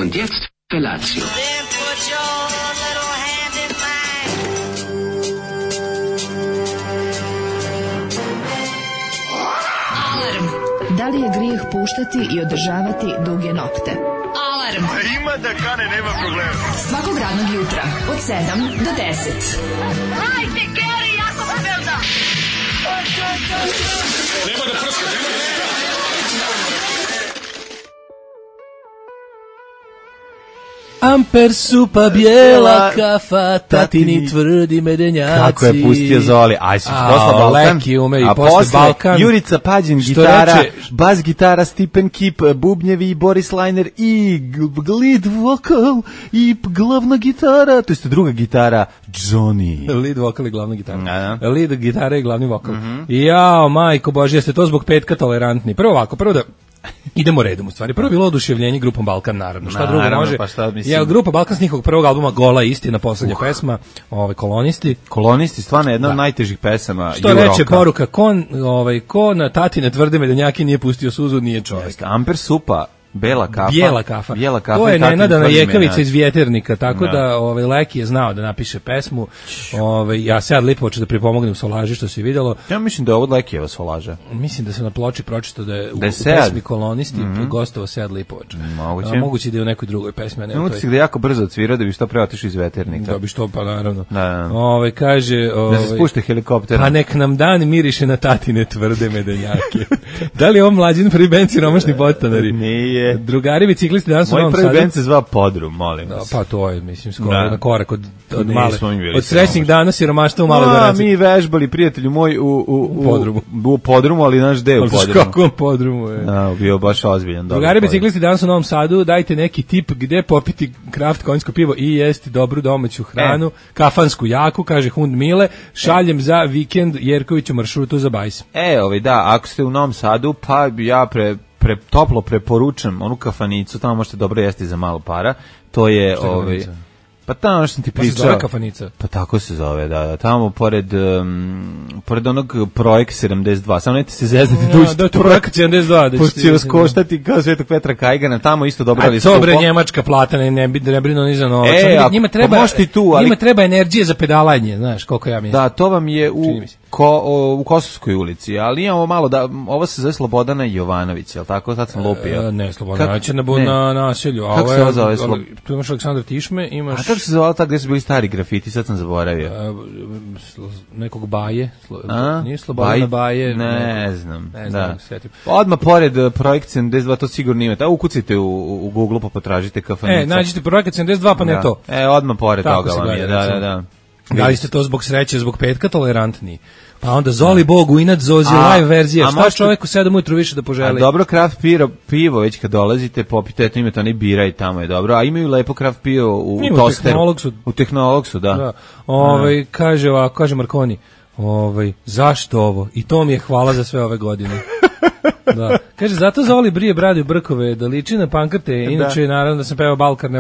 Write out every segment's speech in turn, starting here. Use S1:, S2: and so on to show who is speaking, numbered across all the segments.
S1: Und jetzt Felatio.
S2: Then put your little hand in mine.
S3: Alarm. Da li je grijeh puštati i održavati duge nokte? Alarm.
S4: Ima da kane, nema problema.
S3: Svakog radnog jutra od 7 do 10.
S2: Hajde, Geri, jako se velda.
S4: Nema da prska, nema da prska.
S5: Amper supa, bijela kafa, tatini tvrdi medenjaci.
S6: Kako je pustio Zoli. Aj, si posla Balkan.
S5: Leki ume i
S6: a
S5: posle Balkan.
S6: Jurica Pađin, gitara, bas gitara, Stipen Kip, bubnjevi i Boris Lajner i lead vokal i glavna gitara, to jest druga gitara, Johnny.
S5: Lead vokal i glavna gitara.
S6: Da.
S5: Lead gitara i glavni vokal. Jao, majko Božje, jeste to zbog petka tolerantni. Prvo da idemo redom u stvari. Prvo je bilo oduševljenje grupom Balkan, naravno. Šta drugo može?
S6: Pa šta, mislim...
S5: Ja, grupa Balkan s njihovog prvog albuma Gola istina, poslednja pesma, Kolonisti.
S6: Kolonisti, stvarno jedna od najtežih pesama.
S5: Što reče poruka, ko na tatine tvrde medenjake nije pustio suzu, nije čovjek.
S6: Amper supa, bijela kafa.
S5: Bijela kafa. To je nenadana Jekavica iz Vjeternika, tako da Leki je znao da napiše pesmu. Ja sad lipo hoću da pripomognem solaži, što se vidjelo.
S6: Ja mislim da je ovo Lekijeva solaža.
S5: Mislim da se na ploči pročitao da je u
S6: Sead.
S5: pesmi Kolonisti gostovao Sead Lipovac. Moguće da je u nekoj drugoj pesmi.
S6: Moguće da je jako brzo odsvirao da bi što pre otišao iz Veternika.
S5: Da bi što, pa naravno.
S6: Da.
S5: Kaže...
S6: Da se spušte helikopterom.
S5: Pa nek nam dan miriše na tatine tvrde medenjake. Da li je ovo mlađin prvi band siromašni podstanari?
S6: Nije.
S5: Drugari biciklisti danas u Novom Sadu.
S6: Moj prvi band se zvao Podrum, molim vas.
S5: Pa to je, mislim, skoro na korak od male.
S6: Od
S5: srećnih dana siromaštva u Maloj Goraci.
S6: Mi vežbali, prijatelju moj, u
S5: Podrumu.
S6: U Podrumu, ali naš deo u Podrumu.
S5: Kakvom Podrumu je.
S6: Bio baš ozbiljan.
S5: Drugari biciklisti danas u Novom Sadu, dajte neki tip gde popiti kraft konjsko pivo i jesti dobru domaću hranu, kafansku jaku, kaže Hund Mile, šaljem za vikend Jerkoviću maršrutu za Bajs.
S6: Da, ako ste u Novom Sadu, pa ja toplo preporučam onu kafanicu, tamo možete dobro jesti za malo para. To je pa tamo što sam ti pričao.
S5: Pa se zove kafanica.
S6: Pa tako se zove, da. Tamo pored onog Projekt 72. Samo ne ti se zeznete da uđete.
S5: Da, to Projekt 72.
S6: Pošto će vas koštati kao Svetog Petra Kajgana, tamo isto dobro ali skupo.
S5: A to bre njemačka plata, ne brinu ni za novac. Njima treba energije za pedalanje, znaš, koliko ja mislim.
S6: Da, to vam je u Kosovskoj ulici, ali imamo malo ovo se zove Slobodana Jovanović, je li tako? Sad sam lupio.
S5: Ne, Slobodanović je na naselju.
S6: Kako se zove?
S5: Tu imaš Aleksandra Tišme, imaš...
S6: A kako se zove tako gdje su bili stari grafiti, sad sam zaboravio.
S5: Nekog Baje, nije Slobodana Baje.
S6: Ne znam, odmah pored Projekt 72, to sigurno imate. Ukucite u Google pa potražite kafanicu.
S5: Nađite Projekt 72 pa ne to.
S6: Odmah pored toga vam je, da.
S5: Da li ste to zbog sreće, zbog petka tolerantni? Pa onda Zoli Bogu, inat Zozi, live verzija. Šta čovjeku 7 ujutru više da poželi?
S6: A dobro, kraft pivo, već kad dolazite, popite, eto imate oni bira i tamo je dobro. A imaju lepo kraft pivo u Tosteru. U Tehnologsu, da.
S5: Kaže Marconi, zašto ovo? I to mi je hvala za sve ove godine. Da. Kaže, zato Zoli brije bradu i brkove, da liči na pankrte, inače naravno da sam pevao Balkarne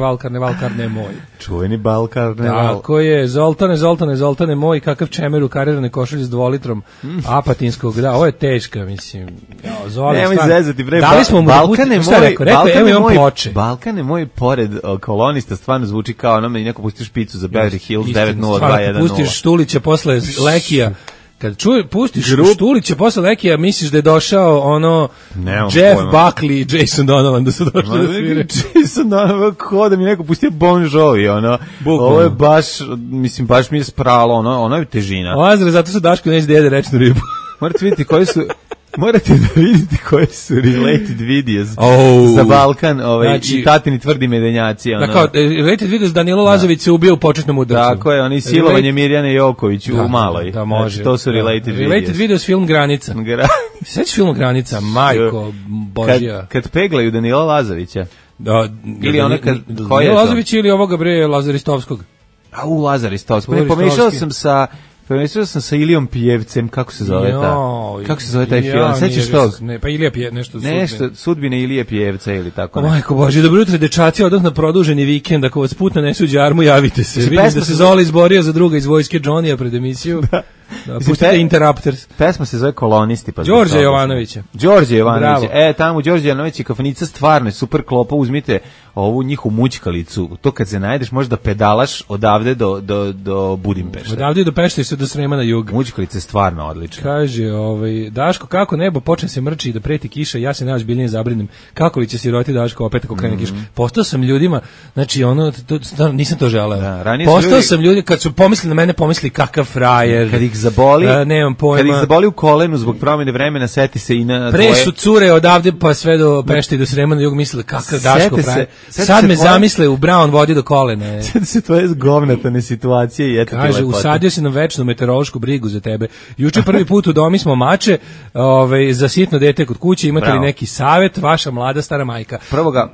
S5: moj.
S6: Čuveni Balkarne.
S5: Tako je, Zoltane moj, kakav čemer u karirane košulje s 2 litrom apatinskog, ovo je teška, mislim.
S6: Nemoj zezati, bre, Balkane moj pored Kolonista stvarno zvuči kao ono me neko pusti špicu za Beverly Hills 90210.
S5: Pustiš Štulića posle Lekija, kad pustiš Štulića posle Lekija, misliš da je došao Jeff Buckley i Jason Donovan da su došli da svire.
S6: Jason Donovan, ko da mi neko pustio Bon Jovi, ovo je baš mi je spralo, ono je težina.
S5: Lazare, zato su Daško neće da jede rečnu ribu.
S6: Morate da vidite koje su related videos za Balkan i tatini tvrdi medenjaci.
S5: Related videos Danilo Lazović se ubio u početnom udarcu.
S6: Tako je, oni silovanje Mirjane Joković u Maloj.
S5: Da, može.
S6: To su related videos.
S5: Related videos film Granica. Sveći film Granica, majko Božja.
S6: Kad peglaju Danila Lazovića.
S5: Ili Danilo Lazović ili ovoga bre Lazaristovskog.
S6: Lazaristovskog. Pomešao sam sa Ilijom Pijevcem, kako se zove taj film? Sećaš to?
S5: Pa Ilija Pijevca, nešto
S6: sudbine Ilije Pijevca ili tako.
S5: Majko Bože, dobro jutro dečaci, odmah na produženi vikend, ako vas put nanese u đarmu, javite se. Vidim da se Zoli izborio za druga iz vojske Johnny-a pred emisiju. Pustite Interrupters.
S6: Pesma se zove Kolonisti.
S5: Đorđe Jovanovića.
S6: Tamo Đorđe Jovanović i kafanica stvarno je super klopa, uzmite ovu njihovu mućkalicu, to kad se najdeš možda pedalaš odavde do Budimpešte.
S5: Odavde do Pešte se do Srema na jug.
S6: Mućkalica je stvarno odlična.
S5: Kaže, Daško, kako nebo počne se mrči i da preti kiša, ja se najozbiljnije zabrinem. Kako li će siroti Daško opet ako krene kiša? Postao sam ljudima, znači nisam to želeo.
S6: Da,
S5: postao sam ljudi, kad su pomislili na mene, pomisli kakav frajer.
S6: Kad ih zaboli,
S5: nemam pojma.
S6: Kad ih zaboli u kolenu zbog promjene vremena, seti se i na
S5: pre su cure odavde pa sve do Pešte i do Srema na jug mislili kakav Daško frajer. Sad me zamisle u brown vodi do kolena.
S6: Sjeti se tvoje govnatane situacije i eto.
S5: Kaže, usadio se na večnu meteorološku brigu za tebe. Juče prvi put u domi smo mače, za sitno dete kod kuće, imate li neki savjet, vaša mlada stara majka?
S6: Prvo ga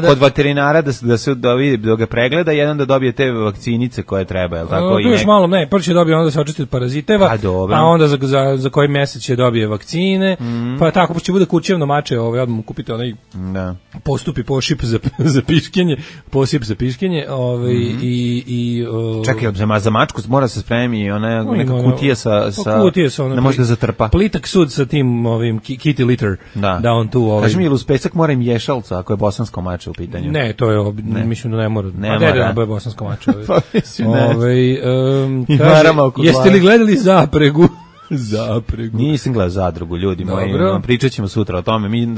S6: kod veterinara da ga pregleda, jedan da dobije te vakcinice koje treba, je li tako?
S5: Tu još malo, prvo će dobije onda da se očisti od paraziteva, pa onda za koji mesec će dobije vakcine, pa tako, pa će bude kućevno mače, odmah mu kupite onaj postupi pošip za piškenje, posip za piškenje,
S6: čekaj, za mačku mora se spremi ona neka kutija sa ne može da zatrpa.
S5: Plitak sud sa tim kitty litter, da on tu...
S6: Kaži mi, ili uz pesak mora im ješalca ako je bosansko mače u pitanju?
S5: Ne, to je, mislim da ne mora. A deda je bosansko mače.
S6: Pa mislim, ne.
S5: Jeste li gledali Zapregu? Zapregu.
S6: Nisam gledao Zadrugu, ljudi moji. Pričat ćemo sutra o tome. Mi,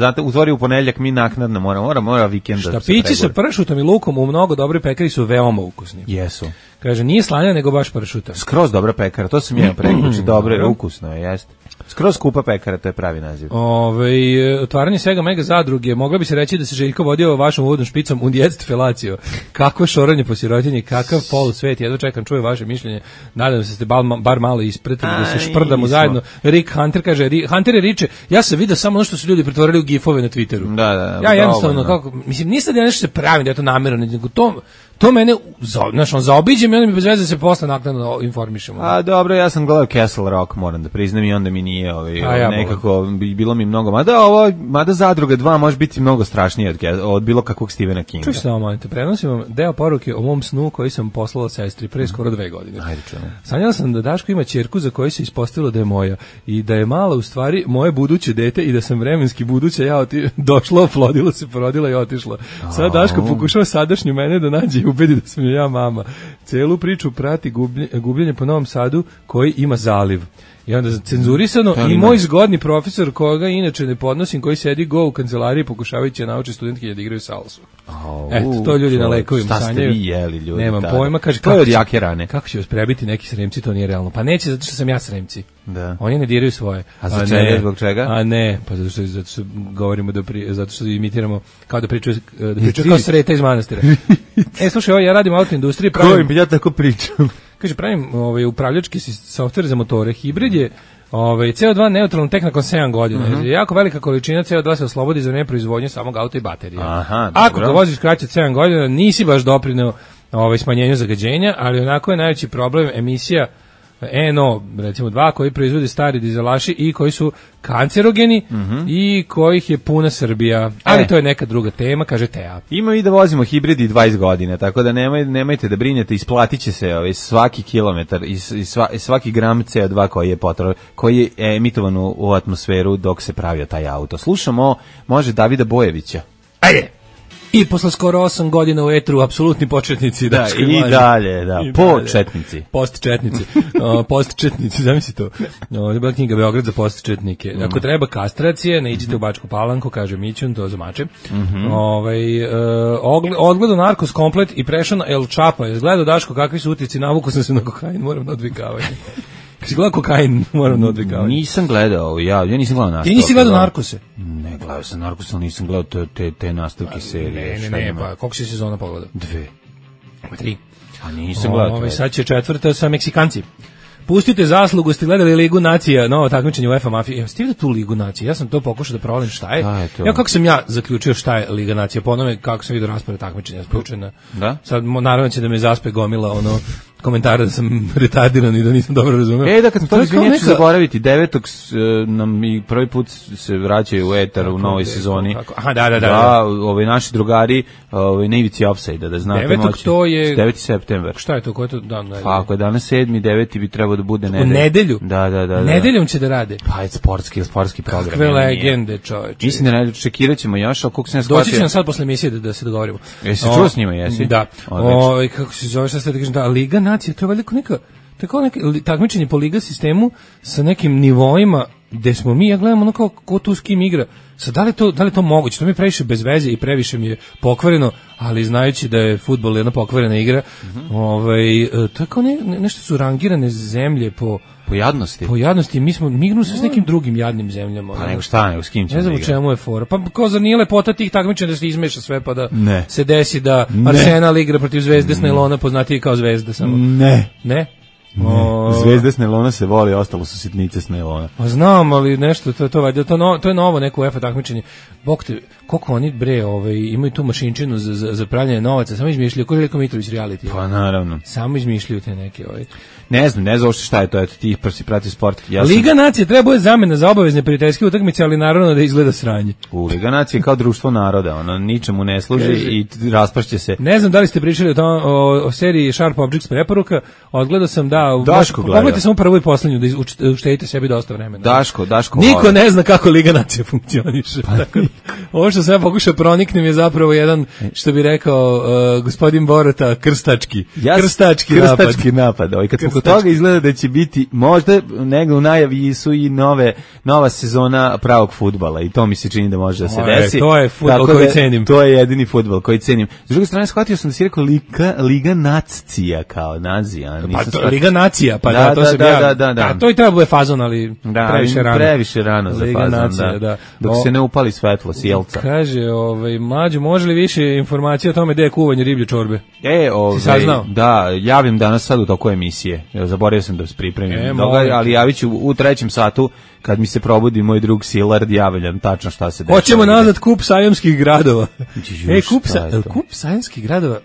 S6: u ponedeljak mi naknadno mora vikenda.
S5: Štapići sa pršutom i lukom u mnogo dobri pekari su veoma ukusni.
S6: Jesu.
S5: Kaže, nije slanja, nego baš pršuta.
S6: Skroz dobra pekara, to sam ja prekriči. Dobro, ukusno je, jeste. Skroz skupa pekara, to je pravi naziv.
S5: Otvaranje svega mega zadruge, mogla bi se reći da se Željko vodio vašom uvodnom špicom und jetzt felacio. Kakvo šoranje po sirotinji, kakav polu svet, jedva čekam, čuje vaše mišljenje. Nadam se ste bar malo ispretili da se šprdamo zajedno. Rick Hunter kaže, Hunter je riče, ja sam vidio samo ono što su ljudi pretvorili u gifove na Twitteru.
S6: Da.
S5: Ja jednostavno, kako, mislim, niste da nešto se pravi, da je to namjerno, nego to mene, zaobiđem i onda mi bez veze se posle naknadno informišemo.
S6: A dobro, ja sam gledao Castle Rock, moram da priznam, i onda mi nije nekako, bilo mi mnogo, mada Zadruga 2 može biti mnogo strašnije od bilo kakvog Stephena Kinga.
S5: Čuš samo, molite, prenosim vam deo poruke o mom snu koji sam poslala sestri pre skoro 2 godine.
S6: Ajde, čemu.
S5: Sanjala sam da Daško ima ćerku za koju se ispostavilo da je moja i da je mala u stvari moje buduće dete i da sam vremenski buduća došla, oplodila se, porodila i otišla. Sad Daško pokušava sadašnju mene da nađe i ubedi da sam ja mama. Celu priču prati gubljenje po Novom Sadu koji ima zaliv. I onda cenzurisano i moj zgodni profesor koga inače ne podnosim, koji sedi u kancelariji pokušavajući da nauči studentke da igraju salsu. Eto, to ljudi na lekovima sanjaju.
S6: Šta ste vi jeli, ljudi?
S5: Nemam pojma, kaže,
S6: to je od jake rane.
S5: Kako će vas prebiti neki Sremci, to nije realno. Pa neće, zato što sam ja Sremci.
S6: Da.
S5: Oni ne diraju svoje.
S6: A za čega, zbog čega?
S5: A ne, pa zato što govorimo zato što imitiramo kao da pričaju kao Sreta iz manastira. Slušaj, ja radim u autoindustriji,
S6: pravim, ja tako pričam.
S5: Kaže, pravim upravljački softver za motore, hibrid je CO2 neutralno tek nakon 7 godina. Jako velika količina CO2 se oslobodi za vreme proizvodnje samog auta i baterije. Ako ga voziš kraće od 7 godina, nisi baš doprineo smanjenju zagađenja, ali onako je najveći problem emisija NO, recimo 2, koji proizvode stari dizelaši i koji su kancerogeni i kojih je puna Srbija. Ali to je neka druga tema, kaže Teja.
S6: Ima i da vozimo hibridi 20 godina, tako da nemojte da brinete, isplatit će se svaki kilometar i svaki gram CO2 koji je emitovan u atmosferu dok se pravio taj auto. Slušamo, može Davida Bojevića.
S5: Ajde! I posle skoro 8 godina u etru, apsolutni početnici.
S6: Da, i dalje, početnici.
S5: Postčetnici, zamisli to. Ovo je bila knjiga Beograd za postčetnike. Ako treba kastracije, ne idite u Bačku Palanku, kaže Mićun, to za mače. Odgledao Narkos komplet i prešao na El Chapo. Gledao Daško kakvi su utici, navuku sam se na kokain, moram na odvikavanje. Kad si gledao kokain, moram na odvikavanje.
S6: Nisam gledao, ja nisam gledao nastavke.
S5: Ti nisi gledao Narkose?
S6: Ne, gledao sam Narkose, ali nisam gledao te nastavke serije.
S5: Ne, pa koliko si sezona pogledao?
S6: 2.
S5: 3.
S6: A nisam gledao.
S5: Sad će 4. sa Meksikanci. Pustite zaslugu, ste gledali Ligu nacija, novo takmičenje UEFA mafije. Ste vidjeli tu Ligu nacija? Ja sam to pokušao da provalim šta je. Ja kako sam zaključio šta je Liga nacija, po onome kako sam vidio raspored takmičenja, spručena.
S6: Da?
S5: Sad naravno će da me zaspe gomila komentara da sam retardiran i da nisam dobro razumeo.
S6: Da kad smo to izvinjači zaboraviti, 9. nam i prvi put se vraćaju u etar u novoj sezoni.
S5: Aha, da.
S6: Naši drugari na ivici ofsajda, da znate
S5: 9. to je
S6: 9. septembar.
S5: Šta je to, koji je to dan?
S6: Pa ako je danas 7. 9. bi trebao da bude nedelja.
S5: U nedelju?
S6: Da.
S5: Nedeljom će da rade.
S6: Pa je sportski program.
S5: Kakve legende, čoveče.
S6: Mislim da čekirat ćemo još, ali koliko se ne shvatio.
S5: Doći ćemo sad posle emisije da se dogovorimo.
S6: Jesi čuo s njima, jesi?
S5: Da. Kako se zove, šta ste da kažem, da, Liga nacija, to je veliko tako neke takmičenje po liga sistemu sa nekim nivoima gde smo mi, ja gledam ono kao ko tu s kim igra. Sad, da li to moguće? To mi je previše bez veze i previše mi je pokvareno, ali znajući da je fudbal jedna pokvarena igra, to je kao nešto su rangirane zemlje po
S6: jadnosti.
S5: Po jadnosti, mi igramo s nekim drugim jadnim zemljama.
S6: Pa nego šta, nego s kim ćemo.
S5: Ne znam u čemu je fora. Pa kao zar nije lepota tih takmičenja da se izmeša sve pa da se desi da Arsenal igra protiv Zvezde s Nailona, poznatiji kao Zvezda samo. Ne?
S6: Zvezde s Nailona se voli, ostalo su sitnice s Nailona.
S5: Pa znam, ali nešto, to je novo neko UEFA takmičenje. Bog te, koliko oni imaju tu mašinčinu za pravljanje novaca, samo izmišljaju, ko je Veliko Mitrović reality.
S6: Pa naravno.
S5: Samo izmišljaju te neke
S6: Ne znam uopšte šta je to, eto ti prsi prati sport.
S5: Liga nacije treba je zamena za obavezne prijateljske utakmice, ali naravno da izgleda sranje.
S6: Liga nacije kao društvo naroda, ono ničemu ne služi i raspašće se.
S5: Ne znam da li ste pričali o seriji Sharp Objects preporuka, odgledao sam pogledajte samo prvo i poslednju da uštedite sebi dosta vremena.
S6: Daško.
S5: Niko ne zna kako Liga nacije funkcioniše. Tako, ovo što sam ja pokušao proniknem je zapravo jedan, što bi rekao gospodin Borota, krstački
S6: napad. Kad smo kod toga izgleda da će biti, možda negdje u najavi su i nova sezona pravog fudbala i to mi se čini da može da se desi.
S5: To je fudbal koji cenim.
S6: To je jedini fudbal koji cenim. S druge strane, shvatio sam da si rekao Liga nacija kao nazija.
S5: Liga nacija, pa to se da. To i treba bude fazon, ali
S6: previše rano za fazon, da. Dok se ne upali svetlo sjelca.
S5: Kaže, mlađo, može li više informacija o tome gde je kuvanje riblje čorbe? Si saznao?
S6: Da, javim danas sad u toku emisije. Zaboravio sam da se pripremim, ali javit ću u 3. satu kad mi se probudi moj drug Silard, javljam tačno šta se dešava.
S5: Hoćemo nazad kup sajamskih gradova. Kup sajamskih gradova.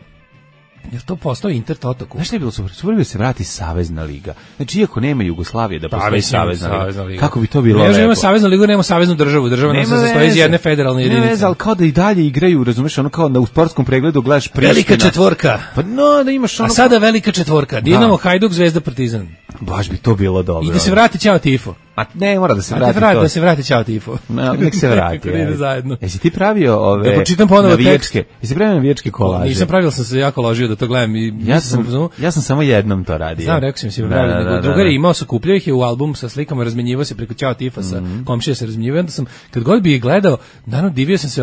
S5: Je to postao Intertoto kup?
S6: Znaš šta je bilo super? Super bi se vrati Savezna liga. Znači, iako nema Jugoslavije da postoji Savezna liga. Kako bi to bilo lepo?
S5: Nema Savezna liga, nema Saveznu državu. Država nam se sastoji iz jedne federalne jedinice.
S6: Ne, ali kao da i dalje igraju, razumeš, ono kao da u sportskom pregledu gledaš Priština.
S5: Velika četvorka.
S6: Pa da imaš ono...
S5: A sada velika četvorka. Dinamo, Hajduk, Zvezda, Partizan.
S6: Baš bi to bilo dobro.
S5: I da se vrati Ćao Tifo.
S6: A ne, mora da se vrati to.
S5: Da se vrati Ćao Tifo.
S6: Nek se vrati. Jesi ti pravio ove navijačke? Jesi pravio navijačke kolaže?
S5: Nisam pravio, sam se jako ložio da to gledam.
S6: Ja sam samo jednom to radio.
S5: Znam, rekao sam si pravio. Drugari imao su, kupljao ih je u album sa slikama, razmenjivao se preko Ćao Tifa sa komšija se razmenjivao. Onda sam, kad god bi ih gledao, naravno divio sam se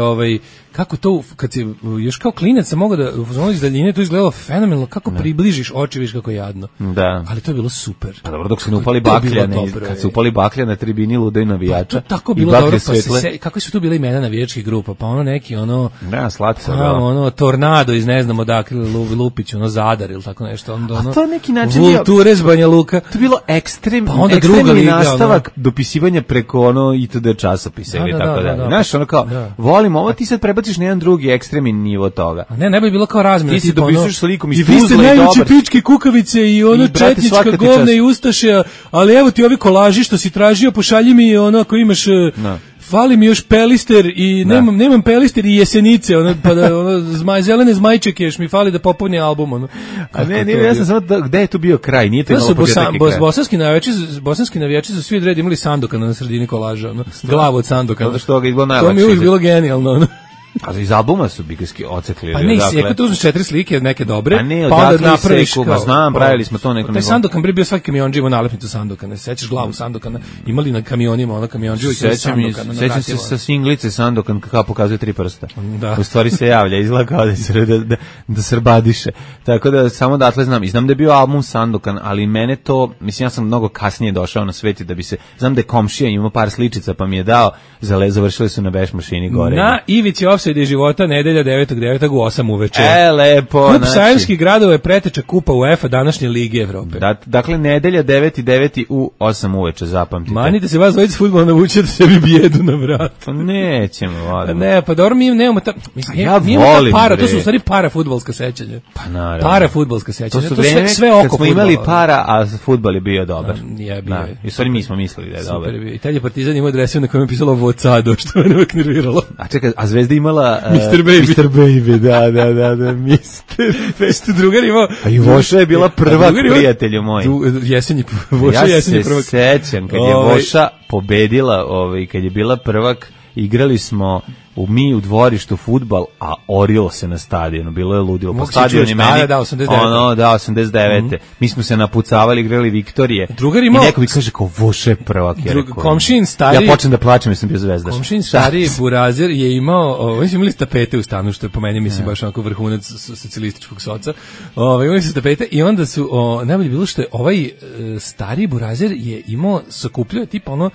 S5: kako to, kad si još kao klinac sam mogao da u iz daljine to izgledalo fenomenalno, kako približiš oči, viš kako je jadno.
S6: Da.
S5: Ali to je bilo super.
S6: Pa dobro, dok se ne upali bakljane, kad se upali baklja na tribini lude navijača.
S5: Tako bilo dobro, kako su tu bile imena navijačkih grupa, pa ono neki
S6: slatko,
S5: Tornado iz ne znam odakle, Lupić, Zadar ili tako nešto.
S6: A to neki način
S5: Vulture iz Banja Luka.
S6: To je bilo ekstremni nastavak dopisivanja preko itd. časopisa ili tako dalje. Znaš, volim ovo, ti sad prebaciš na jedan drugi ekstremni nivo toga.
S5: Ne bi bilo kao razmjena.
S6: Ti se dopisuješ s likom iz
S5: Tuzle i dobar. I vi ste najveće pičke kukavice i četnička govna i ustaše, ali evo ti ovi kolaži što si tražio, pošalji mi ako imaš... Fali mi još Pelister i nemam Pelister i Jesenice, pa da zelene zmajčeke još mi fali da popuni album.
S6: A ne, ja sam samo gde je tu bio kraj, nije to imalo početak i kraj.
S5: Bosanski navijači su svi od reda imali Sandokana na sredini kolaža, glavu od Sandokana.
S6: To mi
S5: je uvijek bilo genijalno,
S6: A iz albuma su bigarski ocekli.
S5: Pa ne, dakle, tu uzmeš 4 slike, neke dobre,
S6: pa ne,
S5: pa onda napraviš
S6: kao... Znam, pravili smo to neko...
S5: Taj Sandokan bio svaki kamionđi ima nalepnicu Sandokana, sećaš glavu Sandokana, imali na kamionima, kamionđi uvijek ima Sandokana.
S6: Sećam se sa singlice Sandokan kako pokazuje 3 prsta.
S5: Da.
S6: U stvari se javlja, izgleda kao da srbadiše. Tako da, samo datle znam. I znam da je bio album Sandokan, ali mene to, mislim, ja sam mnogo kasnije došao na sveti da bi se... Znam da je komšija imao par sličica, pa mi je dao, završili su na beš mašini gore.
S5: Na ivici Offside života, nedelja 9.9. u 8 uveče.
S6: Lepo.
S5: Kup sajamskih gradova je preteča kupa UEFA današnje Lige Evrope.
S6: Dakle, nedelja 9.9. u 8 uveče, zapamtite.
S5: Manite se vas dvojica fudbala navučete sebi bijedu na vrat.
S6: Pa nećemo, volim.
S5: Ne, pa dobro, mi nemamo ta...
S6: Ja
S5: volim,
S6: para,
S5: to su u stvari para fudbalska sećanja.
S6: Pa naravno.
S5: Para fudbalska sećanja.
S6: To su vreme
S5: sve oko
S6: kad smo imali para, a fudbal je bio dobar.
S5: Je bio.
S6: I u stvari mi smo mislili da je dobar.
S5: Super bio. Italija Partizan ima adresu na kojem je pisalo Vocado, što me uvek nerviralo.
S6: A čekaj, a Zvezda imala...
S5: Mr. Baby.
S6: Mr. Baby, da, Mr.
S5: Baby. Drugar imao...
S6: A i Voša je bila prvak, prijatelju moj.
S5: Voša jesenji prvak.
S6: Ja se sećam, kad je Voša pobedila, kad je bila prvak, igrali smo u dvorištu fudbal, a orilo se na stadionu, bilo je ludilo. Po stadionu je meni, 89. Mi smo se napucavali, igrali Viktorije. I neko mi kaže kao Voša je prvak.
S5: Komšin stari...
S6: Ja počnem da plačem jer sam bio zvezdaš.
S5: Komšin stari Burazir je imao, oni su imali tapete u stanu, što je po meni, mislim, baš onako vrhunac socijalističkog soca. Imali su tapete i onda su, najbolje bilo što je ovaj stari Burazir je imao, sakupljao tipa ono,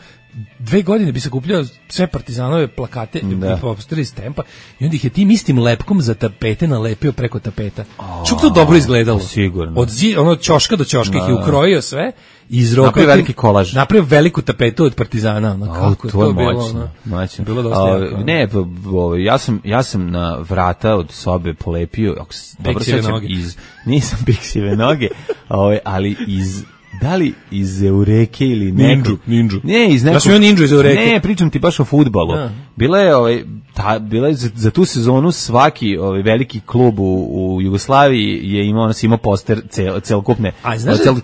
S5: 2 godine bi se kupljao sve Partizanove plakate i posteri iz Tempa i onda ih je tim istim lepkom za tapete nalepio preko tapeta. Što to dobro izgledalo?
S6: Sigurno.
S5: Od ćoška do ćoška ih je ukrojio sve i izrokao.
S6: Napravio veliki kolaž.
S5: Napravio veliku tapetu od Partizana. Kako
S6: to je
S5: bilo? Bilo dosta jako.
S6: Ne, ja sam na vrata od sobe polepio, dobro sećam, nisam Bixive noge, ali da li iz Eureke ili nekog...
S5: Ninđu.
S6: Ne, iz nekog...
S5: Ja sam imao Ninđu iz Eureke.
S6: Ne, pričam ti baš o fudbalu. Bila je, za tu sezonu svaki veliki klub u Jugoslaviji je imao poster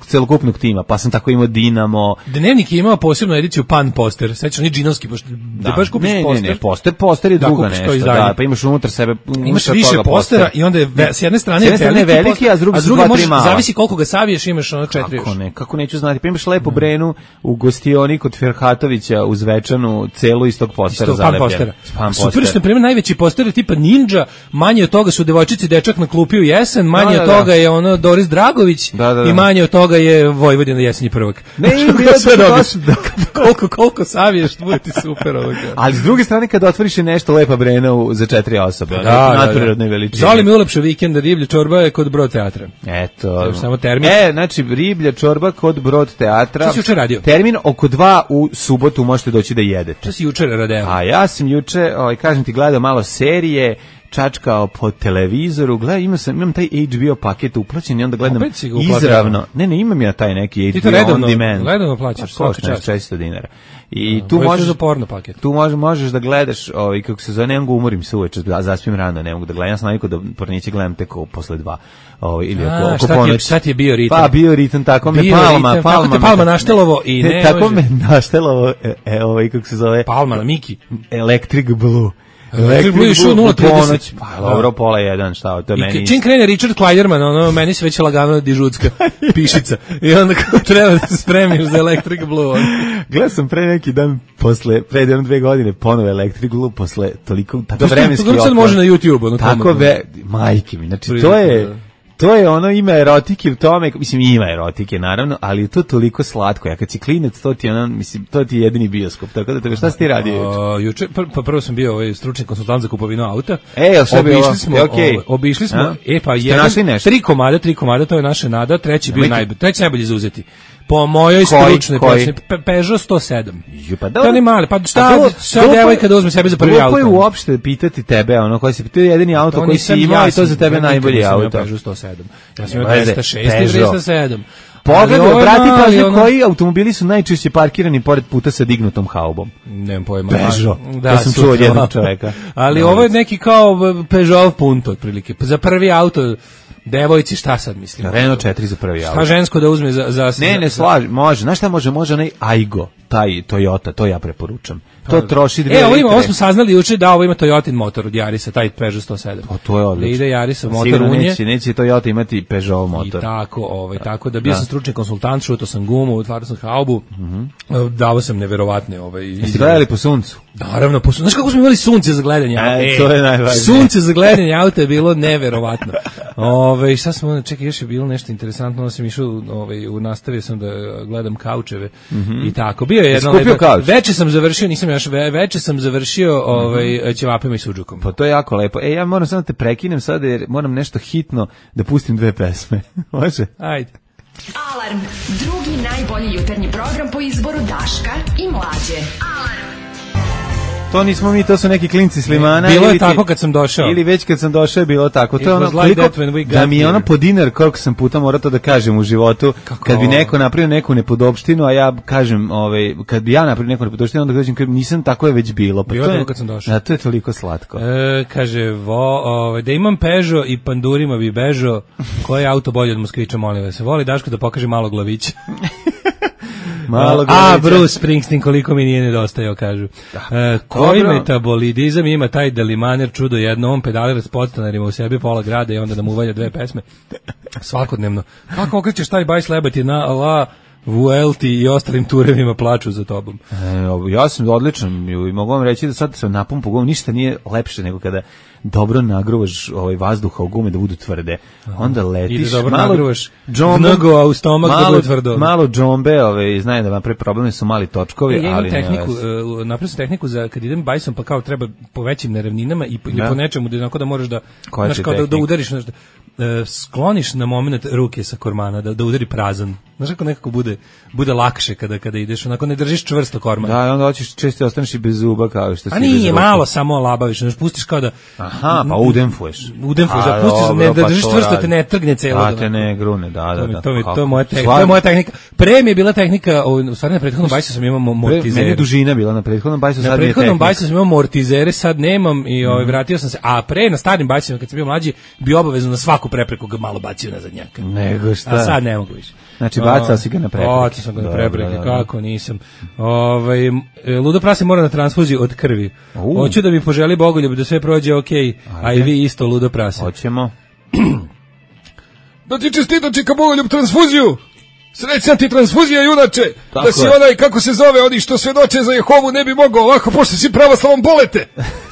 S6: celokupnog tima, pa sam tako imao Dinamo.
S5: Dnevnik je imao posebnu ediciju Pan poster, sećaš, oni džinovski, da baš kupiš poster.
S6: Ne, poster je druga nešto, pa imaš unutar sebe...
S5: Imaš više postera i onda je s jedne strane
S6: je veliki, a s druge su 2-3 mala.
S5: Zavisi koliko ga saviješ, imaš 4 još.
S6: Kako neću znati, pa imaš lepo Brenu u gostioni kod Ferhatovića uz Večanu, celu iz tog postera zalepljena.
S5: Super što, na primjer, najveći poster je tipa Ninja, manje od toga su devojčice i dečak na klupi u jesen, manje od toga je Doris Dragović i manje od toga je Vojvodina jesenji prvak.
S6: Ne, bilo sve
S5: koliko saviješ, bude ti super ovoga.
S6: Ali s druge strane, kad otvoriš je nešto lepa Brena za 4 osobe, nadprirodne veličine.
S5: Zoli mi ulepše vikenda, riblja čorba je kod Brod teatra.
S6: Eto.
S5: Samo termin.
S6: Znači, riblja čorba kod Brod teatra.
S5: Što si jučer radio?
S6: Termin oko 2 u subotu možete doći da jedete.
S5: Što si jučer radio?
S6: A ja sam juče, kažem ti, gledao malo serije, čačkao po televizoru, imam taj HBO paket uplaćen i onda gledam izravno. Ne, imam ja taj neki HBO on demand.
S5: Ti to redovno plaćaš, svaka čast.
S6: $400. I tu možeš
S5: za porno paket.
S6: Tu možeš da gledaš, kako se zove, ne mogu umorim se uveče, zaspim rano, ne mogu da gledam. Ja sam navikao da porniće gledam tek posle 2. Ili oko ponoći.
S5: Šta ti je bio ritam?
S6: Pa bio ritam, tako me
S5: Palma naštelovo i ne.
S6: Tako me naštelovo, kako se zove?
S5: Palma na Miki.
S6: Electric Blue.
S5: Electric Blue išao 0:30.
S6: Pa dobro, 12:30, šta, to meni...
S5: Čim krene Richard Kleiderman, meni se već lagano dižutska pišica. I onda kao treba da se spremiš za Electric Blue.
S6: Gledao sam pre neki dan, pre 2 godine, ponovo Electric Blue, posle toliko, tako vremenski
S5: otpor. To sad može na YouTube.
S6: Tako majke mi, znači to je ono, ima erotike u tome, mislim ima erotike naravno, ali je to toliko slatko. Ja kad si klinac, to ti je jedini bioskop. Tako da šta si ti radio
S5: juče? Prvo sam bio stručni konsultant za kupovinu auta. Obišli smo, pa jedan, 3 komada, to je naša nada, treći najbolji za uzeti. Po mojoj stručnoj proceni, Peugeot 107. To ne mali, pa šta devojka da uzme sebi za prvi auto?
S6: Glupo je uopšte pitati tebe, koji si pitao jedini auto koji si imao i to za tebe najbolji auto.
S5: Peugeot 107. Ja sam imao 206 i 207.
S6: Pogledaj, brati, pažnju, koji automobili su najčešće parkirani pored puta sa dignutom haubom?
S5: Nemam pojma.
S6: Peugeot. To sam čuo od jednog čoveka.
S5: Ali ovo je neki kao Peugeot Punto, otprilike. Za prvi auto... Devojci, šta sad mislim?
S6: Renault 4 za prvi auto.
S5: Šta žensko da uzme za...
S6: Ne slaži, može. Znaš šta može onaj Aygo, taj Toyota, to ja preporučam. To troši 2 litre.
S5: Ovo smo saznali juče da ovo ima Toyotin motor od Yarisa, taj Peugeot 107.
S6: To je odlično.
S5: Da ide Yarisov motor unje.
S6: Neće Toyota imati Peugeot motor.
S5: I tako da bio sam stručni konsultant, šutao sam gumu, otvarao sam haubu, davo sam neverovatne
S6: Jeste gledali po suncu?
S5: Naravno, po suncu. Znaš kako smo imali sunce za gledanje auta?
S6: To je najvažnije.
S5: Sunce za gledanje auta je bilo neverovatno. Šta smo, čekaj, još je bilo nešto interesantno, sam išao, nastavio sam da gledam kaučeve i tako. Bio je jedno lepo. Veče sam završio, nisam još, veče sam završio ćevapima i sudžukom.
S6: Pa to je jako lepo. Ja moram samo da te prekinem sada jer moram nešto hitno da pustim 2 pesme. Može?
S5: Ajde.
S3: Alarm, drugi najbolji jutarnji program po izboru Daška i Mlađe. Alarm.
S6: To nismo mi, to su neki klinci s Limana.
S5: Bilo je tako kad sam došao.
S6: Ili već kad sam došao je bilo tako. To je ono
S5: like
S6: da mi je ono po dinar koliko sam puta morao to da kažem u životu. Kako? Kad bi neko napravio neku nepodopštinu, a ja kažem, kad bi ja napravio neku nepodopštinu, onda kažem nisam, tako je već bilo. Pa
S5: bilo
S6: to je
S5: kad sam došao.
S6: Da, to je toliko slatko.
S5: Kaže, da imam Peugeot i pandurima bi bežao, koji je auto bolje od Moskvića, molim vas. Voli Daško da pokaže malo glavića. Bruce Springsteen, koliko mi nije nedostajao, kažu. Koji metabolidizam ima taj Delimaner, čudo jedno, on pedalira s podstanarima u sebi pola grada i onda da mu uvalja 2 pesme svakodnevno. Kako okrećeš taj bajs lebati na La Vuelti i ostalim turevima plaču za tobom?
S6: Ja sam odličan i mogu vam reći da sad sam napun po gumu, ništa nije lepše nego kada dobro nagruvaš vazduha u gume da budu tvrde. Onda letiš.
S5: I da dobro nagruvaš vnogo u stomak da bude tvrdo.
S6: Malo džombe, znaju da napravi problemi su mali točkovi,
S5: ali imam tehniku, napravim tehniku za kad idem bajsom pa kao treba po većim neravninama i po nečemu da moraš da, da udariš nešto. Skloniš na moment ruke sa kormana da udari prazan. Znaš kako nekako bude lakše kada ideš, onako ne držiš čvrsto korman.
S6: Da, onda hoćeš često ostaneš i bez zuba kao što si.
S5: A nije malo samo labaviš, znači pustiš kao da
S6: pa udemfuješ.
S5: Udemfuješ, da pustiš da držiš čvrsto, te ne trgne celo.
S6: Da te ne grune, da.
S5: To je moja tehnika. Pre mi je bila tehnika, u stvari na prethodnom bajsu sam imao mortizere.
S6: Meni dužina bila na prethodnom bajsu, sad nije tehnika. Na prethodnom bajsu
S5: sam imao mortizere, sad nemam i vratio sam se. A pre na starim bajsima kad sam bio mlađi bi obavezno na svaku prepreku ga malo bacio na zadnjaka.
S6: Nego šta?
S5: A sad ne mogu više.
S6: Znači bacao si ga na prepreke.
S5: Bacao sam ga na prepreke, kako nisam. Ludo prase mora na transfuziju od krvi. Hoću da mi poželi Bogoljub da sve prođe okej, a i vi isto Ludo prase.
S6: Hoćemo.
S1: Da ti čestitam čeka Bogoljub transfuziju. Srećna ti transfuzija, junače.
S6: Tako
S1: da si onaj, kako se zove, oni što svedoče za Jehovu ne bi mogao ovako, pošto si pravoslavom bolete.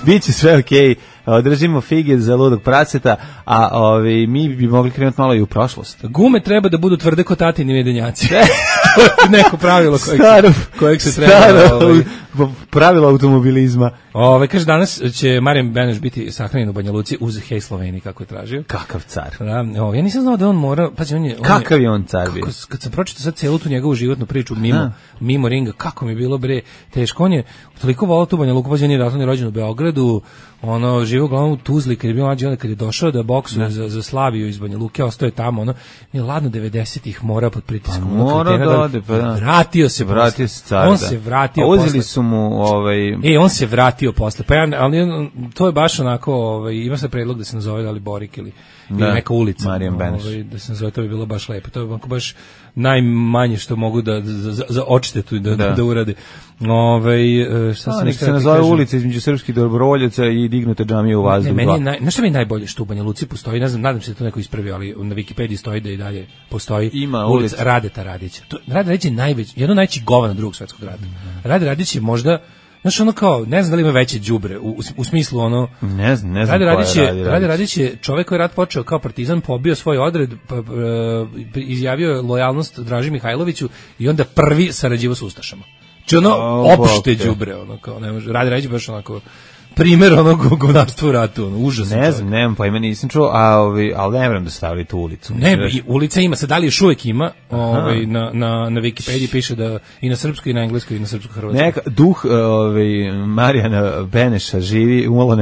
S6: Biće sve okej. Držimo fige za Ludog praseta, a mi bi mogli krenuti malo i u prošlost.
S5: Gume treba da budu tvrde ko tatini medenjaci. Neko pravilo kojeg se treba...
S6: Pravilo automobilizma.
S5: Kaže, danas će Marijan Beneš biti sahranjen u Banja Luci uz Hej Sloveniji, kako je tražio.
S6: Kakav car.
S5: Ja nisam znao da on mora...
S6: Kakav je on car bio?
S5: Kad sam pročitao sad celu tu njegovu životnu priču mimo ringa, kako mi je bilo teško. On je toliko volao tu Banja Luku, pa on je rođen u Beogradu, živo uglavnom u Tuzli, kad je bio mlađi, kad je došao da boksuje za Slaviju iz Banja Luke, ostao je tamo, je ladno 90-ih morao pod pritiskom.
S6: Mora da ode, pa da.
S5: Vratio se car,
S6: on se vratio posle. Uzeli su mu
S5: on se vratio posle, ali to je baš onako, ima se predlog da se nazove da li Borik ili neka ulica.
S6: Marijan Beneš.
S5: Da se nazove, to bi bilo baš lepo. To je baš najmanje što mogu da za odštetu da urade. Šta sam
S6: se nazove ulica između srpskih dobrovoljaca i dignute džamije u vazduh.
S5: Znaš šta mi je najbolje što u Banja Luci postoji, ne znam, nadam se da to neko ispravio, ali na Wikipediji stoji da i dalje postoji ulica Radeta Radića. Rade Radić je jedno najveći govana Drugog svjetskog rata. Rade Radić je možda, znaš, kao, ne znam da li ima veće đubre, u smislu
S6: ne znam
S5: Rade Radić je čovjek koji je rat počeo kao partizan, pobio svoj odred, izjavio lojalnost Draži Mihajloviću i onda prvi sarađivao s ustašama. Znači opšte đubre, kao, ne može, Rade Radić baš onako primjer govnarstva u ratu, užasno.
S6: Ne znam, nemam pojma, nisam čuo, ali ne vjerujem da stavili tu ulicu.
S5: Ne, ulica ima, sad da li još uvijek ima, na Wikipediji piše da i na srpskoj i na engleskoj i na srpsko-hrvatskoj.
S6: Neka duh Marijana Beneša živi, umalo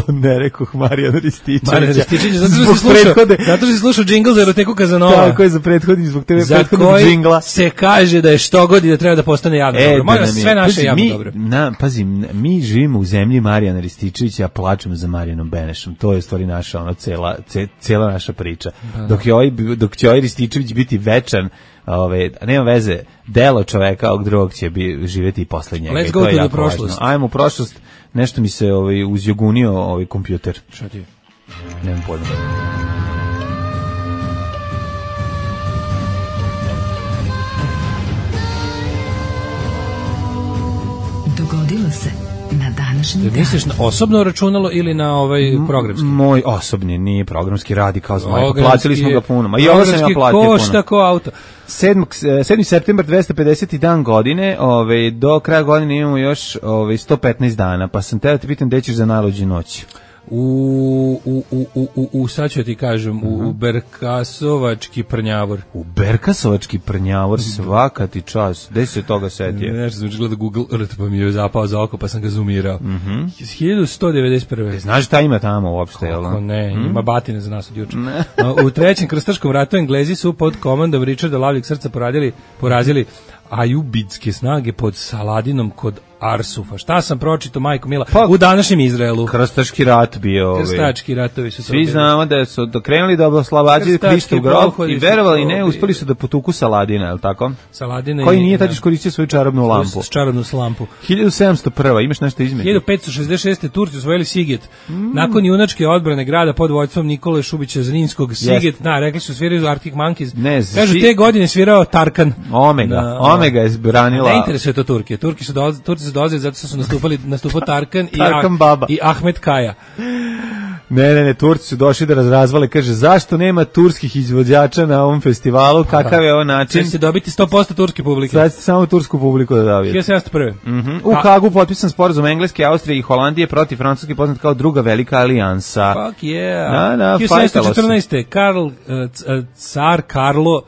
S6: ne rekoh Marijana Rističevića.
S5: Marijana Rističevića, zato što si slušao džingl za Eroteku Kazanova.
S6: Tako je, za prethodni, zbog tebe prethodnog džingla.
S5: Za koji se kaže da je što god i da treba da postane javno dobro. Moja sve naše javno dobro.
S6: Pazi, mi živimo u zemlji Marijana Rističevića, plačemo za Marijanom Benešom. To je stvari naša, cela naša priča. Dok će ovaj Rističević biti večan, nema veze, delo čoveka ovog drugog će živjeti i posle njega.
S5: Let's go to the prošlost.
S6: Ajmo u prošlost, nešto mi se uzjogunio kompjuter.
S5: Šta ti je?
S6: Nemam pojma.
S3: Dogodilo se na dan današnji dan.
S5: Misliš na osobno računalo ili na programski?
S6: Moj osobni, nije programski, radi kao Zmajko.
S5: Programski
S6: Platili smo ga puno. Ma i ovo sam ja platio puno.
S5: Košta ko auto.
S6: 7. septembar 250. dan godine, do kraja godine imamo još 115 dana, pa sam teo te pitam gde ćeš za najluđu noć.
S5: Sad ću ti kažem, u Berkasovački prnjavor.
S6: U Berkasovački prnjavor, svaka ti čas. Gde se toga setio?
S5: Nešto sam gledao Google Earth, pa mi je zapao za oko, pa sam ga zoomirao. 1191.
S6: Znaš šta ima tamo uopšte, jel?
S5: Kako ne, ima batine za nas od juče. U trećem krstaškom ratu Englezi su pod komandom Richarda Lavljeg srca porazili ajubidske snage pod Saladinom kod Arsufa. Šta sam pročitao, majko mila, u današnjem Izraelu?
S6: Krstaški rat bio.
S5: Krstački ratovi su to.
S6: Svi znamo da su krenuli da oslobađaju Kristov grob i verovali ne, uspeli su da potuku Saladina, je li tako?
S5: Saladina
S6: koji nije tad iskoristio svoju čarobnu lampu.
S5: Čarobnu lampu.
S6: 1701. Imaš nešto između?
S5: 1566. Turci osvojili Siget. Nakon junačke odbrane grada pod vođstvom Nikole Šubića Zrinskog, Siget, rekli su sviraju Arctic Monkeys. Kažu te godine svirao Tarkan.
S6: Omega je branila.
S5: Ne interesuje to Turke. Turci su dolazili zato što su nastupao Tarkan i Ahmet Kaja.
S6: Ne, Turci su došli da razvale, kaže, zašto nema turskih izvođača na ovom festivalu, kakav je ovo način?
S5: Sad ćete dobiti 100% turske publike.
S6: Sad ćete samo tursku publiku da dobijete.
S5: 1701.
S6: U Hagu potpisan sporazum Engleske, Austrije i Holandije protiv Francuske, poznat kao druga velika alijansa.
S5: Fuck yeah. 1714. Car Karlo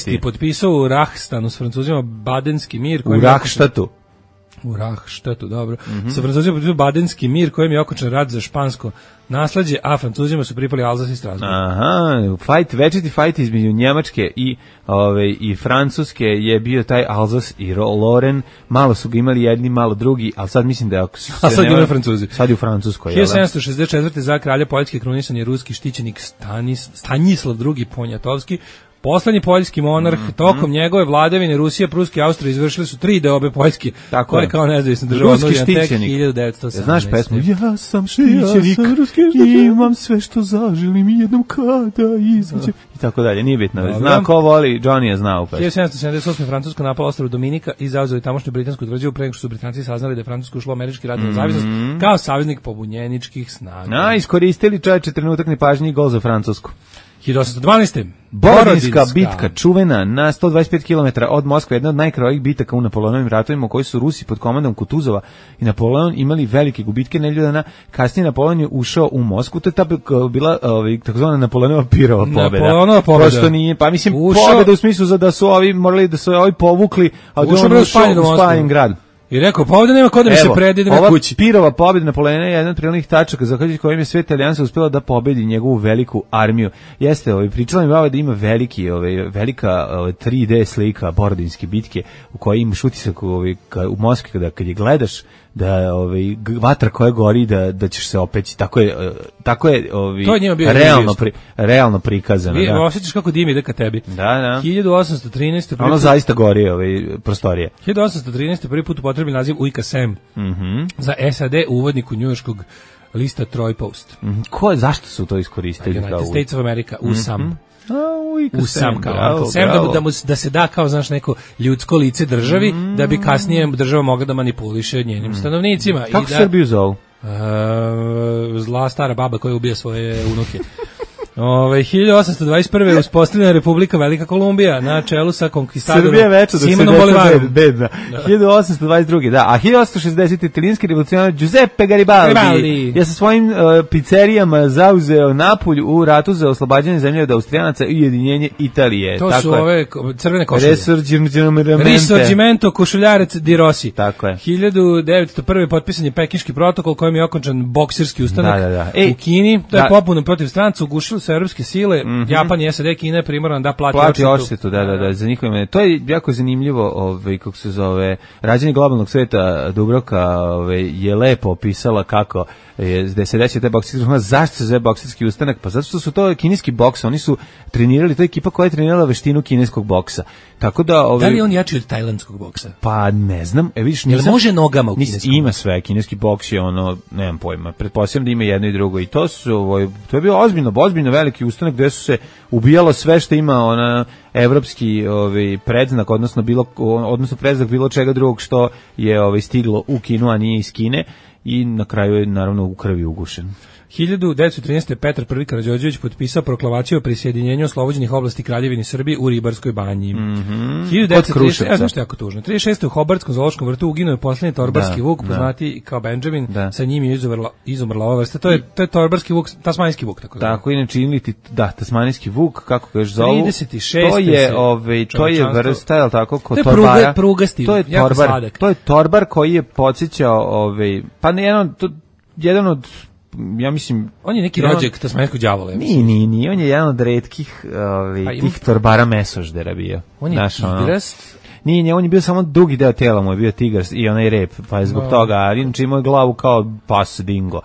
S5: VI potpisao u Rahstanu s Francuzima Badenski mir.
S6: U Rahštatu.
S5: U Rahštatu, dobro. Sa Francuzima potpisao Badenski mir kojem je okončan rat za špansko nasleđe, a Francuzima su pripali Alzas i Strasbourg.
S6: Večiti fight između Njemačke i Francuske je bio taj Alzas i Lorraine. Malo su ga imali jedni, malo drugi, ali sad mislim da
S5: sad imaju Francuzi.
S6: Sad je u Francuskoj.
S5: 1764. za kralja Poljske krunisan je ruski štićenik Stanislav II Poniatovski. Poslednji poljski monarh, tokom njegove vladavine Rusija, Pruska i Austrija izvršili su 3 deobe Poljske, koje kao nezavisna država
S6: ruski
S5: štićenik. 1918.
S6: Znaš pesmu? Ja sam štićenik, imam sve što zaželim i jednom kada izađem. I tako dalje, nije bitno. Zna ko voli, Johnny je znao pesmu.
S5: 1778. Francuska napala ostrvo Dominika i zauzeli tamošnju britansku tvrđavu pre nego što su Britanci saznali da je Francuska ušla u američki rat na nezavisnost kao saveznik pobunjeničkih snaga.
S6: Iskoristili čoveče trenutak nepažnje i gol za Francusku.
S5: 1812.
S6: Borodinska bitka, čuvena na 125 km od Moskve, jedna od najkrvavijih bitaka u Napoleonovim ratovima, u kojoj su Rusi pod komandom Kutuzova i Napoleon imali velike gubitke. Nedelju dana kasnije Napoleon je ušao u Moskvu. To je ta bila takozvana Napoleonova pirova pobjeda. Prosto nije, pa mislim pobjeda u smislu da su ovi morali da su ovi povukli, a da on ušao u spaljen grad.
S5: I rekao, pa ovdje nema kod da mi se predide na kući.
S6: Pirova pobjeda Napoleona je jedan od prirodnih tačaka zahvaljujući kojim je Sveta alijansa uspela da pobedi njegovu veliku armiju. Jeste, pričala mi da ima velika 3D slika Borodinske bitke u kojoj imaš utisak u Moskvi kad je gledaš da vatra koja gori da ćeš se opeći. Tako je realno prikazano.
S5: Vi osjećaš kako dim ide ka tebi.
S6: Da.
S5: 1813.
S6: Ono zaista gori prostorije.
S5: 1813. prvi put upotrebi naziv UIKSM za SAD u uvodniku njujorškog lista Troy Post.
S6: Zašto su to iskoristili?
S5: United States of America, USAM. USAM kao Uncle Sam, da se da kao, znaš, neko ljudsko lice državi, da bi kasnije država mogla da manipuliše njenim stanovnicima.
S6: Kako Srbiju zovu?
S5: Zla stara baba koja ubija svoje unuke. 1821. uspostavljena Republika Velika Kolumbija na čelu sa konkistadorom Simonom Bolivarom.
S6: 1822. Da, a 1860. italijanski revolucionar Giuseppe Garibaldi je sa svojim pizzerijama zauzeo Napulj u ratu za oslobađanje zemlje od Austrijanaca i ujedinjenje Italije.
S5: To su ove crvene košulje. Risorgimento košuljarec di Rossi.
S6: Tako je.
S5: 1901. potpisan je Pekinški protokol kojim je okončan bokserski ustanak u Kini. To je popuno protiv stranca, ugušili su evropske sile, Japan i SAD, Kina je primoran da plati
S6: odštetu. Da, za njihove. To je jako zanimljivo, kako se zove, rađenje globalnog sveta. Dubravka je lepo opisala kako da se desio taj bokserski ustanak. Zašto se zove bokserski ustanak? Pa zato što su to kineski boks, oni su trenirali, to je ekipa koja je trenirala veštinu kineskog boksa. Tako da
S5: da li je on jači od tajlandskog boksa?
S6: Pa ne znam, vidiš,
S5: jel može nogama u kineskom?
S6: Ima sve, kineski boks je nemam pojma. Pretpostavljam da ima jedno i drugo i to je bio ozbiljno veliki ustanak gde su se ubijalo sve što ima evropski predznak, odnosno predznak bilo čega drugog što je stiglo u Kinu, a nije iz Kine. i na kraju je naravno u krvi ugušen.
S5: 1913. Petar I. Karađorđević potpisao proklamaciju o prisjedinjenju oslobođenih oblasti Kraljevine Srbije u Ribarskoj banji. 1936. Znaš što je jako tužno. 36. u Hobardskom zoološkom vrtu uginuo je posljednji torbarski vuk, poznati kao Benjamin, sa njim je izumrla ova vrsta. To je torbarski vuk, tasmanijski vuk.
S6: Tako, inače imliti, tasmanijski vuk, kako kažeš zovu,
S5: 36.
S6: to je vrsta, je li tako, kod torbara.
S5: Prugasti,
S6: to je torbar, to je torbar koji je podsjećao, pa jedan od ja mislim...
S5: On je neki rođak tasmanijskog đavola.
S6: Nije, on je jedan od retkih tih torbara mesoždera bio.
S5: On je tigrast?
S6: Nije, on je bio samo drugi deo tela, mu je bio tigrast i onaj rep, pa je zbog toga, ali inače imao je glavu kao pas dingo.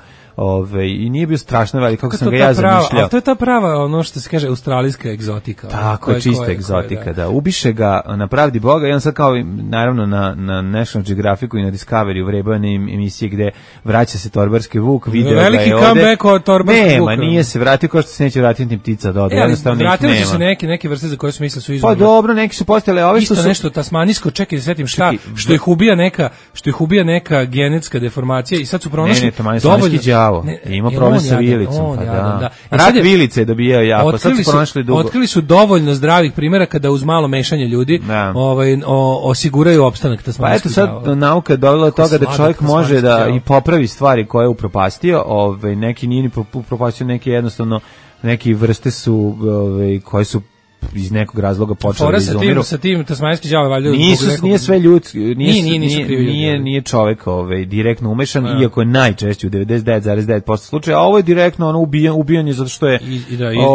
S6: I nije bio strašno velik, kako sam ga ja zamišljao.
S5: A to je ta prava, ono što se kaže, australijska egzotika.
S6: Tako je, čista egzotika, da. Ubiše ga na pravdi Boga i on sad kao, naravno, na National Geographicu i na Discovery u vrebojene emisije gde vraća se torbarski vuk, video ga je ovde.
S5: Veliki comeback od torbarskog vuka.
S6: Nema, nije se vratio kao što se neće vratiti ni ptica doda. Jednostavno ih nema.
S5: Vratili su se neke vrste za koje su mislili su izumrle.
S6: Pa dobro, neki su postojale, ove što su...
S5: Isto nešto tasmanijsko, čekaj da setim šta, što ih ubija neka genetska deformacija i sad su pronašli dovoljno.
S6: Ima problem sa vilicom, pa da. Rak vilice je dobijao jako, sad su pronašli dugo.
S5: Otkrili su dovoljno zdravih primjera kada uz malo mešanje ljudi osiguraju opstanak tasmanijskog đavola.
S6: Pa eto sad nauka je dovela do toga da čovjek može da i popravi stvari koje je upropastio, neki nije ni upropastio, neki jednostavno, neki vrste su koje su iz nekog razloga počeli da izumiru.
S5: Sa tim tasmanijski đavo valjda
S6: nije sve ljudski, nije čovjek direktno umešan, iako je najčešće u 99,9% slučaja, a ovo je direktno ono ubijanje zato što je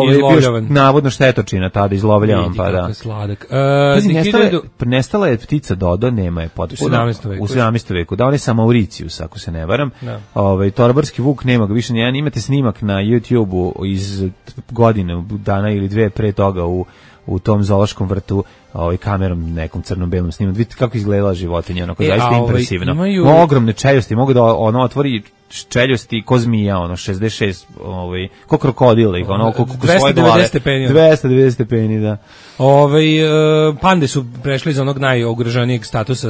S5: izlovljavan.
S6: Navodno štetočina tada izlovljavan, pa da.
S5: Sladak.
S6: Nestala je ptica Dodo, nema je potpuno. U 17. veku. Da, on je sa Mauricius, ako se ne varam. Torbarski vuk nema ga više nijedan. Imate snimak na YouTube-u iz godine, dana ili dve pre toga u tom zoološkom vrtu kamerom nekom crno-belom snimom. Vidite kako izgledala životinja, onako zaista impresivno. Ogromne čeljosti, mogu da otvori čeljosti ko zmija, 66, ko krokodil, ko svoje glave. 290 stepeni, da.
S5: Pande su prešli iz onog najugroženijeg statusa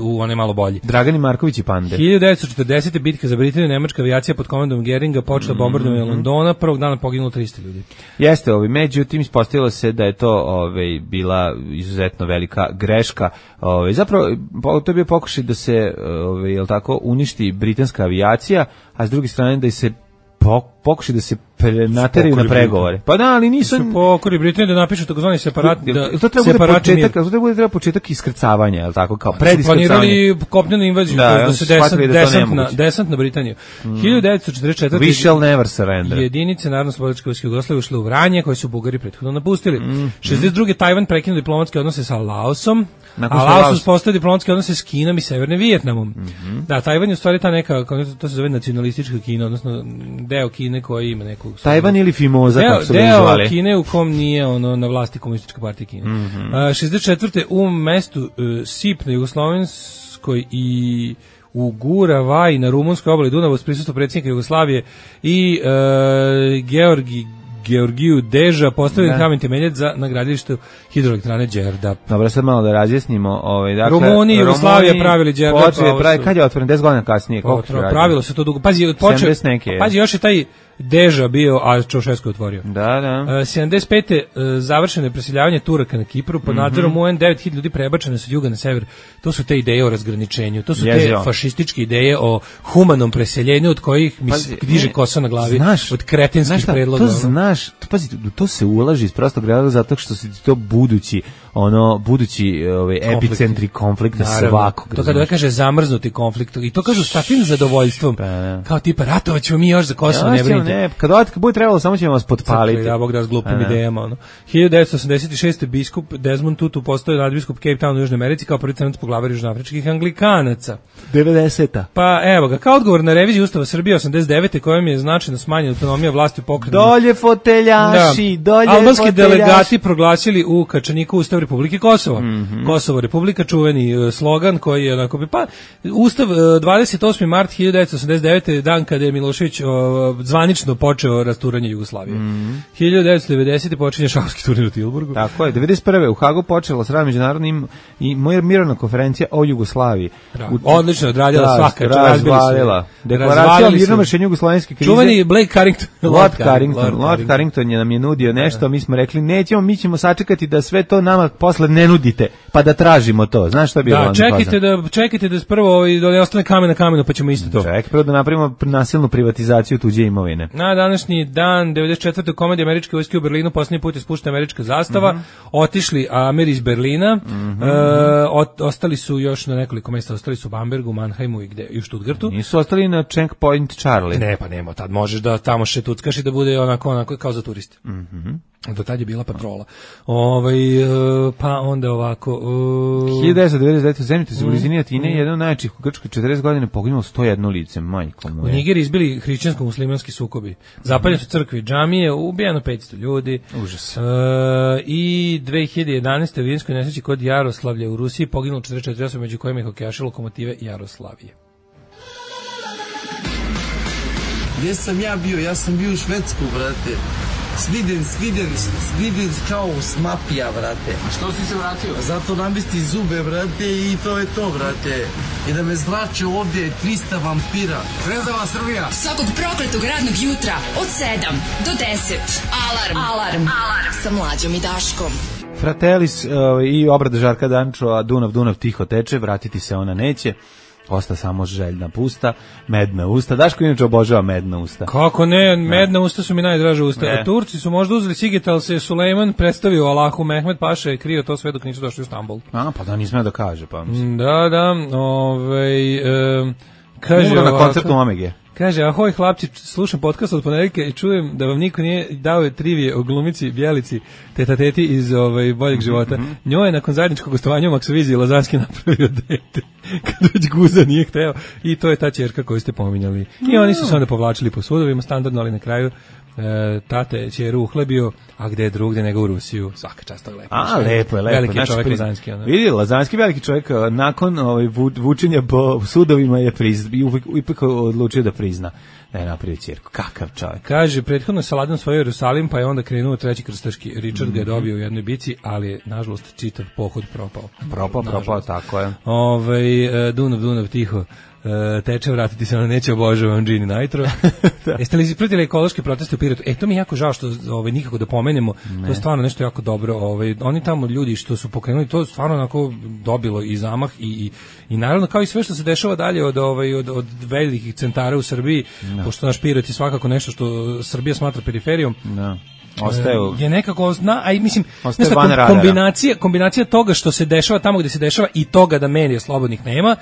S5: u one malo bolji.
S6: Dragani Marković i pande.
S5: 1940. bitka za Britaniju, nemačka avijacija pod komandom Geringa počela bombardovanje Londona, prvog dana poginulo 300 ljudi.
S6: Jeste, međutim ispostavilo se da je to bila izuzetno velika greška. Zapravo to je bio pokušaj da se jel tako uništi britanska avijacija, a s druge strane da se pokušaj da se nateraju na pregovore. Pa da, ali nisu...
S5: Pokori Britanije da napišu takozvani separat...
S6: To treba početak iskrcavanja, je li tako, kao prediskrcavanje.
S5: Planirali kopnenu invaziju, da se desant na Britaniju. 1944.
S6: We shall never surrender.
S5: Jedinice Narodno-slobodilačke vojske Jugoslavije ušle u Vranje, koje su Bugari prethodno napustili. 62. Tajvan prekinuo diplomatske odnose sa Laosom, a Laos uspostavio diplomatske odnose s Kinom i Severnim Vijetnamom. Da, Tajvan je u stvari ta neka, to se zove nacionalistička Kina, odnosno deo Kine koji ima neku...
S6: Tajvan ili Fimoza, kako su ga zvali.
S5: Deo Kine u kom nije na vlasti komunistička partija Kine. 64. u mestu Sip na Jugoslovenskoj i u Guravaj na rumunskoj obali Dunava uz prisustvo predsjednika Jugoslavije i Georgiju Deža postavljen kamen temeljac za nagradilište hidroelektrane Đerdap.
S6: Dobro, sad malo da razjasnimo.
S5: Rumuni i Jugoslavija pravili Đerdap.
S6: Kad je otvoren? 10 godina kasnije.
S5: Pravilo se to dugo. Pazi, još je taj Deža bio, a Čaušesku je otvorio.
S6: Da.
S5: 75. završeno je preseljavanje Turaka na Kipru, pod nadzorom UN 9.000 ljudi prebačene su od juga na sever. To su te ideje o razgraničenju, to su te fašističke ideje o humanom preseljenju od kojih mi diže kosa na glavi, od kretenskih predloga.
S6: To se ulaži iz prostog razloga zato što se to budući epicentri konflikta svakog.
S5: To kada kaže zamrznuti konflikt i to kažu s takvim zadovoljstvom, kao tipa ratovaćemo mi još za Kosovo, ne brinite.
S6: Kad bude trebalo, samo ćemo vas potpaliti.
S5: Da, Bog da s glupim idejama. 1986. biskup Desmond Tutu postao nadbiskup Cape Town u Južnoj Americi kao prvi crnac poglavar južnoafričkih anglikanaca.
S6: 90.
S5: Pa evo ga, kao odgovor na reviziju Ustava Srbije 89. kojom je značajno smanjena autonomija vlasti u pokretu.
S6: Dolje foteljaši,
S5: albanski delegati proglasili u Kačaniku Ustav Republike Kosovo. Kosovo Republika, čuveni slogan koji je onako... Ustav 28. mart 1989. dan kada je Milošević zvanično zvanično počeo rasturanje Jugoslavije. 1990. počinje šahovski turnir u Tilburgu.
S6: Tako je, 91. u Hagu počela s radom međunarodnim i mirovna konferencija o Jugoslaviji.
S5: Odlično odradila svaka,
S6: razvalila. Deklaracija o mirnom rešenju jugoslovenske krize.
S5: Čuveni Blake Carrington.
S6: Lord Carrington je nam je nudio nešto, mi smo rekli nećemo, mi ćemo sačekati da sve to nama posle ne nudite, pa da tražimo to. Znaš što je bilo?
S5: Da, čekajte da prvo da ne ostane kamen na kamenu, pa ćemo isto to.
S6: Čekaj, prvo da napravimo nasilnu privatizaciju tuđe imovine.
S5: Na današnji dan 94. komandi američke vojske u Berlinu posljednji put je spuštena američka zastava. Otišli Ameri iz Berlina. Ostali su još na nekoliko mjesta, ostali su u Bambergu, Mannheimu i u Stuttgartu.
S6: Nisu ostali na Checkpoint Charlie.
S5: Ne, pa nema, tad možeš da tamo šetuckaš i da bude onako kao za turiste. Do tad je bila patrola. Pa onda ovako...
S6: 1999. u zemljotrisu u blizini Atine, jedan od najjačih u Grčkoj 40 godina poginulo 101 lice, majko moje.
S5: U Nigeriji izbili hrišćansko-muslimanski sukobi. Zapaljene su crkve, džamije, ubijeno 500 ljudi.
S6: Užas.
S5: I 2011. u vinskoj nesreći kod Jaroslavlja u Rusiji poginulo 44 osobe, među kojima je hokejaši Lokomotive Jaroslavije.
S7: Gdje sam ja bio? Ja sam bio u Švedsku, brate. Sviden kao smapija, brate.
S8: A što si se vratio?
S7: Zato namesti zube, brate, i to je to, brate. I da me zrače ovdje 300 vampira.
S8: Zvezdava Srbija.
S3: Svakog prokletog radnog jutra od 7 do 10. Alarm. Sa Mlađom i Daškom.
S6: Fratellis i obrada Žarka Dančova, Dunav tiho teče, vratiti se ona neće. Osta samo željna pusta, medna usta. Daško inače obožava medna usta.
S5: Kako ne, medna usta su mi najdraža usta. A Turci su možda uzeli Siget, ali se Sulejman predstavio Allahu Mehmed Paša je krio to sve dok nisu došli u Stambol.
S6: Pa da nisam da kaže, pa mislim.
S5: Da, kaže
S6: na koncertu Omege.
S5: Kaže, ahoj hlapci, slušam podcast od ponedeljka i čujem da vam niko nije dao trivije o glumici Bjelici, teti iz Boljeg života. Njoj je nakon zajedničkog gostovanja u Maksoviziji Lazanski napravio dete, kad već guza nije hteo, i to je ta ćerka koju ste pominjali. I oni su se onda povlačili po sudovima standardno, ali na kraju tate ćeru uhlebio, a gde je drugde nego u Rusiju. Svaka čast, to je lepo.
S6: Lepo je.
S5: Veliki čovjek Lazanski.
S6: Vidi, Lazanski veliki čovjek, nakon vučenja po sudovima je ipak odlučio da prizna da je napravio ćerku. Kakav čovjek.
S5: Kaže, prethodno Saladin svojio Jerusalim, pa je onda krenuo treći krstaški. Richard ga je dobio u jednoj bici, ali je, nažalost, čitav pohod propao.
S6: Propao, tako je.
S5: Dunav tiho teče, vratiti se, ona neće, obožavam Gini Nitro. Jeste li pratili ekološke proteste u Pirotu? To mi je jako žao što nikako da pomenemo. To je stvarno nešto jako dobro. Oni tamo ljudi što su pokrenuli, to stvarno onako dobilo i zamah i naravno kao i sve što se dešava dalje od velikih centara u Srbiji, pošto naš Pirot je svakako nešto što Srbija smatra periferijom.
S6: Ostaju.
S5: Je nekako mislim kombinacija toga što se dešava tamo gde se dešava i toga da medija slobodnih nema.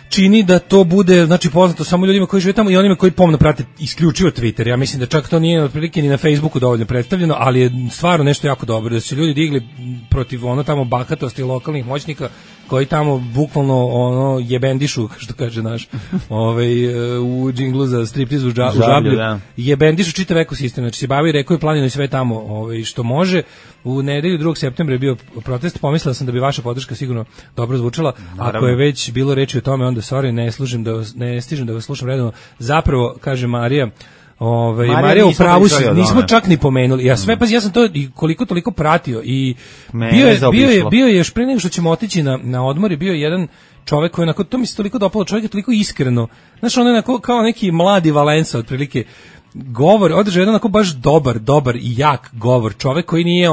S5: Čini da to bude, znači, poznato samo ljudima koji žive tamo i onima koji pomno prate isključivo Twitter. Ja mislim da čak to nije otprilike ni na Facebooku dovoljno predstavljeno, ali je stvarno nešto jako dobro da su ljudi digli protiv tamo bahatosti lokalnih moćnika koji tamo bukvalno jebendišu, što kaže naš u džinglu za striptiz u Žablju, jebendišu čitav ekosistem, znači se bavi rekao i planinu i sve tamo što može. U nedelju 2. septembra je bio protest, pomislila sam da bi vaša podrška sigurno dobro zvučala. Naravno. Ako je već bilo reči o tome, onda ne stižem da vas slušam redovno. Zapravo, kaže Marija, Marija u pravu si, nismo čak ni pomenuli. Ja sam to i koliko toliko pratio i bio je još pre nego što ćemo otići na odmor, bio je jedan čovjek koji onako, to mi se toliko dopalo, čovjek je toliko iskreno. Znaš, on je onako kao neki mladi Valensa otprilike. Govor, održao jedan onako baš dobar i jak govor. Čovjek koji nije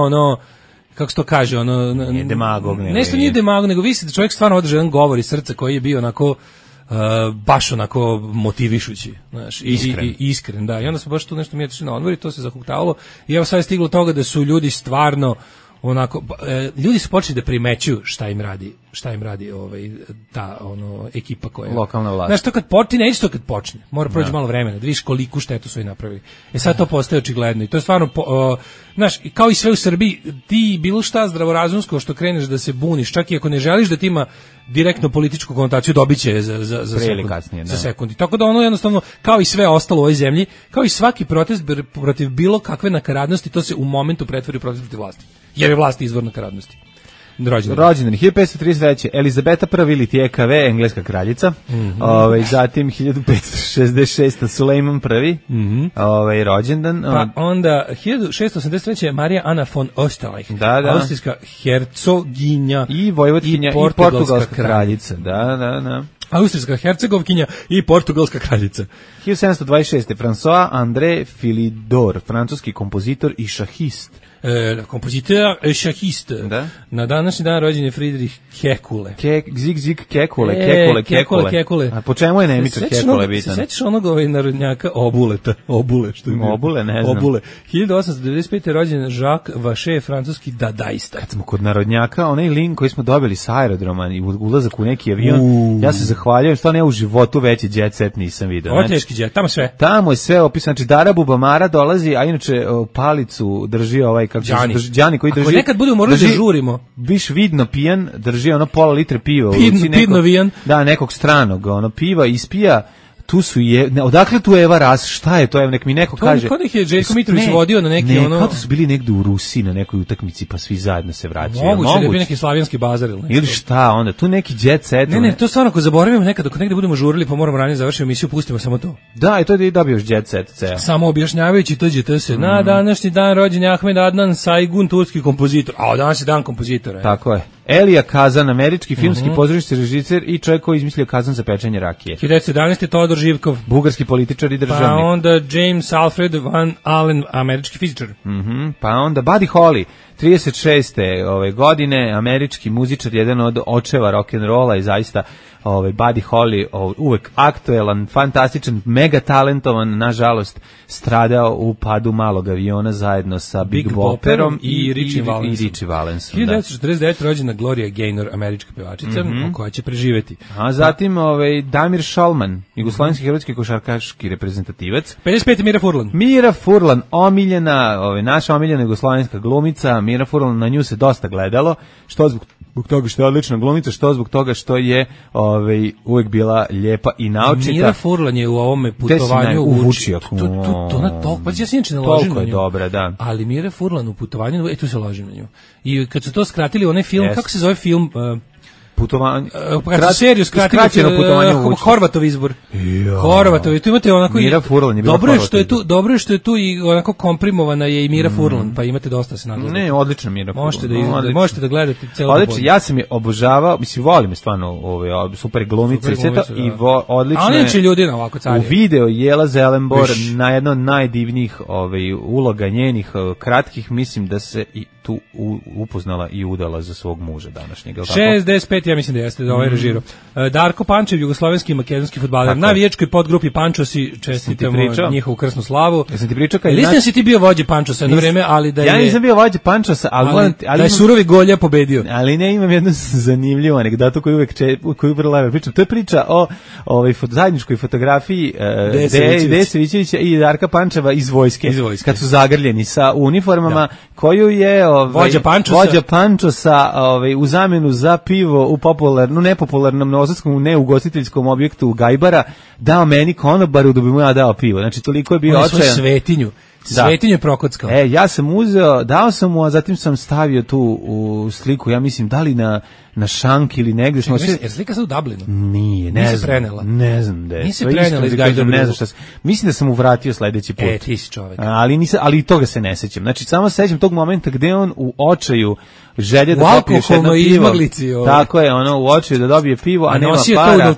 S5: kako se to kaže,
S6: nije demagog.
S5: Nešto nije demagog, nego vi da čovjek stvarno održao jedan govor iz srca koji je bio onako baš onako motivišući, znaš, iskren, da. I onda smo baš tu nešto mi otišli na odmor i to se zahuktavalo. I evo sad je stiglo toga da su ljudi stvarno onako, ljudi su počeli da primećuju šta im radi ta ekipa koja
S6: lokalna vlast.
S5: Znaš, to kad počne, neće to kad počne. Mora proći malo vremena, da vidiš koliku štetu su i napravili. Sad to postaje očigledno i to je stvarno znaš, kao i sve u Srbiji, ti bilo šta zdravorazumsko što kreneš da se buniš, čak i ako ne želiš da ti ima direktno političku konotaciju, dobiće za sekund. I tako da jednostavno, kao i sve ostalo u ovoj zemlji, kao i svaki protest protiv bilo kakve nakaradnosti, to se u momentu pretvori u protest protiv vlasti. Jer je vlast izvor nakaradnosti.
S6: Rođendan 1533. Elizabeta I ili TKV, engleska kraljica. Zatim 1566. Sulejman I. Rođendan.
S5: Pa onda 1683. Marija Ana von Österreich, austrijska hercoginja
S6: i vojvodkinja i portugalska kraljica. Da.
S5: Austrijska hercegovkinja i portugalska kraljica.
S6: 1726. François André Philidor, francuski kompozitor i šahist.
S5: Kompozitor i šahist.
S6: Da.
S5: Na današnji dan rođen je Friedrich Kekule.
S6: Zig Kekule.
S5: Kekule.
S6: A po čemu je Nemica Kekule bitan?
S5: Se sećaš onog narodnjaka Obule, što je bio?
S6: Obule, ne znam.
S5: Obule. 1895. rođen Jacques Vacher, francuski dadaista.
S6: Kad smo kod narodnjaka, onaj link koji smo dobili sa aerodroma i ulazak u neki avion, ja se zahvaljujem, stvarno ja u životu veći jet set nisam vidio.
S5: Ovo teški jet, tamo sve.
S6: Tamo je sve opisano, znači Dara Bubamara dolazi, a inače palicu drži ovaj Đani koji drži.
S5: Ako nekad budemo morali da žurimo.
S6: Biš vidno pijan, drži ono pola litre piva u
S5: ruci,
S6: nekog stranog, ono piva ispija. Tu su odakle tu Eva Ras, šta je to, nek mi neko kaže.
S5: Kod ih je Željko Mitrović vodio na neki ono.
S6: Kao da su bili negde u Rusiji na nekoj utakmici pa svi zajedno se vraćaju.
S5: Moguće da je bio neki slavijanski bazar
S6: ili šta, onda tu neki jet set.
S5: Ne, to stvarno ako zaboravimo nekad, dok negde budemo žurili pa moramo ranije završiti emisiju, pustimo samo to.
S6: Da, i to da dobiješ jet set ceo.
S5: Samo objašnjavajući TGT se. Na današnji dan rođen je Ahmed Adnan Saygun, turski kompozitor. A danas je dan kompozitora.
S6: Tako je. Elija Kazan, američki filmski pozorišni režiser i čovjek koji izmislio kazan za pečenje rakije.
S5: 1917. Todor Živkov,
S6: bugarski političar i državnik.
S5: Pa onda James Alfred Van Allen, američki fizičar.
S6: Pa onda Buddy Holly, 36. ove godine, američki muzičar, jedan od očeva rock'n'rolla i zaista Buddy Holly uvek aktuelan, fantastičan, mega talentovan, nažalost stradao u padu malog aviona zajedno sa Big Bopperom i Richie Valensom.
S5: 1949. rođena Gloria Gaynor, američka pevačica, koja će preživeti.
S6: A zatim Damir Šolman, jugoslovenski hrvatski košarkaški reprezentativac.
S5: 55.
S6: Mira Furlan, omiljena, naša omiljena jugoslovenska glumica. Mira Furlan, na nju se dosta gledalo, što zbog toga što je odlična glumica, što zbog toga što je uvek bila lijepa i naučita.
S5: Mira Furlan je u ovome putovanju
S6: u Vučijaku.
S5: To na toliko, ja se inače ne ložim na nju.
S6: Toliko je dobra, da.
S5: Ali Mira Furlan u putovanju, tu se ložim na nju. I kad su to skratili, onaj film, kako se zove film?
S6: Putovanje.
S5: Seriju skraćeno putovanje u Horvatov izbor. Horvatov, tu imate onako
S6: Mira Furlan je bila.
S5: Dobro je što je tu i onako komprimovana je i Mira Furlan, pa imate dosta se nagleda.
S6: Ne, odlična Mira Furlan.
S5: Možete da gledate celo.
S6: Odlično, ja sam je obožavao, mislim volim je stvarno super glumice i sve to i odlično.
S5: Ali neće ljudi na ovako carije.
S6: U video Jela Zelenbor na jedno od najdivnijih uloga njenih kratkih, mislim da se i tu upoznala i udala za svog muža današnjeg.
S5: 65, ja mislim da jeste da ovaj režirao. Darko Pančev, jugoslovenski i makedonski fudbaler. Na vijećkoj podgrupi Pančosi, čestitamo njihovu krsnu slavu.
S6: Jesam ti pričao
S5: Listan si ti bio vođe Pančosa jedno vreme, ali da je...
S6: Ja nisam bio vođe Pančosa, ali
S5: da je surovi Golja pobedio.
S6: Ali ne, imam jednu zanimljivu anegdotu koju vrlo lepo pričam. To je priča o zajedničkoj fotografiji Deje Savićevića i Darka Pančeva iz vojske. Kad su zagrljeni sa uniformama, koju je vođa Pančosa u zamenu za pivo u nepopularnom novosadskom neugostiteljskom objektu Gajbara dao meni konobaru da bi mu ja dao pivo. Znači toliko je bio očajan.
S5: On je svoj svetinju je prokockao.
S6: Ja sam uzeo, dao sam mu, a zatim sam stavio tu u sliku, ja mislim, da li na šank ili negdje.
S5: Jer slika se u Dublinu?
S6: Nije, ne znam. Ne znam da je.
S5: Nisi prenela iz Gajdobru.
S6: Mislim da sam mu vratio sledeći put.
S5: Ti si čovek.
S6: Ali i toga se ne sećam. Znači, samo se sećam tog momenta gde on u očaju želje da popije još jedno pivo. Tako je, u očaju da dobije pivo, a nema para.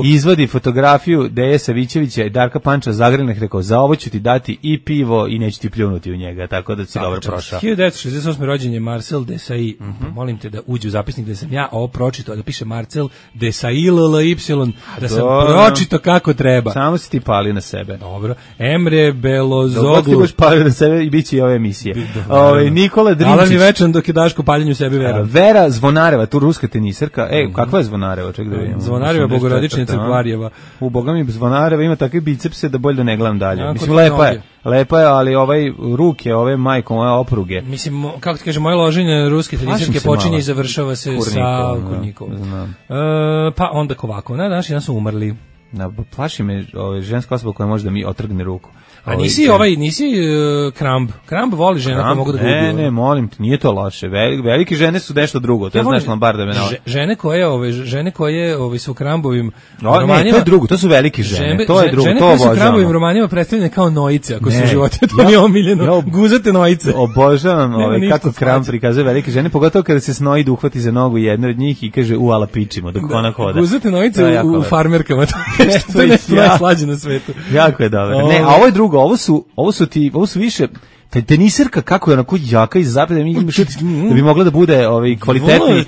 S6: Izvadi fotografiju Deje Savićevića i Darka Panča zagrljenih, rekao, za ovo ću ti dati i pivo i neću ti pljunuti u njega, tako da si dobro prošao.
S5: 1968. rođen je Marcel Desailly. Molim te da uđe u zapisnik da sam ja ovo pročitao, da piše Marcel Desailly, da sam pročitao kako treba.
S6: Samo si ti palio na sebe.
S5: Dobro. Emre Belozoglu.
S6: Dobro ti budeš palio na sebe i bit će i ove emisije. Nikola Drinčić.
S5: Alan je večan dok je Daško paljenju sebi vera.
S6: Vera Zvonareva, tu ruska tenisarka. Kakva je Zvonareva? Ček da vidimo.
S5: Zvonareva, Bogorodičnica Crkvarjeva.
S6: U Boga mi Zvonareva ima takve bicepse da bolje da ne gledam dalje. Mislim, lepa je, ali ruke, ove majko, moje opruge.
S5: Mislim, kako ti kaže, moje loženje ruske tenisarke počinje i završava se sa Kurnikovom. Pa onda Kovakov. Na današnji dan su umrli
S6: Plaši me ženska osoba koja može da mi otrgne ruku.
S5: A nisi Kramb. Kramb voli žena koja mogu da ga ubiju.
S6: Ne, molim te, nije to loše. Velike žene su nešto drugo, to znaš Lombarda me navodi.
S5: Žene koje su Krambovim
S6: romanima. Ne, to je drugo, to su velike žene, to je drugo,
S5: žene
S6: to
S5: koje
S6: obožavam.
S5: su Krambovim romanima predstavljene kao nojice, ako su životinje, to mi je omiljeno. Guzate nojice.
S6: Obožavam kako Kramb prikazuje velike žene, pogotovo kada se Snoid uhvati za nogu jedne od njih i kaže ala pičimo dok ona hoda.
S5: Guzate nojice u farmerkama, to je nešto najslađe na svetu.
S6: Jako je dobro. Ne, a ovo je drugo, ovo su više teniserka kako je onako jaka iz zapada da bi mogla da bude kvalitetni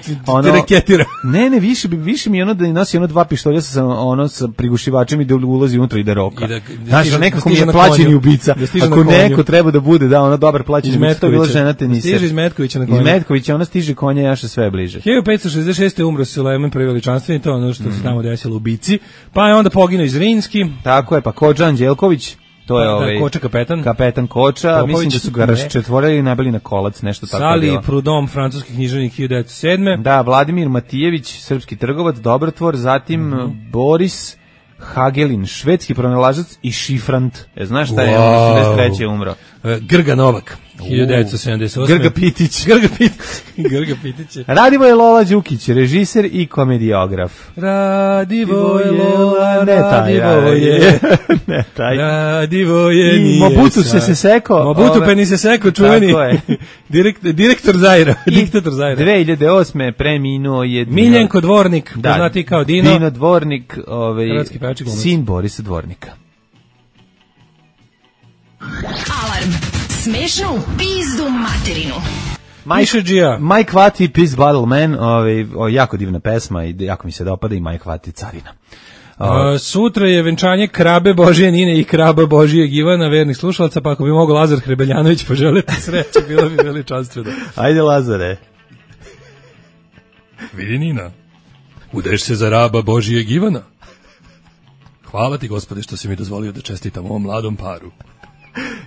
S5: raketira.
S6: Ne, više mi je ono da nosi dva pištolja sa prigušivačem i da ulazi unutra i da roka. Znaš, nekako mi je plaćeni ubica. Ako neko treba da bude dobar plaćeni ubica, to je bila žena teniser.
S5: Stiže iz Metkovića na konju.
S6: Iz Metkovića ona stiže konja jaše sve bliže.
S5: 1566. je umro Sulejman prvi veličanstveni, to je ono što se tamo desilo u bici. Pa je onda poginuo iz Rinski.
S6: Tako je, pa Kodža Anđelković. To je
S5: Koča
S6: kapetan Koča, Popović, mislim da su ga raščetvorili i nabili na kolac, nešto tako
S5: Sali
S6: bilo.
S5: Prudom, francuski književnik 1907.
S6: Da, Vladimir Matijević, srpski trgovac, dobrotvor, zatim Boris Hagelin, švedski pronalažac i šifrant. Znaš šta je, 83. umro.
S5: Grga Novak, 1978. Grga Pitić.
S6: Radivoje Lola Đukić, režiser i komediograf.
S5: Radivoje Lola, Radivoje
S6: i Mobutu se seko.
S5: Mobutu Peni se seko, čuveni. Direktor Zaira. Diktator Zaira.
S6: 2008. preminuo je
S5: Miljenko Dvornik, poznati kao Dino.
S6: Dino Dvornik, sin Borisa Dvornika.
S3: Alarm. Smešno u pizdu materinu.
S6: Mike Vati, Peace Bottle Man, jako divna pesma i jako mi se dopada i Mike Vati carina.
S5: Sutra je venčanje Krabe Božije Nine i Kraba Božijeg Ivana, vernih slušalaca, pa ako bi mogao Lazar Hrebeljanović poželiti sreće, bilo bi veličanstveno.
S6: Ajde Lazare.
S1: Vidi Nina, udeš se za raba Božijeg Ivana. Hvala ti, Gospode, što si mi dozvolio da čestitam ovom mladom paru.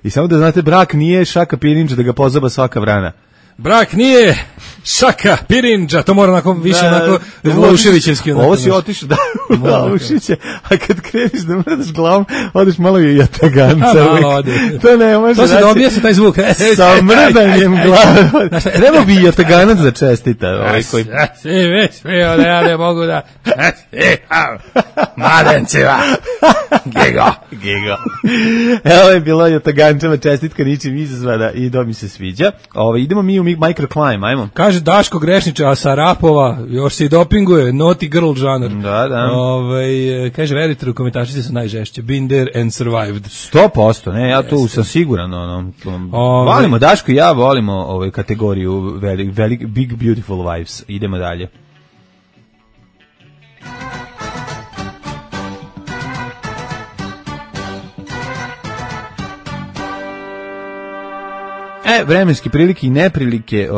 S6: I samo da znate, brak nije šaka pirinđa da ga pozaba svaka vrana.
S5: Brak nije šaka pirinđa, to mora onako više onako Lauševićevski.
S6: Ovo si otišao da u Laušiće, a kad kreneš da mrdaš glavom, odeš malo i jataganca. To ne može.
S5: To se dobija sa taj zvuk.
S6: Sa mrdanjem glave. Treba bi jataganac da čestita.
S5: Sve, ja ne mogu da... Mladencima. Gigo.
S6: Evo je bilo jatagančama čestitka ničim izazvana i do mi se sviđa. Idemo mi u microclimb, ajmo.
S5: Kaže Daško Grešniča, a sa rapova još se i dopinguje, naughty girl žanar.
S6: Da.
S5: Kaže, verite, komentačice su najžešće. Been there and survived.
S6: 100%, ne, ja tu sam siguran. Volimo, Daško i ja volimo kategoriju Big Beautiful Wives. Idemo dalje. Vremenske prilike i neprilike,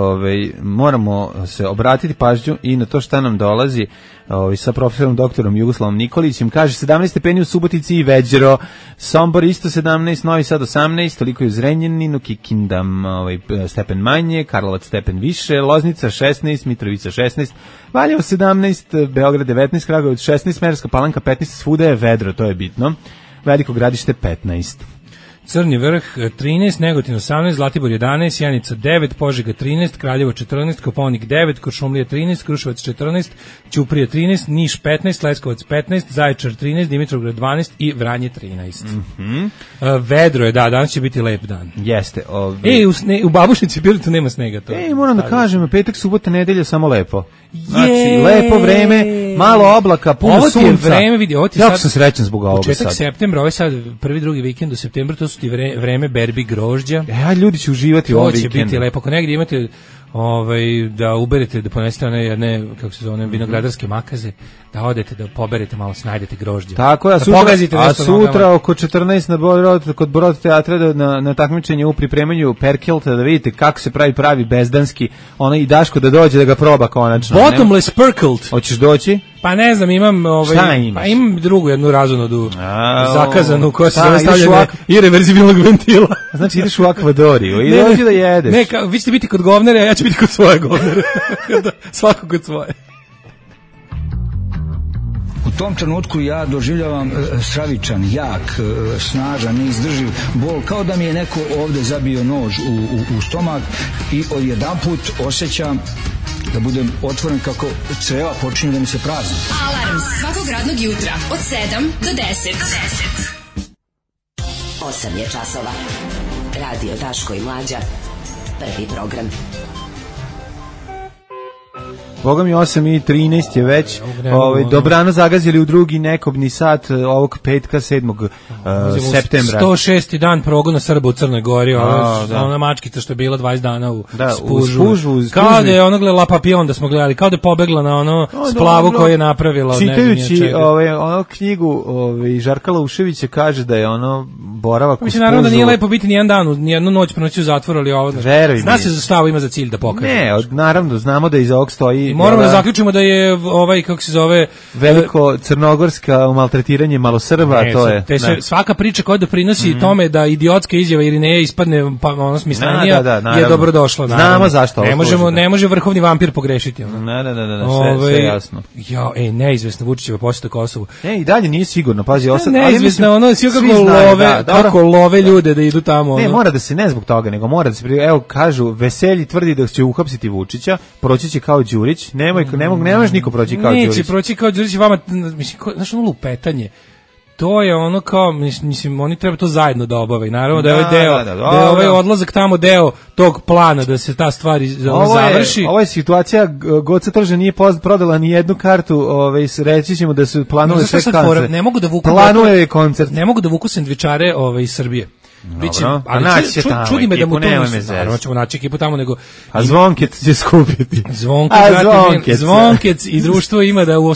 S6: moramo se obratiti pažnju i na to šta nam dolazi sa profesorom doktorom Jugoslavom Nikolićem. Kaže 17 stepeni u Subotici i Veđero, Sombor isto 17, Novi Sad 18, toliko je u Zrenjaninu, Kikinda stepen manje, Karlovac stepen više, Loznica 16, Mitrovica 16, Valjevo 17, Beograd 19, Kragujevac 16, Smederevska Palanka 15, svuda je vedro, to je bitno. Veliko Gradište 15.
S5: Crni vrh 13, Negotin 18, Zlatibor 11, Sjenica 9, Požega 13, Kraljevo 14, Kopaonik 9, Kuršumlija 13, Kruševac 14, Ćuprija 13, Niš 15, Leskovac 15, Zaječar 13, Dimitrovgrad 12 i Vranje 13. Vedro je, danas će biti lep dan.
S6: Jeste.
S5: U Babušnici Pirotu nema snega.
S6: Moram da kažem, petak, subota, nedelja, samo lepo. Znači, lepo vreme, malo oblaka, puno sunca.
S5: Ovo ti je vreme, vidi, ovo ti
S6: jako sam srećan zbog ovoga sad.
S5: Početak septembra, ovo je sad prvi, drugi vikend u septembru, to su ti vreme berbi grožđa.
S6: Ljudi će uživati u ovom vikendu.
S5: To će biti lepo. Ako negdje imate da uberete, da ponesete one kako se zove, vinogradarske makaze, da odete, da poberete malo, snajdete grožđe.
S6: Tako je, a sutra oko 14 kod Brod teatra na takmičenje u pripremanju Perkelta, da vidite kako se pravi bezdanski, i Daško da dođe da ga proba konačno.
S5: Bottomless Perkelt.
S6: Hoćeš doći?
S5: Pa ne znam, imam
S6: šta imaš?
S5: Pa imam drugu jednu razonodu zakazanu koja se zove stavljanje irreverzibilnog ventila.
S6: Znači ideš u Akvadoriju i dođi da jedeš.
S5: Ne, vi ćete biti kod govnera, a ja ću biti kod svoje govnere. Svako kod svoje.
S9: U
S8: tom trenutku ja doživljavam stravičan, jak, snažan, neizdrživ bol, kao da mi je neko ovde zabio nož u stomak i odjedanput osjećam da budem otvoren kako creva počinju da mi se prazni.
S3: Alarm svakog radnog jutra od 7 do 10.
S9: 8 je časova. Radio Daško i Mlađa. Prvi program.
S6: Boga mi 8:13 je već. Dobrano zagazili u drugi nekobni sat ovog petka 7. septembra.
S5: 106. dan progona Srba u Crnoj Gori. Ona mačkica što je bila 20 dana u spužu. Kao da je ono gledala Papion da smo gledali. Kao da je pobegla na ono splavu koju je napravila.
S6: Čitajući ono knjigu Žarka Lauševića kaže da je ono boravak u spužu.
S5: Mislim, naravno da nije lepo biti nijedan dan, nijednu noć pronoći u zatvoru, ali ovo... Zna se za šta ovo ima za cilj da pokaže.
S6: Ne, naravno, znamo da iza ovog stoji...
S5: I moramo da zaključimo da je kako se zove...
S6: Veliko crnogorska maltretiranje malosrba, to je...
S5: Svaka priča koja doprinosi tome da idiotska izjava Irineja ispadne ono smislenija je dobrodošla.
S6: Znamo zašto ovo
S5: ne može vrhovni vampir pogrešiti.
S6: Sve jasno.
S5: Neizvesna Vučićeva posjeta Kosovu.
S6: I dalje nije sigurno, pazi.
S5: Neizvesna, ono svi kako love ljude da idu tamo.
S6: Ne, mora da se ne zbog toga, nego mora da se... Evo, kažu, Veselji tvrdi da će uhapsiti Vučića, proći će kao Đurić, nemaš niko proći kao Đurić.
S5: Neće proći kao Đurić, vama, mislim, znaš ono lupetanje, to je ono kao, mislim, oni treba to zajedno da obave. Naravno da je ovaj deo, da je ovaj odlazak tamo deo tog plana da se ta stvar završi.
S6: Ovo je situacija, Goca Trža nije prodala ni jednu kartu, reći ćemo da su planule sve koncert. Planuje koncert.
S5: Ne mogu da vuku sendvičare iz Srbije.
S6: Biće, ali
S5: čudi me da mu to naravno ćemo naći ekipu tamo, nego...
S6: A Zvonkec će skupiti.
S5: Zvonkec i društvo ima da u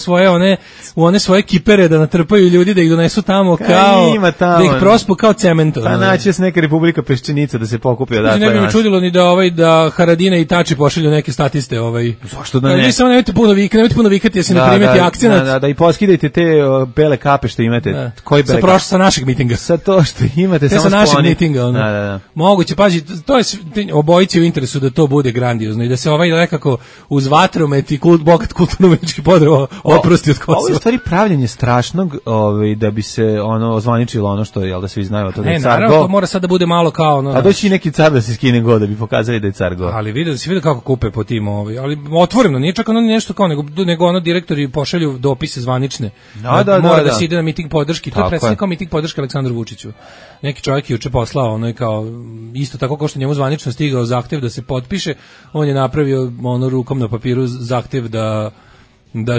S5: one svoje kipere da natrpaju ljudi, da ih donesu tamo kao... Da ih prospu kao cement.
S6: Pa naći se neka Republika Peščenica da se pokupi odatle.
S5: Ne bi mi čudilo ni da Haradina i Tači pošalju neke statiste.
S6: Zašto da ne?
S5: Vi samo nemojte puno vikati, jer se ne primeti akcenat.
S6: Da i poskidajte te bele kape što imate.
S5: Sa našeg mitinga.
S6: Sa to što imate, samo
S5: mitinga, moguće, pazi, to je obojici u interesu da to bude grandiozno i da se nekako uz vatromet i bogat kulturno-umetnički podreo oprosti od Kosova.
S6: Ovo je u stvari pravljenje strašnog, da bi se ozvaničilo ono što je, da svi znaju, to da je car
S5: naravno, to mora sad da bude malo kao...
S6: A doći i neki car da se skine go, da bi pokazali da je car go.
S5: Ali da se vidi kako kupe po tim, ali otvoreno, nije čak ono nešto kao, nego ono direktori pošalju dopise zvanične. Mora da se ide na miting podrški, to je predstavljeno kao miting podrške Aleksandru Vučiću. Neki čovjek juče poslao, kao isto tako kao što njemu zvanično stigao zahtev da se potpiše, on je napravio rukom na papiru zahtev da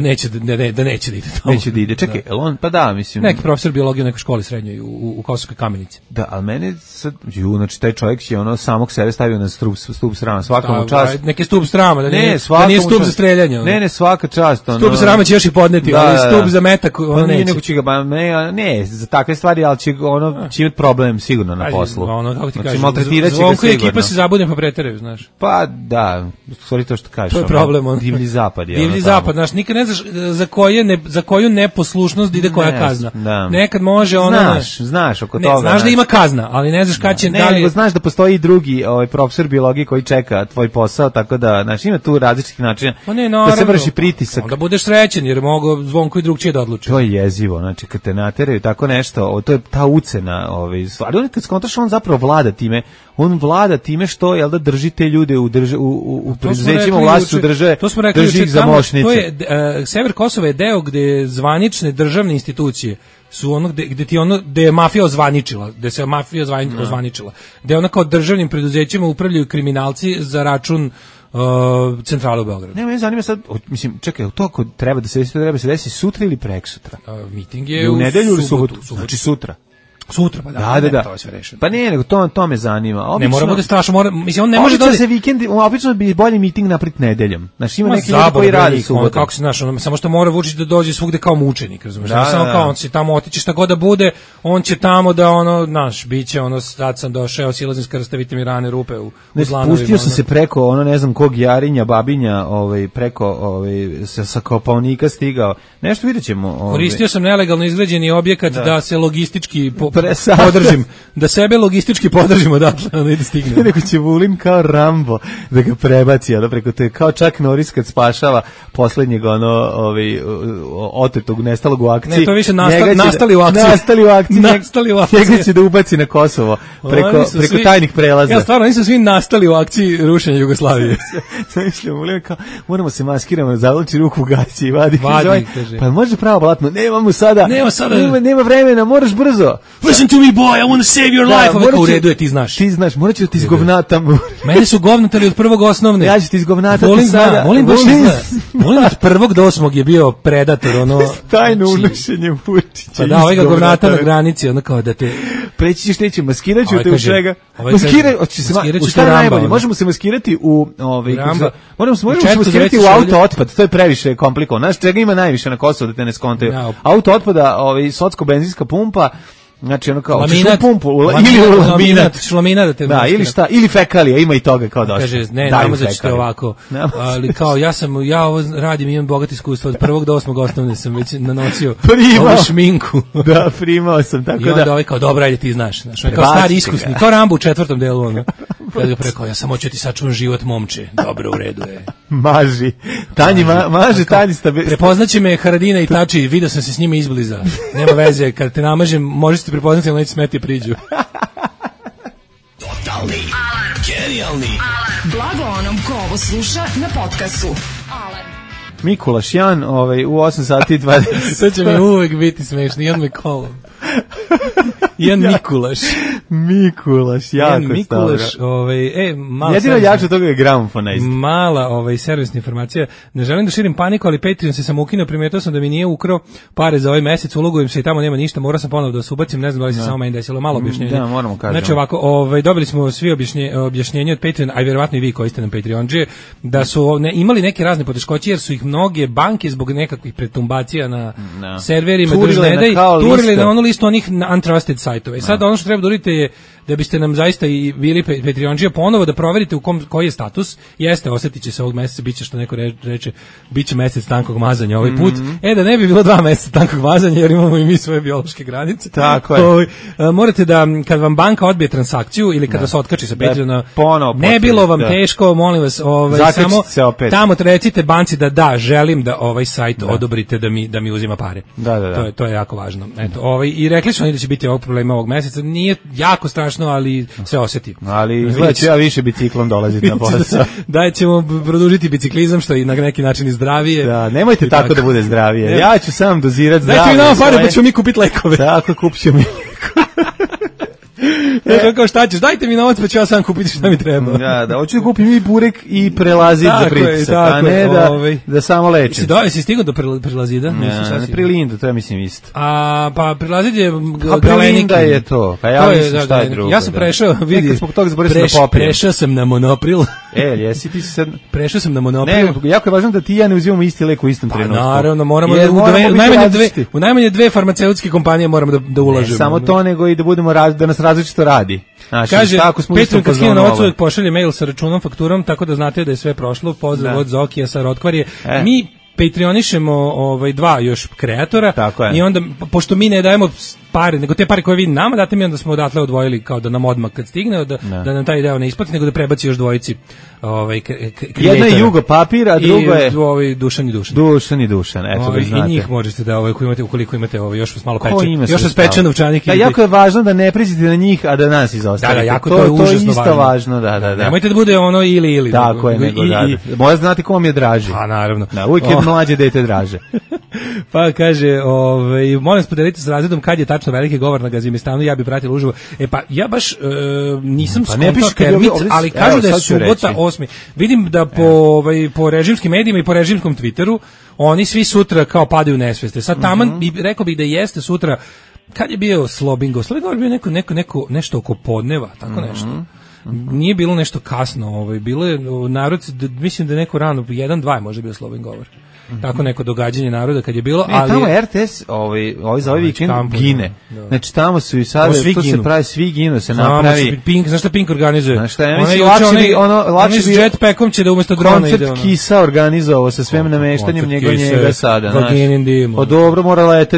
S5: neće da ide tamo.
S6: Neće da ide. Čekaj, on pa da, mislim.
S5: Neki profesor biologije u nekoj školi srednjoj u Kosovskoj Kamenici.
S6: Da, al mene sad znači taj čovjek je samog sebe stavio na stup srama, svaka čast.
S5: Neki stup srama, da nije stup za streljanje.
S6: Ne, svaka čast,
S5: Stup srama će još i podneti, ali stup za metak neće.
S6: Nego će ga ne, za takve stvari, al će će imati problem sigurno na poslu.
S5: Kako ti kažeš?
S6: Maltretiraće ga sigurno.
S5: Ekipa se zabude pa preteraju, znaš.
S6: Pa da, stvari to što kažeš.
S5: To je problem.
S6: Divlji zapad je.
S5: Divlji zapad, znaš, nikad ne znaš za koju neposlušnost ide koja kazna.
S6: Da.
S5: Nekad može
S6: znaš oko toga.
S5: Znaš da ima kazna, ali ne znaš kad će
S6: nego znaš da postoji drugi profesor biologije koji čeka tvoj posao, tako da znaš, ima tu različitih načina da se vrši pritisak.
S5: Onda budeš srećan jer mogu Zvonko i drugčije da odluči.
S6: To je jezivo, znači kad te nateraju tako nešto, to je ta ucena, stvari. On kad skontaš, on zapravo vlada time. On vlada time što da drži te ljude u preduzećima vlasti drže.
S5: To smo rekli
S6: drži ih za moćnice.
S5: To je sever Kosova je deo gde zvanične državne institucije su gde je mafija ozvaničila, gde se mafija ozvaničila. Gde ona kao državnim preduzećima upravljaju kriminalci za račun centrale u Beogradu.
S6: Ne, me zanima sad, mislim, čekaj, to ako treba da se desi sutra ili prekssutra?
S5: Miting je
S6: u nedelju ili subotu? Znači sutra.
S5: Sutra, pa da. To je sve rešeno.
S6: Pa ne, nego to me zanima.
S5: Obično, ne mora bude strašno, mislim, on ne može
S6: da se vikend, obično bi bolji miting napraviti nedeljom. Znači ima neki ljudi koji radi subotom.
S5: Kako se znaš, samo što mora Vučić da dođe svugde kao mučenik, razumiješ? Samo kao on će tamo otići šta god da bude, on će tamo da biće sad sam došao, silazim s krsta, vidite mi rane rupe u zlanovima.
S6: Pustio sam se preko, ne znam kog Jarinja, Babinja, preko sa Kopaonika stigao. Nešto vidjet ćemo.
S5: Koristio sam nelegalno izgrađeni objekat da se logistički podržim, da sebe logistički podržimo odatle, ono i da stigne.
S6: Neko će Vulin kao Rambo da ga prebaci, ono preko te, kao Chuck Norris kad spašava poslednjeg otetog, nestalog u akciji.
S5: Ne, to više nastali u akciji.
S6: Nastali u akciji. Njega će da ubaci na Kosovo preko tajnih prelaza.
S5: Ja stvarno, nisu svi nastali u akciji rušenja Jugoslavije.
S6: Mišljamo, Vulin kao, moramo se maskiramo, zavlači ruku u gaći i vadi,
S5: kaže.
S6: Pa može pravo blatno, nema vremena, moraš brzo.
S5: Listen to me boy, I want to save your life. U redu je, ti znaš.
S6: Ti znaš, morat ću da ti izgovnatam.
S5: Mene su govnatali od prvog osnovne.
S6: Ja ću ti izgovnatati sada.
S5: Volim od prvog do osmog je bio predator, ono...
S6: Tajno unošenje Vučića.
S5: Pa da, ovaj ga govnata na granici, ono kao da te...
S6: Preći ćeš teći, maskirat ću te u čega. U šta je najbolje? Možemo se maskirati u... Možemo se maskirati u auto otpad, to je previše komplikovano. Znaš, čega ima najviše na Kosovu da te ne skontaju? Auto otpada, socko-benzinska pumpa, znači ono kao
S5: laminat,
S6: pumpu ili laminat,
S5: šlamina da te
S6: da, ili šta, ili fekalija, ima i toga kao dosta.
S5: Kaže, ne, namazat ovako, ali kao ja ovo radim, imam bogato iskustvo, od 1. do 8. osnovne sam već nanosio ovu šminku.
S6: Da, primao sam, tako da.
S5: I onda ovaj kao, dobro, ajde ti znaš, kao stari iskusni, kao Rambo u 4. delu, ono. Kada ga preko, ja sam hoću ti sačuvam život momče, dobro, u redu je.
S6: Maži, maže Tanji stabi.
S5: Prepoznaće me Haradina i Tači, vidio sam se s njima izbliza, nema veze, kad te namažem, možeš ti prepoznati, ali neće smeti priđu.
S3: Totalni alarm. Genijalni alarm. Blago onom ko ovo sluša na podcastu. Alarm.
S6: Mikulaš Jan, u 8 sati 20.
S5: Sve će mi uvek biti smešno, Jan me kolom. Jan Mikulaš.
S6: Mikulaš, jako stavno.
S5: Mikulaš,
S6: jedino jače toga je gramofona.
S5: Mala servisna informacija. Ne želim da širim paniku, ali Patreon se sam ukinuo, primetio sam da mi nije ukrao pare za ovaj mesec, ulogujem se i tamo nema ništa, morao sam ponovo da se ubacim, ne znam da li se samo meni desilo, malo objašnjenje.
S6: Da, moramo kažem.
S5: Znači ovako, dobili smo svi objašnjenje od Patreona, a vjerovatno i vi koji ste nam Patreonđe, da su imali neke razne poteškoće jer su ih mnoge banke zbog nekakvih pretumbacija na serverima turile na onu listu onih untrusted sajtova. I sad ono što treba da uradite je da biste nam zaista i bili Patreonđija ponovo da proverite koji je status. Jeste, osjetit će se ovog meseca, bit će što neko reče, bit će mesec tankog mazanja ovaj put. Da ne bi bilo 2 meseca tankog mazanja jer imamo i mi svoje biološke granice.
S6: Tako je.
S5: Morate da, kad vam banka odbije transakciju ili kada se otkači sa Patreona, ne bilo vam teško, molim vas, samo tamo recite banci da želim da ovaj sajt odobrite da mi uzima pare.
S6: Da.
S5: To je jako važno. Eto, i rekli su oni da će biti ovog problema ovog meseca. Nije jako strašno, ali se osjeti.
S6: Ali znači, ja više biciklom dolaziti na posao.
S5: Da ćemo produžiti biciklizam, što je i na neki način i zdravije.
S6: Da, nemojte tako da bude zdravije. Ja ću sam dozirati zdravije.
S5: Dajte mi nama pare pa ćemo mi kupiti lekove.
S6: Tako, kupit ćemo mi
S5: kao šta ćeš, dajte mi novac pa ću ja sam kupiti šta mi treba.
S6: Da, hoću da kupim i burek i prelazit za pritisak, a ne da samo lečim.
S5: Jesi stigao do prelazida?
S6: Ne, prilinda, to ja mislim isto.
S5: Pa prelazid je
S6: prilinda je to, pa ja mislim šta je drugo.
S5: Ja sam prešao, vidi, prešao sam na monopril.
S6: Jesi ti sad...
S5: Prešao sam na monopril.
S6: Ne, jako je važno da ti ja ne uzimamo isti lek u istom trenutku.
S5: Naravno, moramo u najmanje 2 farmaceutske kompanije moramo da ulažemo.
S6: Ne samo to, nego i da budemo da nas različito radi.
S5: Kaže, Petron kad skine novac uvek pošalje mail sa računom, fakturom, tako da znate da je sve prošlo. Pozdrav od Zokija sa Rotkvarje. Mi Patreonišemo 2 još kreatora i onda, pošto mi ne dajemo pare, nego te pare koje vi nama date, mi onda smo odatle odvojili kao da nam odmah kad stigne, da nam taj deo ne isplati, nego da prebaci još dvojici
S6: jedna je Jugo Papir, a drugo je
S5: Dušan i Dušan.
S6: Dušan i Dušan, eto da znate.
S5: I njih možete da ukoliko imate još vas malo peče. Još vas peče novčanik.
S6: Da, jako je važno da ne priđete na njih, a da nas izostavite.
S5: Da, jako to je užasno
S6: isto važno, da.
S5: Nemojte da bude ono ili.
S6: Tako je, nego da. Možete znati ko vam je draži.
S5: A naravno.
S6: Da, uvijek je mlađe dete draže.
S5: Pa kaže, molim podelite s razredom kad je tačno veliki govor na Gazimistanu, ja bih pratila uživo. Pa ja baš nisam skontao termit, ali kažu da je subota 8. Vidim da po režimskim medijima i po režimskom Twitteru oni svi sutra kao padaju u nesveste. Sad taman rekao bih da jeste sutra, kad je bio Slobingo? Slobingo je bio nešto oko podneva, tako nešto. Nije bilo nešto kasno, bilo je narod, mislim da je neko rano, 1-2 možda bio Slobin govor. tako neko događanje naroda kad je bilo,
S6: Ne,
S5: ali
S6: tamo RTS, za ovaj vikend gine.
S5: Da.
S6: Znači tamo su i sada
S5: Svi
S6: to se
S5: ginu.
S6: pravi, svi ginu, se
S5: Samo
S6: napravi.
S5: Pink, znaš šta Pink organizuje?
S6: Znaš šta, ja
S5: Onaj
S6: mislim,
S5: juče,
S6: lakše
S5: s
S6: bi
S5: jetpackom će da umesto drona ide.
S6: koncert Kisa organizovao sa svem nameštanjem
S5: koncert
S6: njega
S5: Kise,
S6: sada, znaš.
S5: Vaginin dim,
S6: O dobro,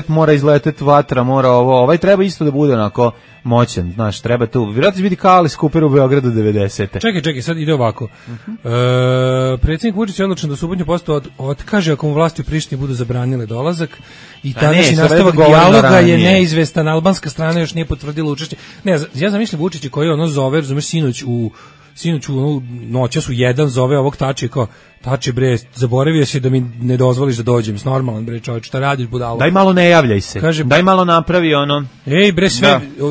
S6: mora izletet vatra, mora ovo. Ovaj treba isto da bude onako moćan, znaš, treba tu. Vjerojatno će biti kao Alice Cooper u Beogradu 90.
S5: Čekaj, sad ide ovako. Predsjednik Vučić je odlučen da subotnju posto otkaže ako mu vlasti u Prištini budu zabranile dolazak i tadašnji nastavak dijaloga je neizvestan. Albanska strana još nije potvrdila učešće. Ne, ja zamišljam Vučića koji ono zove, razumeš, sinoć u noćas u 1 zove ovog Tači kao Tači bre, zaboravio si da mi ne dozvoliš da dođem, normalan bre čovjek, šta radiš budalo?
S6: Daj malo ne javljaj se.
S5: Kaže,
S6: daj malo napravi ono.
S5: Ej bre,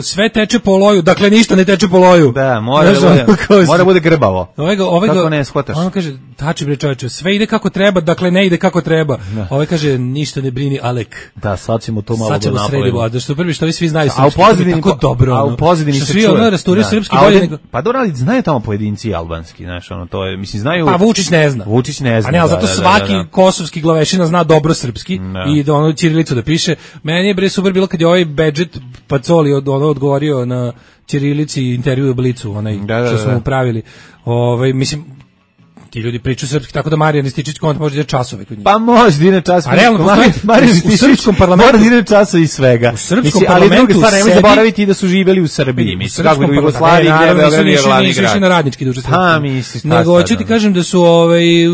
S5: sve teče po loju, dakle ništa ne teče po loju.
S6: Da, mora bude grbavo. Kako ne shvataš?
S5: On kaže, Tači bre čovječe, sve ide kako treba, dakle ne ide kako treba. Ovaj kaže, ništa ne brini, Alek.
S6: Da, sad ćemo to malo
S5: da napravimo. Da što prvi što vi svi znaju
S6: srpski,
S5: tako dobro.
S6: A u pozadini se
S5: svi ono rasturaju srpski bolje nego.
S6: Pa dobro, ali znaju tamo pojedinci albanski, znaš, ono to je, mislim znaju.
S5: Pa Vučić ne zna.
S6: A
S5: ne, ali zato svaki kosovski glavešina zna dobro srpski i da ono ćirilicu da piše. Meni je bre super bilo kad je ovaj Bedžet Pacoli odgovorio na ćirilici intervju u Blicu, onaj što smo mu pravili. Mislim, ti ljudi pričaju srpski, tako da Marijan Rističić konta može da časove kod njih.
S6: Pa može da ide časove.
S5: A realno
S6: Marijan Rističić u srpskom parlamentu mora da ide časove i svega.
S5: U srpskom parlamentu,
S6: ali druga stvar, nemoj zaboraviti da su živeli u Srbiji. Mislim, kako u Jugoslaviji, gdje Beograd je glavni grad.
S5: Nisu na radnički duže. Nego hoću ti kažem da su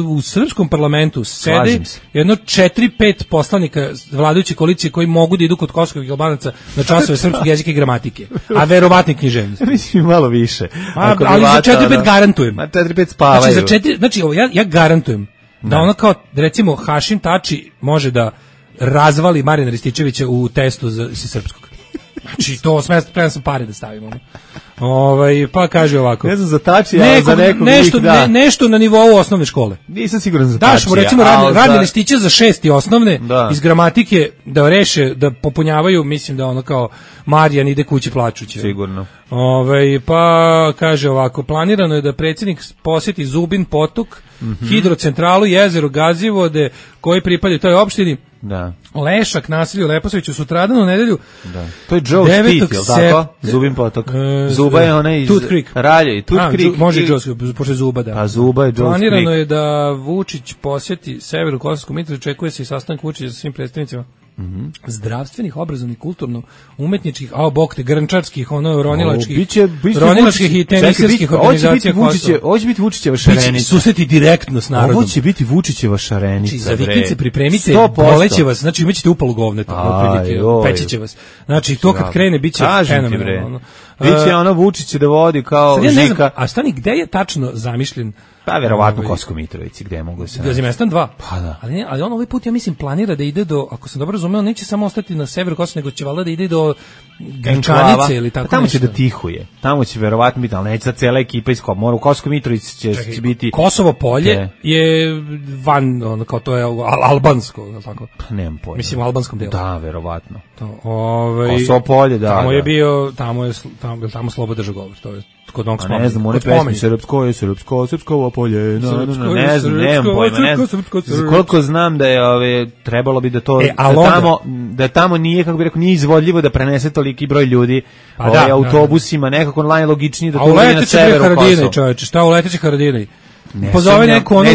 S5: u srpskom parlamentu sede jedno 4-5 poslanika vladajuće koalicije koji mogu da idu kod kosovskih Albanaca na časove srpskog jezika i gramatike, a verovatni književnosti.
S6: Mislim malo više.
S5: Ali za 4-5 garantujem.
S6: 4-5 spavaju.
S5: Znači, ja garantujem da ono kao, recimo, Hašim Tači može da razvali Marijana Rističevića u testu za srpskog. Znači, to spremam sam pare da stavimo. Pa kaže ovako.
S6: Ne znam za Tači, ali za nekog
S5: nešto na nivou osnovne škole.
S6: Nisam siguran za Tači.
S5: Daš mu, recimo, radne listiće za 6. osnovne iz gramatike da reše, da popunjavaju, mislim da ono kao Marijan ide kući plačući.
S6: Sigurno.
S5: Pa kaže ovako, planirano je da predsjednik posjeti Zubin potok, hidrocentralu, jezero Gazivode, koji pripadaju toj opštini.
S6: Da.
S5: Lešak, naselju Leposaviću, sutradan u nedelju.
S6: Da. To je Joe Spit, je li tako? Zubin potok. Zuba je onaj iz
S5: Tooth Creek.
S6: Ralje i Tooth Creek.
S5: Može Joe, pošto je Zuba, da.
S6: A Zuba je Joe Creek.
S5: Planirano je da Vučić posjeti severu Kosovsku Mitrovicu, očekuje se i sastanak Vučića sa svim predstavnicima zdravstvenih, obrazovnih, kulturno-umetničkih, grnčarskih, ronilačkih i tenisirskih organizacija.
S6: Ovo će biti Vučićeva šarenica.
S5: Susreti direktno s narodom.
S6: Ovo će biti Vučićeva šarenica.
S5: Za vikend se pripremite, boleće vas, znači imaćete upalu govneta, pećeće vas. Znači to kad krene, bit će fenomenalno.
S6: Biće ono Vučić da vodi kao Žika.
S5: A stani, gde je tačno zamišljen?
S6: Pa verovatno Kosovskoj Mitrovici, gde mogu se.
S5: Gazimestan 2.
S6: Pa da.
S5: Ali on ovaj put ja mislim planira da ide do, ako sam dobro razumeo, neće samo ostati na severu Kosova, nego će valjda da ide do Gančanice ili tako nešto.
S6: Tamo će da tihuje. Tamo će verovatno biti, ali neće za cela ekipa iz Komora. U Kosovskoj Mitrovici će biti.
S5: Kosovo polje je van, ono kao to je albansko, je li tako?
S6: Pa nemam pojma.
S5: Mislim u albanskom delu.
S6: Da, verovatno.
S5: Kosovo
S6: polje, da.
S5: Tamo je bio, tamo Slobo držao govor, to je kod onog spomenu.
S6: Ne znam, one pesme srpsko polje, ne znam, nemam pojma, ne znam. Koliko znam da je, trebalo bi da to, da tamo nije, kako bi rekao, nije izvodljivo da prenese toliki broj ljudi autobusima, nekako najlogičnije da to bude na severu Kosova.
S5: Šta uleteće Haradinaj? Pozove neko ono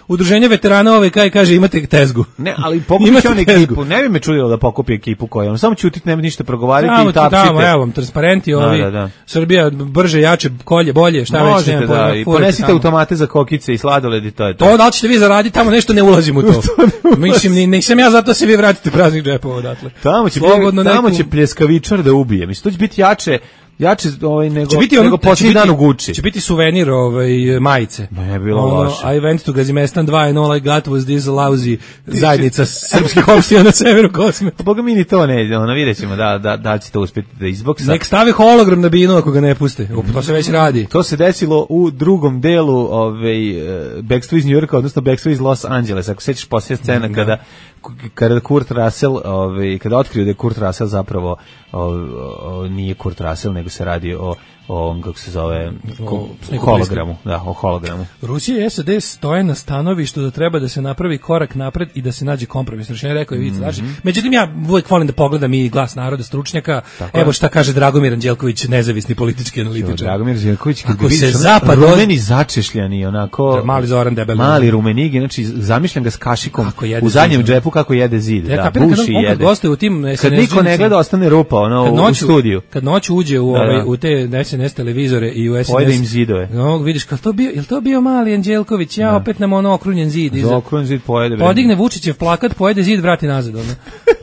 S5: udruženje veterana kaže imate tezgu.
S6: Ne, ali pokupi će on ekipu. Ne bi me čudilo da pokupi ekipu koja. Samo ćutit, nema ništa progovarati i tapšite.
S5: Evo vam, transparenti Srbija brže, jače, kolje, bolje, šta već.
S6: Možete da, i ponesite automate za kokice i sladoled i to je to.
S5: To da li ćete vi zaraditi, tamo nešto ne ulazim u to. Mislim, nisam ja zato se vi vratite praznih džepova odatle.
S6: Tamo će pljeskavičar da ubije. Mislim, to će biti jače nego posljednji dan u Gucci.
S5: Će biti suvenir majice.
S6: Ne, bilo loše.
S5: I went to Gazimestan 2 and all I got was this lousy zajednica srpskih opština na severu Kosme.
S6: Boga mi ni to ne, vidjet ćemo da će to uspjeti da izboksa.
S5: Nek stavi hologram na binu ako ga ne puste. To se već radi.
S6: To se desilo u drugom delu Backstreet iz New Yorka, odnosno Backstreet iz Los Angelesa. Ako sećaš poslije scena kada Kurt Russell, kada otkriju da je Kurt Russell zapravo nije Kurt Russell, nego se radi o ovom, kako se zove, hologramu. Da, o hologramu.
S5: Rusija i SAD stoje na stanovištu da treba da se napravi korak napred i da se nađe kompromis. Rešenje rekao je Ivica Dačić. Međutim, ja uvijek volim da pogledam i Glas naroda, stručnjaka. Evo šta kaže Dragomir Anđelković, nezavisni politički analitičar.
S6: Dragomir Anđelković, kad
S5: ako se
S6: vidiš,
S5: zapad
S6: rumeni začešljani, onako...
S5: Mali Zoran debeli.
S6: Mali rumenigi, znači zamišljam ga s kašikom u zadnjem džepu kako jede zid. Da, buši i jede.
S5: U tim
S6: kad niko ne gleda, ostane rupa u studiju.
S5: Kad noću uđe u te SNS televizore i u SNS...
S6: Pojede im zidove.
S5: Vidiš, jel to bio mali Anđelković? Ja opet nam okrunjen zid.
S6: Okrunjen zid pojede.
S5: Podigne Vučićev plakat, pojede zid, vrati nazad.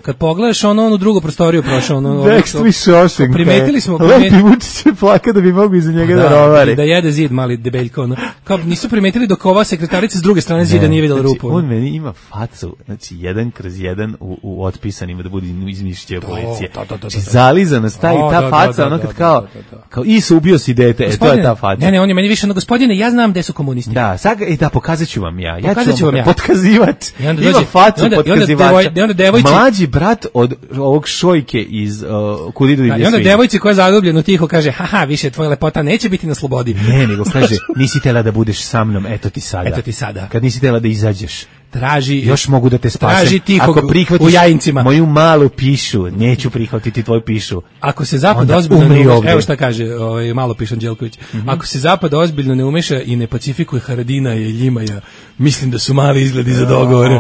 S5: Kad pogledaš onu drugu prostoriju prošao.
S6: Dextri Šošenka.
S5: Primetili smo...
S6: Lepi Vučićev plakat da bi mogu iza njega da rovari.
S5: Da jede zid, mali debeljko. Kao nisu primetili dok ova sekretarica s druge strane zida nije videla rupu.
S6: On meni ima facu, znači 1/1 u otpisanima da bude izmišljio policije. Zalizana staje ta faca, ono kad kao Isu ubio si dete, to je ta faca.
S5: Ne, on je meni više, gospodine, ja znam gde su komunisti.
S6: Da, sad pokazat ću vam ja. Ja ću vam potkazivač. Ima facu potkazivača. Mlađi brat od ovog Šojke iz Kud idu divlje svinje.
S5: I onda devojci koja zadubljeno tiho kaže, haha, više tvoja lepota neće biti na slobodi.
S6: Ne, nego kaže, nisi tela da budeš sa mnom, eto ti sada. Kad nisi tela da izađeš.
S5: Traži,
S6: još mogu da te spasem.
S5: Traži tihog u Jajincima.
S6: Moju malu pišu, neću prihvatiti tvoju pišu.
S5: Ako se zapad ozbiljno ne umeša, evo šta kaže malo piše Anđelković, ako se zapad ozbiljno ne umeša i ne pacifikuje Haradina i Ljimaja, mislim da su mali izgledi za dogovor.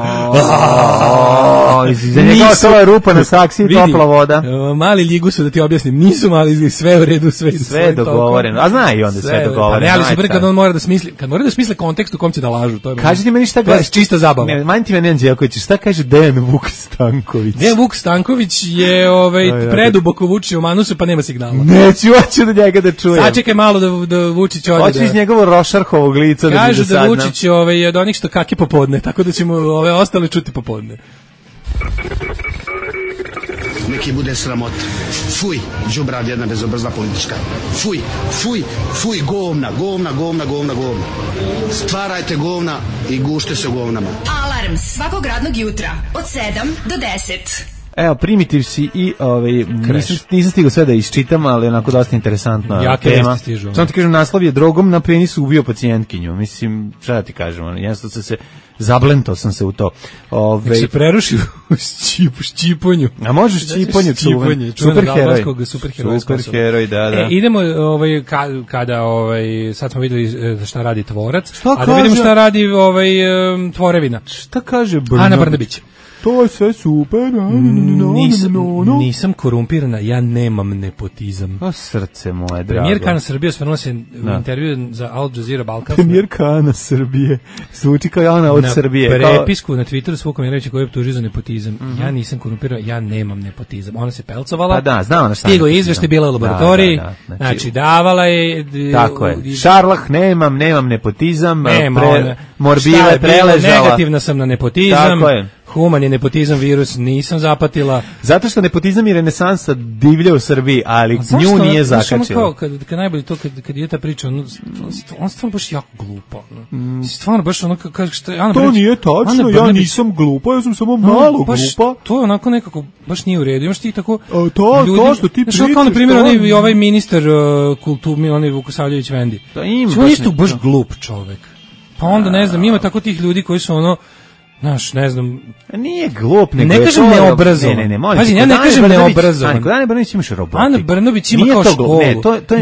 S6: Za njega ostala rupa na saksi i topla voda.
S5: Mali Ljigu su, da ti objasnim, nisu mali izgledi, sve u redu,
S6: sve je dogovoreno. A zna i onda sve dogovoreno.
S5: Ne, ali super kad on mora da smisli, kontekst u kom će da lažu.
S6: Kažite meni šta
S5: je čista zabava.
S6: Manti me Anđelković, šta kaže Dejan Vuk Stanković?
S5: Dejan Vuk Stanković je preduboko Vučić u manusu, pa nema signala.
S6: Hoću da njega da čujem.
S5: Sačekaj malo da Vučić ode.
S6: Hoću iz njegovo Rošarhovog lica da
S5: kažu da Vučić je od onih što kake popodne, tako da ćemo ove ostale čuti popodne.
S10: Neki bude sramot. Fuj, đubrad jedna bezobrazna politička. Fuj, govna. Stvarajte govna i gušte se u govnama.
S3: Alarm svakog radnog jutra od 7 do 10.
S6: Evo, Primitiv si i nisam stigao sve da isčitam, ali onako dosta interesantna tema. Samo ti kažem, naslov je drogom na penisu ubio pacijentkinju. Mislim, šta da ti kažem, jednostavno zablentao sam se u to.
S5: Nek se preruši u ščiponju.
S6: A možeš ščiponju, superheroj, da.
S5: Idemo, kada, sad smo videli šta radi Tvorac, a da vidimo šta radi Tvorevina.
S6: Šta kaže
S5: Ana Brnabić?
S6: To je sve super.
S5: Nisam korumpirana, ja nemam nepotizam.
S6: O srce moje, drago.
S5: Premijerka Ana Srbije osvrnula se u intervju za Al Jazeera Balkan.
S6: Premijerka Ana Srbije. Zvuči kao Ana od Srbije.
S5: Na prepisku na Twitteru Svuk Mirovića koji je optužio za nepotizam. Ja nisam korumpirana, ja nemam nepotizam. Ona se pelcovala.
S6: Pa da, znao ona šta.
S5: Stigo izveštaj, bila u laboratoriji. Znači, davala je.
S6: Tako je. Šarlah, nemam nepotizam. Morbile preležala.
S5: Negativna sam na nepotizam.
S6: Tako je.
S5: Human je nepotizam virus, nisam zapatila.
S6: Zato što nepotizam i renesansa divlja u Srbiji, ali nju nije zakačila.
S5: Kad najbolje to, kad je ta priča, on stvarno baš jako glupa. Stvarno baš ono,
S6: to nije tačno, ja nisam glupa, ja sam samo malo glupa.
S5: To je onako nekako, baš nije u redu. Imaš ti tako...
S6: To što ti pričaš.
S5: Kao, na primjer, ovaj ministar kulture, onaj Vukosavljević Vendi. On isto baš glup čovek. Pa onda, ne znam, ima tako tih ljudi koji su ono, znaš, ne znam...
S6: Nije glup, nego
S5: ne kažem neobrazovan.
S6: Ne, molim.
S5: Pazi, ja ne kažem neobrazovan.
S6: Kod Ane Brnabić imaš robotik.
S5: Ana Brnabić ima kao školu.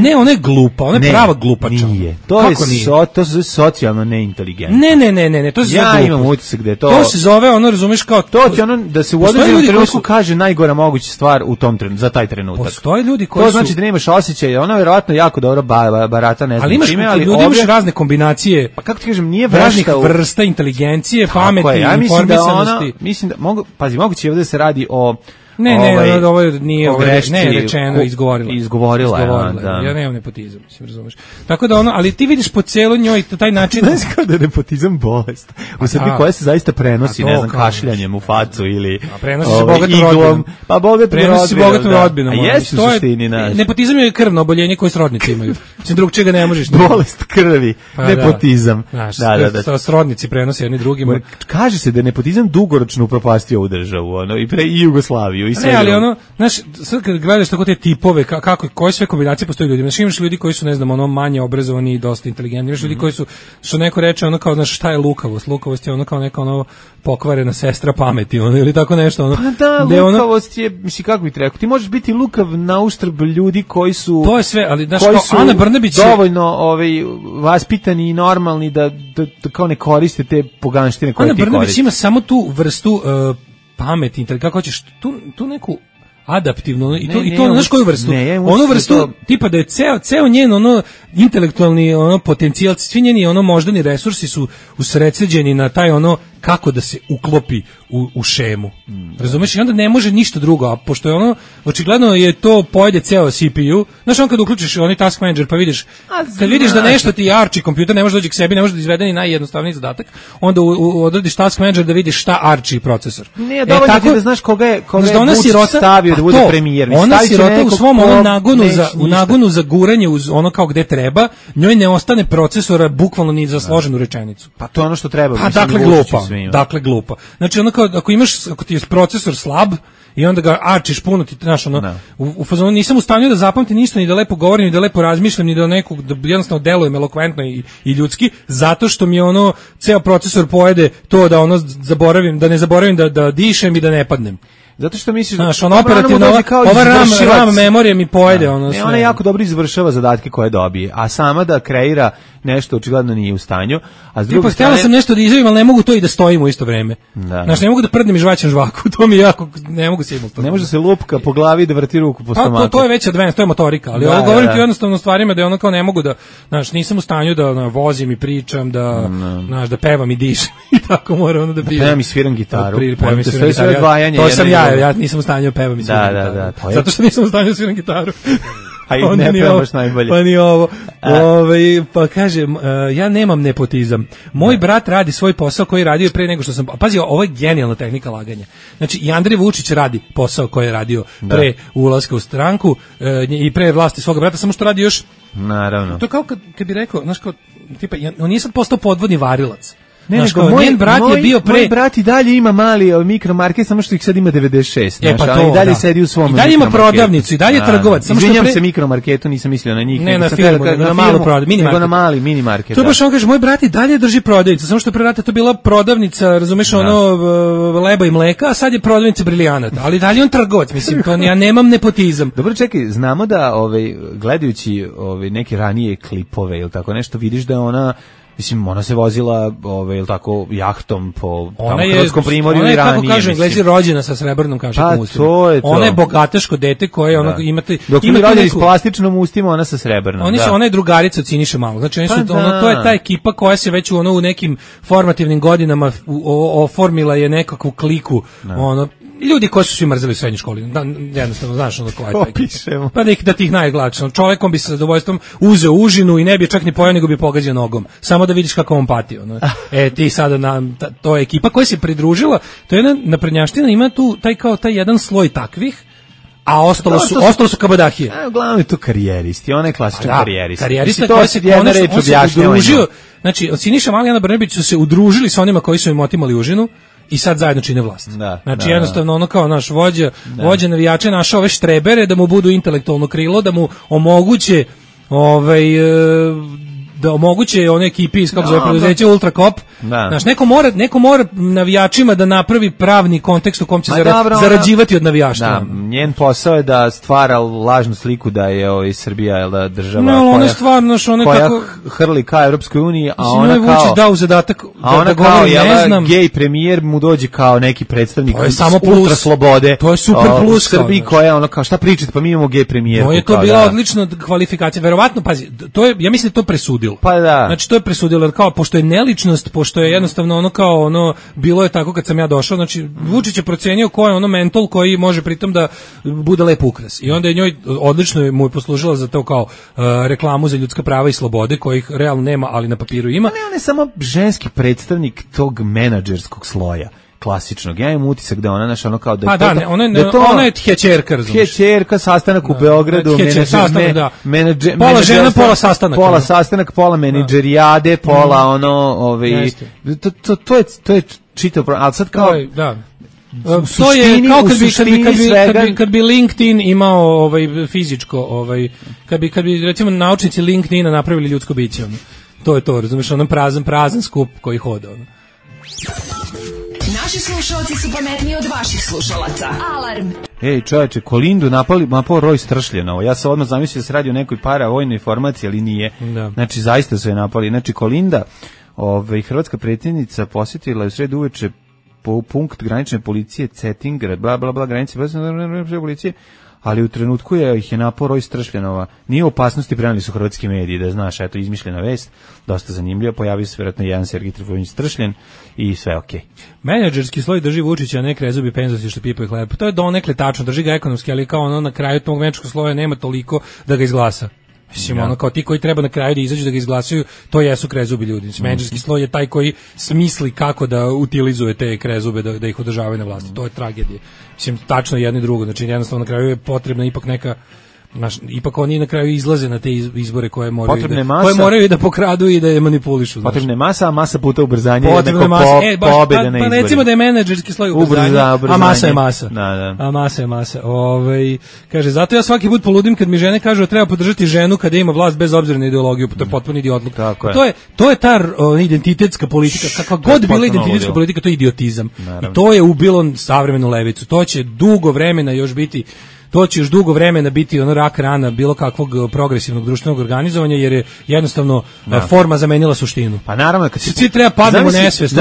S5: Ne, ona je glupa, ona je prava glupača.
S6: Nije. To se socijalno neinteligentno.
S5: Ne, to se zove
S6: ja imam utisak da je to...
S5: To se zove, ono, razumeš, kao...
S6: To ti ono, da se u određenom trenutku kaže najgora moguća stvar u tom trenutku, za taj trenutak.
S5: Postoje ljudi koji
S6: su... To znači da nemaš osjećaj, ona verovatno jako dobro barata, ne znam čime, ali
S5: ljudi imaš razne kombinacije.
S6: Pa kako ti kažem, nije
S5: raznih vrsta inteligencije, pameti, informisanosti.
S6: Mislim da moguće ovdje se radi o
S5: ovo nije rečeno, izgovorila.
S6: Da.
S5: Ja nemam nepotizam, mislim, razumeš. Tako da ono, ali ti vidiš po celoj njoj taj način...
S6: Znaš kao da je nepotizam bolest u Srbiji koja se zaista prenosi, ne znam, kašljanjem u facu ili
S5: prenosi se bogatom rodbinom.
S6: Pa bogatom
S5: rodbinom.
S6: A jesi u suštini naš.
S5: Nepotizam je krvno oboljenje koje srodnici imaju. Mislim, drug čega ne možeš.
S6: Bolest krvi, nepotizam.
S5: Da. Srodnici prenose jedni drugima.
S6: Kaže se da je nepotizam dugoročno upropastio ovu državu, i Jugoslaviju. Srbiju i sve.
S5: Ne, ali ono, znaš, sad kad gledaš tako te tipove, kako, koje sve kombinacije postoje ljudi, znaš, imaš ljudi koji su, ne znam, ono, manje obrazovani i dosta inteligentni, imaš ljudi koji su, što neko reče, ono kao, znaš, šta je lukavost? Lukavost je ono kao neka, ono, pokvarena sestra pameti, ono, ili tako nešto, ono.
S6: Pa da, lukavost je, misli, kako bih ti rekao, ti možeš biti lukav na uštrb ljudi koji su...
S5: To je sve, ali, znaš,
S6: koji
S5: kao, Ana Brnabić je...
S6: dovoljno vaspitani i normalni da kao ne koriste te poganštine koje
S5: Ana
S6: ti
S5: Brnabić
S6: koriste.
S5: ima samo tu vrstu pameti, kako hoćeš, tu neku adaptivno i to znaš koju vrstu? Onu vrstu tipa da je ceo njen ono intelektualni ono potencijal, svi njeni ono moždani resursi su usredsređeni na taj ono kako da se uklopi u šemu. Razumeš? I onda ne može ništa drugo, a pošto je ono očigledno je to pojede ceo CPU. Znaš, on kad uključiš onaj task manager pa vidiš, kad vidiš da nešto ti arči kompjuter, ne može doći k sebi, ne može da izvede ni najjednostavniji zadatak, onda odradiš task manager da vidiš šta arči procesor.
S6: Ne, dovoljno ti da znaš koga je Vučić stavio da bude premijer.
S5: Ona sirota u svom nagonu za guranje uz ono kao gde treba, njoj ne ostane procesora bukvalno ni za složenu rečenicu.
S6: Pa to je ono što treba.
S5: Pa dakle glupa. Znači ono kao ako ti je procesor slab i onda ga arčiš puno, ti znaš ono, u fazonu nisam u stanju da zapamtim ništa, ni da lepo govorim, ni da lepo razmišljam, ni da nekog da jednostavno delujem elokventno i ljudski, zato što mi je ono ceo procesor pojede to da ono zaboravim, da ne zaboravim da dišem i da ne padnem.
S6: Zato što misliš
S5: da ono operativno ova RAM memorija mi pojede ono sve.
S6: Ona jako dobro izvršava zadatke koje dobije, a sama da kreira nešto očigledno nije u stanju. A s druge strane
S5: sam nešto da izjavim, ali ne mogu to i da stojim u isto vreme. Znaš, ne mogu da prdnem i žvaćem žvaku, to mi jako ne mogu simultano.
S6: Ne može se lupka po glavi i da vrti ruku po stomaku.
S5: To je već advanced, to je motorika, ali ovo govorim ti jednostavno stvarima da je ono kao ne mogu da, znaš, nisam u stanju da vozim i pričam, da znaš, da pevam i dišem i tako moram ono da bijem.
S6: Pevam i sviram gitaru.
S5: To sam ja nisam u stanju da pevam i sviram gitaru. Zato što nisam u stanju da sviram gitaru.
S6: A i ne pevaš najbolje.
S5: Pa ni ovo. Pa kažem, ja nemam nepotizam. Moj brat radi svoj posao koji je radio pre nego što sam... Pazi, ovo je genijalna tehnika laganja. Znači, i Andrej Vučić radi posao koji je radio pre ulaska u stranku i pre vlasti svoga brata, samo što radi još...
S6: Naravno.
S5: To kao kad bi rekao, znaš kao, tipa, on nije sad postao podvodni varilac.
S6: Ne, nego moj brat i dalje ima mali mikromarket, samo što ih sad ima 96,
S5: pa
S6: ali i dalje sedi u svom.
S5: I dalje ima prodavnicu, i dalje je trgovac.
S6: Izvinjam se mikromarketu, nisam mislio na njih.
S5: Ne, na firmu, na malu prodavnicu,
S6: nego na mali minimarket.
S5: To je baš on kaže, moj brat i dalje drži prodavnicu, samo što pre rata to bila prodavnica, razumeš, ono leba i mleka, a sad je prodavnica brilijanata, ali dalje on trgovac, mislim, to ja nemam nepotizam.
S6: Dobro, čekaj, znamo da gledajući neke ranije klipove ili tako nešto, vidiš da je ona mislim, ona se vozila ili tako, jahtom po Hrvatskom primorju i ranije.
S5: Ona je, kako kažu Englezi, rođena sa srebrnom kašikom ustima.
S6: To je to.
S5: Ona je bogateško dete koje imate...
S6: Dok su mi rođeni s plastičnom ustima, ona sa srebrnom.
S5: Ona je drugarica od Siniše Malog. Znači, to je ta ekipa koja se već u nekim formativnim godinama oformila je nekakvu kliku, ljudi koji su svi mrzeli u srednjoj školi, jednostavno, znaš ono koja je taj ekipa. Pa da ti ih najglakše. Čovjekom bi se sa zadovoljstvom uzeo užinu i ne bi čak ni pojao, nego bi pogađao nogom. Samo da vidiš kako on pati. Ti sada, to je ekipa koja se pridružila, to je jedna naprednjaština, ima tu taj jedan sloj takvih, a ostalo su kabadahije.
S6: Uglavnom je to karijeristi, on je klasičan karijerista.
S5: Karijerista koji se udružio, znači, Siniša Mali i Ana Brnabić su se udružili sa onima koji su im otimali užinu, i sad zajedno čine vlast. Znači jednostavno ono kao naš vođa navijača našao ove štrebere da mu budu intelektualno krilo, da mu omoguće da omoguće one ekipi iz kako zove preduzeće Ultrakop. Znaš, neko mora navijačima da napravi pravni kontekst u kom će zarađivati od navijaštva.
S6: Da, njen posao je da stvara lažnu sliku da je Srbija država koja hrli ka Evropskoj uniji, a ona kao
S5: dao zadatak
S6: da govori ne znam. Gej premijer mu dođe kao neki predstavnik ultra slobode.
S5: To je super plus
S6: Srbiji koja ono kao šta pričate, pa mi imamo gej premijerku.
S5: Je to bila odlična kvalifikacija. Verovatno, pazi, to je, ja mislim da to presudilo.
S6: Pa da.
S5: Znači to je presudilo, kao pošto je neličnost, pošto je jednostavno bilo je tako kad sam ja došao, znači Vučić je procenio ko je mental koji može pritom da bude lep ukras. I onda je njoj odlično mu je poslužila za to kao reklamu za ljudska prava i slobode, kojih realno nema, ali na papiru ima.
S6: Ne, on je samo ženski predstavnik tog menadžerskog sloja. Klasičnog. Ja imam utisak da ona naša kao da je
S5: ona je hećerka, razumiješ.
S6: Hećerka, sastanak u Beogradu,
S5: pola žena, pola sastanak.
S6: Pola sastanak, pola menadžerijade, pola to je čitav, ali sad kao
S5: To je kao kad bi LinkedIn imao fizičko, kad bi recimo naučnici LinkedIna napravili ljudsko biće, ono. To je to, razumiješ, onom prazan skup koji hoda, ono.
S3: Naši slušalci su pametniji od vaših slušalaca. Alarm.
S6: Ej, čoveče, Kolindu napao roj Stršljenovo. Ja sam odmah zamislio da se radi o nekoj paravojnoj formaciji, ali nije.
S5: Da.
S6: Znači, zaista su je napali. Znači, Kolinda, hrvatska predsjednica posjetila je u sredu uveče po punkt granične policije Cetingrad, bla, bla, bla, granice policije, ali u trenutku ih je napao roj Stršljenova. Nije u opasnosti, preneli su hrvatski mediji, da znaš, eto, izmišljena vest, dosta zanimljiva, pojavio se vjerojatno jedan Sergij Trifunović Stršljen i sve okej.
S5: Menadžerski sloj drži Vučića, a ne krezubi penzosi što pipaju hleb. To je donekle tačno, drži ga ekonomski, ali kao ono na kraju tog menadžerskog sloja nema toliko da ga izglasa. Mislim, ono kao ti koji treba na kraju da izađu da ga izglasaju, to jesu krezubi ljudi. Menadžerski sloj je taj koji smisli kako da utilizuje te krezube, da ih održavaju na vlasti. To je tragedija. Mislim, tačno jedno i drugo. Znači, jednostavno na kraju je potrebna ipak neka... ipak oni na kraju izlaze na te izbore koje moraju da pokradu i da je manipulišu.
S6: Potrebna je masa puta ubrzanje
S5: jednako
S6: pobjede na izborima.
S5: Pa recimo da je menadžerski sloj ubrzanje, a masa je masa.
S6: Da.
S5: A masa je masa. Kaže, zato ja svaki put poludim kad mi žene kažu da treba podržati ženu kada ima vlast bez obzira na ideologiju, to je potpuno idiotluk. To je ta identitetska politika, kakva god bila identitetska politika, to je idiotizam. I to je ubilo savremenu levicu. To će dugo vremena još biti ono rak rana bilo kakvog progresivnog društvenog organizovanja, jer je jednostavno forma zamenila suštinu.
S6: Pa naravno, kad
S5: svi treba padnemo u nesvest,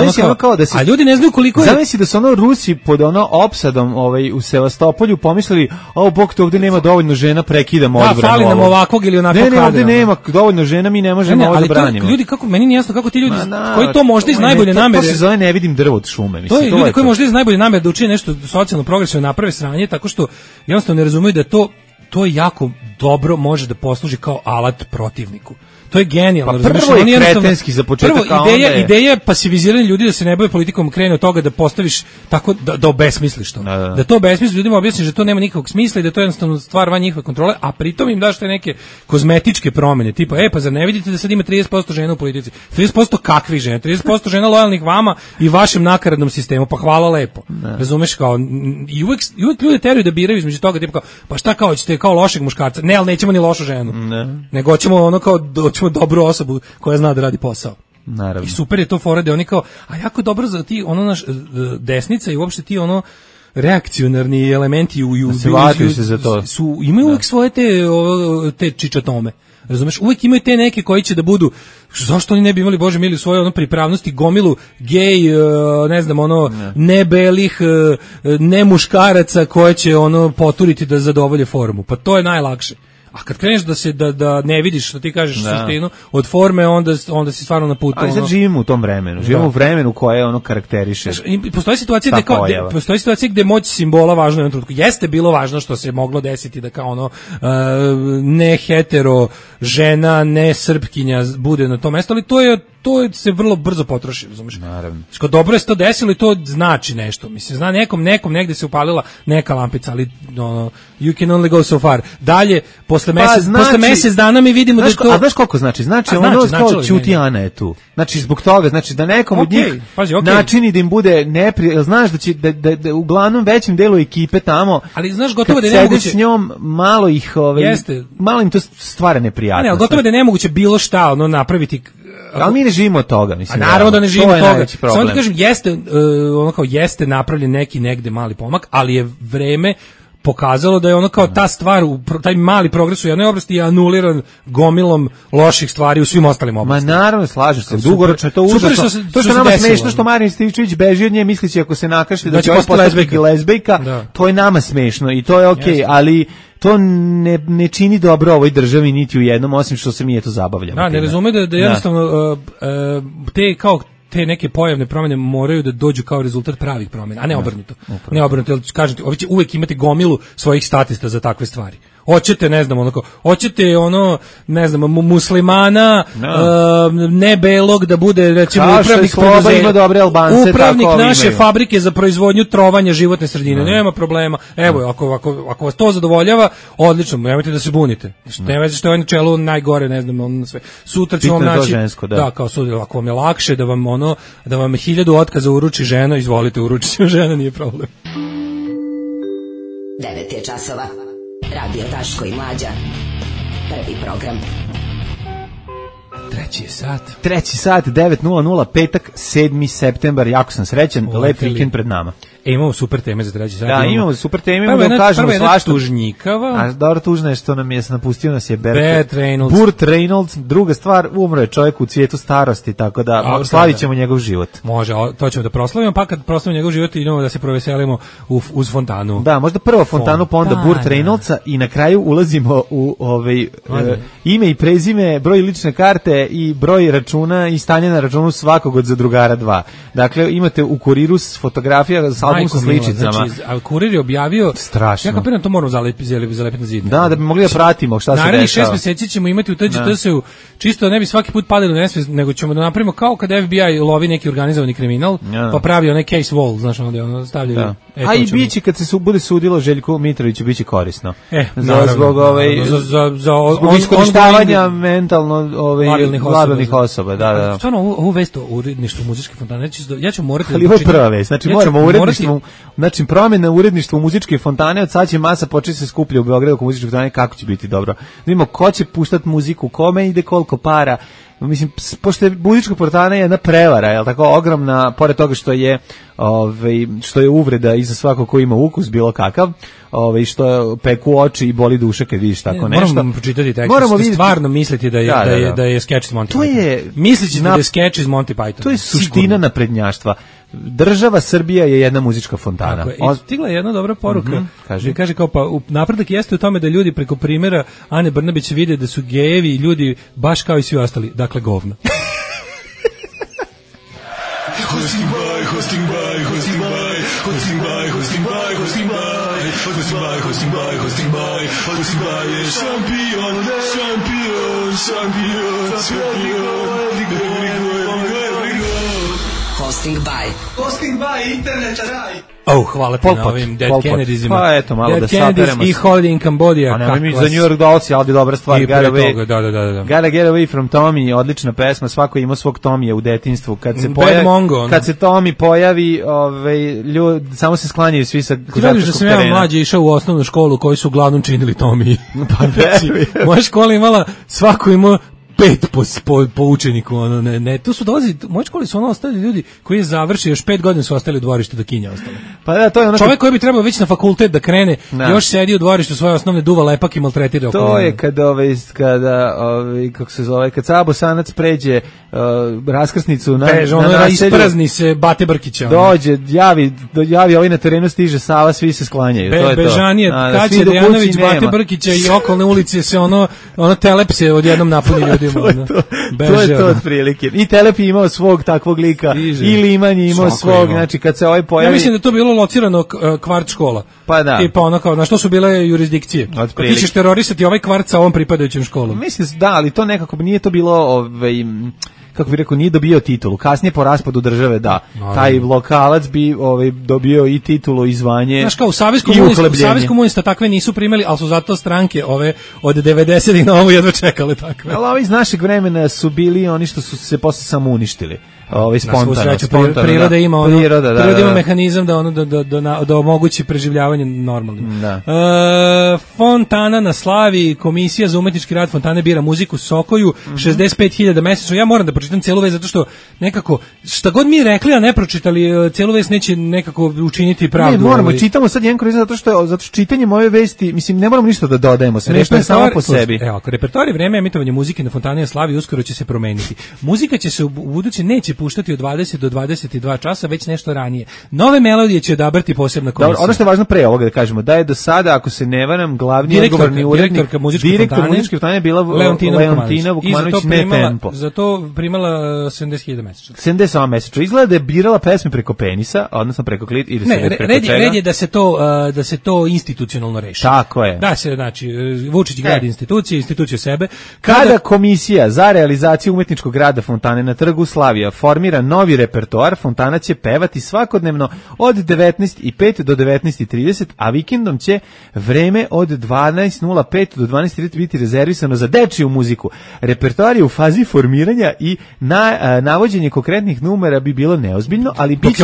S5: a ljudi ne znaju koliko je...
S6: Zamisli da su Rusi pod opsadom u Sevastopolju pomislili, bog to ovdje nema dovoljno žena, prekidamo odbranu.
S5: Da, fali nam ovakvog ili onakvog kadra.
S6: Ne, ovdje nema dovoljno žena, mi ne možemo ovo da branimo.
S5: Ljudi, meni nije jasno kako ti ljudi, koji to možda iz najbolje namere...
S6: To se zove ne vidim drvo od šume.
S5: To je ljudi koji možda iz najbolje namere da učine nešto socijalno progresivno, naprave sranje, tako što jednostavno ne razumiju da to jako dobro može da posluži kao alat protivniku. To je genijalno.
S6: Pa prvo je kretenski za početak.
S5: Prvo, ideja pasiviziranja ljudi da se ne bave politikom krene od toga da postaviš tako da obesmisliš to. Da to obesmisliš, ljudima objasniš da to nema nikakvog smisla i da to je jednostavno stvar van njihove kontrole, a pritom im daš te neke kozmetičke promjene, tipa, pa zar ne vidite da sad ima 30% žena u politici? 30% kakvih žena? 30% žena lojalnih vama i vašem nakaradnom sistemu, pa hvala lepo. Razumeš, kao, i uvek ljudi teraju da biraju između toga, tipa kao, pa šta kao, ćete kao lošeg muškarca? Ne, ali nećemo ni lošu ženu. Nego hoćemo ono kao dobru osobu koja zna da radi posao.
S6: Naravno.
S5: I super je to fora da oni kao, a jako dobro za ti ono naš desnica i uopšte ti ono reakcionarni elementi
S6: se za to.
S5: Imaju uvijek svoje te čičatome. Razumeš, uvijek imaju te neke koji će da budu, zašto oni ne bi imali, Bože mili, svoje ono pripravnosti, gomilu gej, ne znam, ono, nebelih, ne muškaraca koje će ono poturiti da zadovolje formu. Pa to je najlakše. A kad kreneš da ne vidiš što ti kažeš suštinu od forme, onda si stvarno na putu.
S6: Ali sad živimo u tom vremenu. Živimo u vremenu koje ono karakteriše.
S5: Postoji situacija gde moć simbola važna u jednom trenutku. Jeste bilo važno što se moglo desiti da kao ono ne hetero žena, ne srpkinja bude na tom mjestu, ali to se vrlo brzo potroši, razumiješ?
S6: Naravno.
S5: Što dobro je se to desilo i to znači nešto. Mislim, zna nekom negde se upalila neka lampica, ali you can only go so far. Dalje, posle mjesec dana mi vidimo da to...
S6: A znaš koliko znači? Znači ono kao Ćuti Ana je tu. Znači zbog toga, znači da nekom od njih načini da im bude znaš da će da uglavnom većem delu ekipe tamo,
S5: ali znaš gotovo da je nemoguće
S6: s njom malo ih malo im to stvara neprijatnost.
S5: Ali gotovo da je nemoguće bilo šta ono napraviti.
S6: Ali mi ne živimo od toga, mislim.
S5: A naravno da ne živimo od toga. Samo da kažem, jeste napravljen neki negde mali pomak, ali je vreme pokazalo da je ono kao ta stvar, taj mali progres u jednoj oblasti je anuliran gomilom loših stvari u svim ostalim oblastima.
S6: Ma naravno, slažem se, dugoročno je to užasno. To što nama smešno što Marin Stičević beži od nje misleći ako se nakašlje da će postati lezbejka, to je nama smešno i to je okej, ali to ne čini dobro ovoj državi niti u jednom, osim što se mi eto zabavljamo.
S5: Da, ne razume da jednostavno te neke pojavne promjene moraju da dođu kao rezultat pravih promjena, a ne obrnuto. Ne obrnuto, jer kažem ti, ovi će uvijek imati gomilu svojih statista za takve stvari. Hoćete, ne znam, onako, hoćete ono, ne znam, muslimana, ne belog da bude, recimo, upravnik preduzeća, upravnik naše fabrike za proizvodnju trovanja životne sredine, nema problema. Evo, ako vas to zadovoljava, odlično, nemojte da se bunite. Ne veze što je na čelu najgore, ne znam, on sve. Sutra ću vam naći, da, kao sutra, ako vam je lakše da vam 1000 otkaza uruči žena, izvolite, uručiti žena, nije problem.
S9: 9 je časova. Radio Daško i Mlađa. Prvi program.
S6: Treći sat, 9:00, petak, 7. septembar, jako sam srećan, lep vikend pred nama.
S5: Imamo super teme za treći sat.
S6: Da, imamo super teme, imamo da kažemo svašta.
S5: Tužnjikava.
S6: A dobro, tužno je što napustio nas je
S5: Burt
S6: Reynolds. Druga stvar, umro je čovjek u cvijetu starosti, tako da slavit ćemo njegov život.
S5: Može, to ćemo da proslavimo, pa kad proslavimo njegov život idemo da se proveselimo uz fontanu.
S6: Da, možda prvo fontanu, pa onda Burt Reynoldsa i na kraju ulazimo u ime i prezime, broj lične karte i broj računa i stanje na računu svakog od zadrugara 2. Dakle, imate u kuriru fotografija sa album sa sličicama.
S5: Znači, a kurir je objavio...
S6: Strašno.
S5: Ja kapiram, to moramo zalepiti na zid.
S6: Da bi mogli da pratimo šta se dešava.
S5: Naravno, 6 meseci ćemo imati u TGT-u, čisto ne bi svaki put padali u nesvest, nego ćemo da napravimo kao kada FBI lovi neki organizovani kriminal, pa pravi onaj case wall, znaš, onda stavljaju...
S6: A i biće, kad se bude sudilo Željku Mitroviću, biće korisno.
S5: Zbog
S6: iskorištavanja mentalno labilnih osoba. Da.
S5: Stvarno, ovu vest o uredništvu muzičke fontane, ja ću morati...
S6: Ali ovo je prva vest, znači moramo uredništvo, znači promjena uredništva u muzičke fontane, od sad će masa početi se skuplja u Beogradu oko muzičke fontane, kako će biti dobro. Vidimo ko će puštati muziku, kome ide koliko para. Mislim, pošto je muzička fontana jedna prevara, je tako ogromna, pored toga što je uvreda i za svako ko ima ukus bilo kakav, što je peku oči i boli duša kad vidiš tako nešto.
S5: Moramo pročitati tekst, stvarno misliti da je sketch iz Monty Python. Mislići da je sketch iz Monty Python.
S6: To je suština naprednjaštva. Država Srbija je jedna muzička fontana.
S5: Stigla je jedna dobra poruka. Kaže kao, pa napredak jeste u tome da ljudi preko primjera Ane Brnabić vide da su gejevi ljudi baš kao i svi ostali. Dakle, govna.
S11: Hosting by je šampion.
S9: Hosting by internet raj.
S5: Hvala ti na ovim Dead Kennedysima.
S6: Pa eto, malo da saperemo.
S5: I Holiday in Cambodia.
S6: A nema mi za New York Dolls, ali dobra stvar.
S5: I pre toga, da.
S6: Gotta Get Away from Tommy, odlična pesma, svako ima svog Tomija u detinjstvu. Kad se Tommy pojavi, samo se sklanjaju svi sa košarkaškog terena. Ti
S5: da sam ja mlađe išao u osnovnu školu koji su uglavnom činili Tomiji.
S6: Pa
S5: moja škola imala, svako imao 5 po učeniku, tu su dolazi, u mojoj školi su ostali ljudi koji je završio, još 5 godina su ostali u dvorištu da kinja ostali.
S6: Pa da, to je
S5: čovjek koji bi trebao već na fakultet da krene, još sedi u dvorištu svoje osnovne, duva lepak i maltretira oko.
S6: To je kad Sabo Sanac pređe raskrsnicu na naselju,
S5: isprazni se Bate Brkića.
S6: Dođe, javi ovaj na terenu, stiže Sava, svi se sklanjaju.
S5: Bežanije, Kaća Dejanović, Bate Brkića i okolne ulice se ono telepse odjednom napuni ljudi.
S6: To je to otprilike. I Telepi imao svog takvog lika, i Liman je imao svog, znači kad se ovaj pojavi...
S5: Ja mislim da to bilo locirano kvart škola.
S6: Pa da.
S5: Tipa ono kao, na što su bile jurisdikcije. Ti ćeš terorisati ovaj kvart sa ovom pripadajućim školom.
S6: Mislim da, ali to nekako nije to bilo... kako bih rekao, nije dobio titulu. Kasnije po raspadu države, da. Taj lokalac bi dobio i titulu i zvanje.
S5: Znaš kao, u Savez komunista takve nisu primili, ali su zato stranke ove od 90-ih na ovo jedva čekale takve.
S6: Ali ovi iz našeg vremena su bili oni što su se posle samo uništili. Spontano.
S5: Priroda ima mehanizam da omogući preživljavanje normalnim. Fontana na slavi, Komisija za umetnički rad Fontane bira muziku Sokoju, 65.000 mesečno. Ja moram da pročitam celu vest zato što nekako šta god mi rekli, a ne pročitali, celu vest neće nekako učiniti pravdu.
S6: Ne, moramo, čitamo sad jedan kroz zato što čitanjem ove vesti, mislim, ne moramo ništa da dodajemo, sve nešto je samo po sebi.
S5: Evo, ako repertoar i vreme emitovanja muzike na Fontani na slavi uskoro će se promeniti. Muzika će se u buduće neće puštati od 20 do 22 časa, već nešto ranije. Nove melodije će odabrati posebna komisija.
S6: Dobro, ono što je važno pre ovoga da kažemo, da je do sada, ako se ne varam, glavni odgovorni urednik, direktor muzičke fontane je bila Leontina Vukmanović, ne Tempo.
S5: Za to imala 70.000 mesečno.
S6: 70 mesečno. Izgleda da je birala pesme preko penisa, odnosno preko klit ili se preko čega.
S5: Red je da se to institucionalno reši.
S6: Tako je.
S5: Da se, znači, Vučić gradi instituciju sebe.
S6: Kada Komisija za realizaciju umetničkog rada fontane na Trgu Slavija formira novi repertoar, fontana će pevati svakodnevno od 19:05 do 19:30, a vikendom će vreme od 12:05 do 12:30 biti rezervisano za dečiju muziku. Repertoar je u fazi formiranja i navođenje konkretnih numera bi bilo neozbiljno, ali biće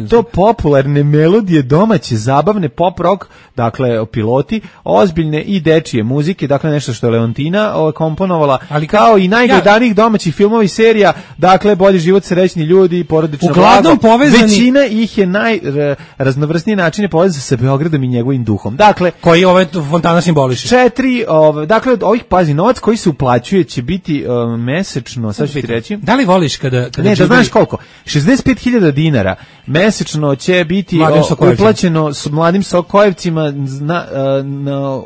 S6: to popularne melodije, domaće, zabavne, pop rock, dakle piloti, ozbiljne i dečije muzike, dakle nešto što je Leontina komponovala, ali kao i najgledanijih domaćih filmova i serija, dakle Bolji život, Srećni ljudi, Porodično blago. Većina ih je najraznovrsniji način je povezan sa Beogradom i njegovim duhom. Dakle,
S5: koji fontana simboliše.
S6: 4, dakle od ovih, pazi, novac koji se uplaćuje će biti mesečno, sad ću ti reći.
S5: Da li voliš kada
S6: ne, da znaš koliko? 65.000 dinara mesečno će biti uplaćeno s mladim Sokojevcima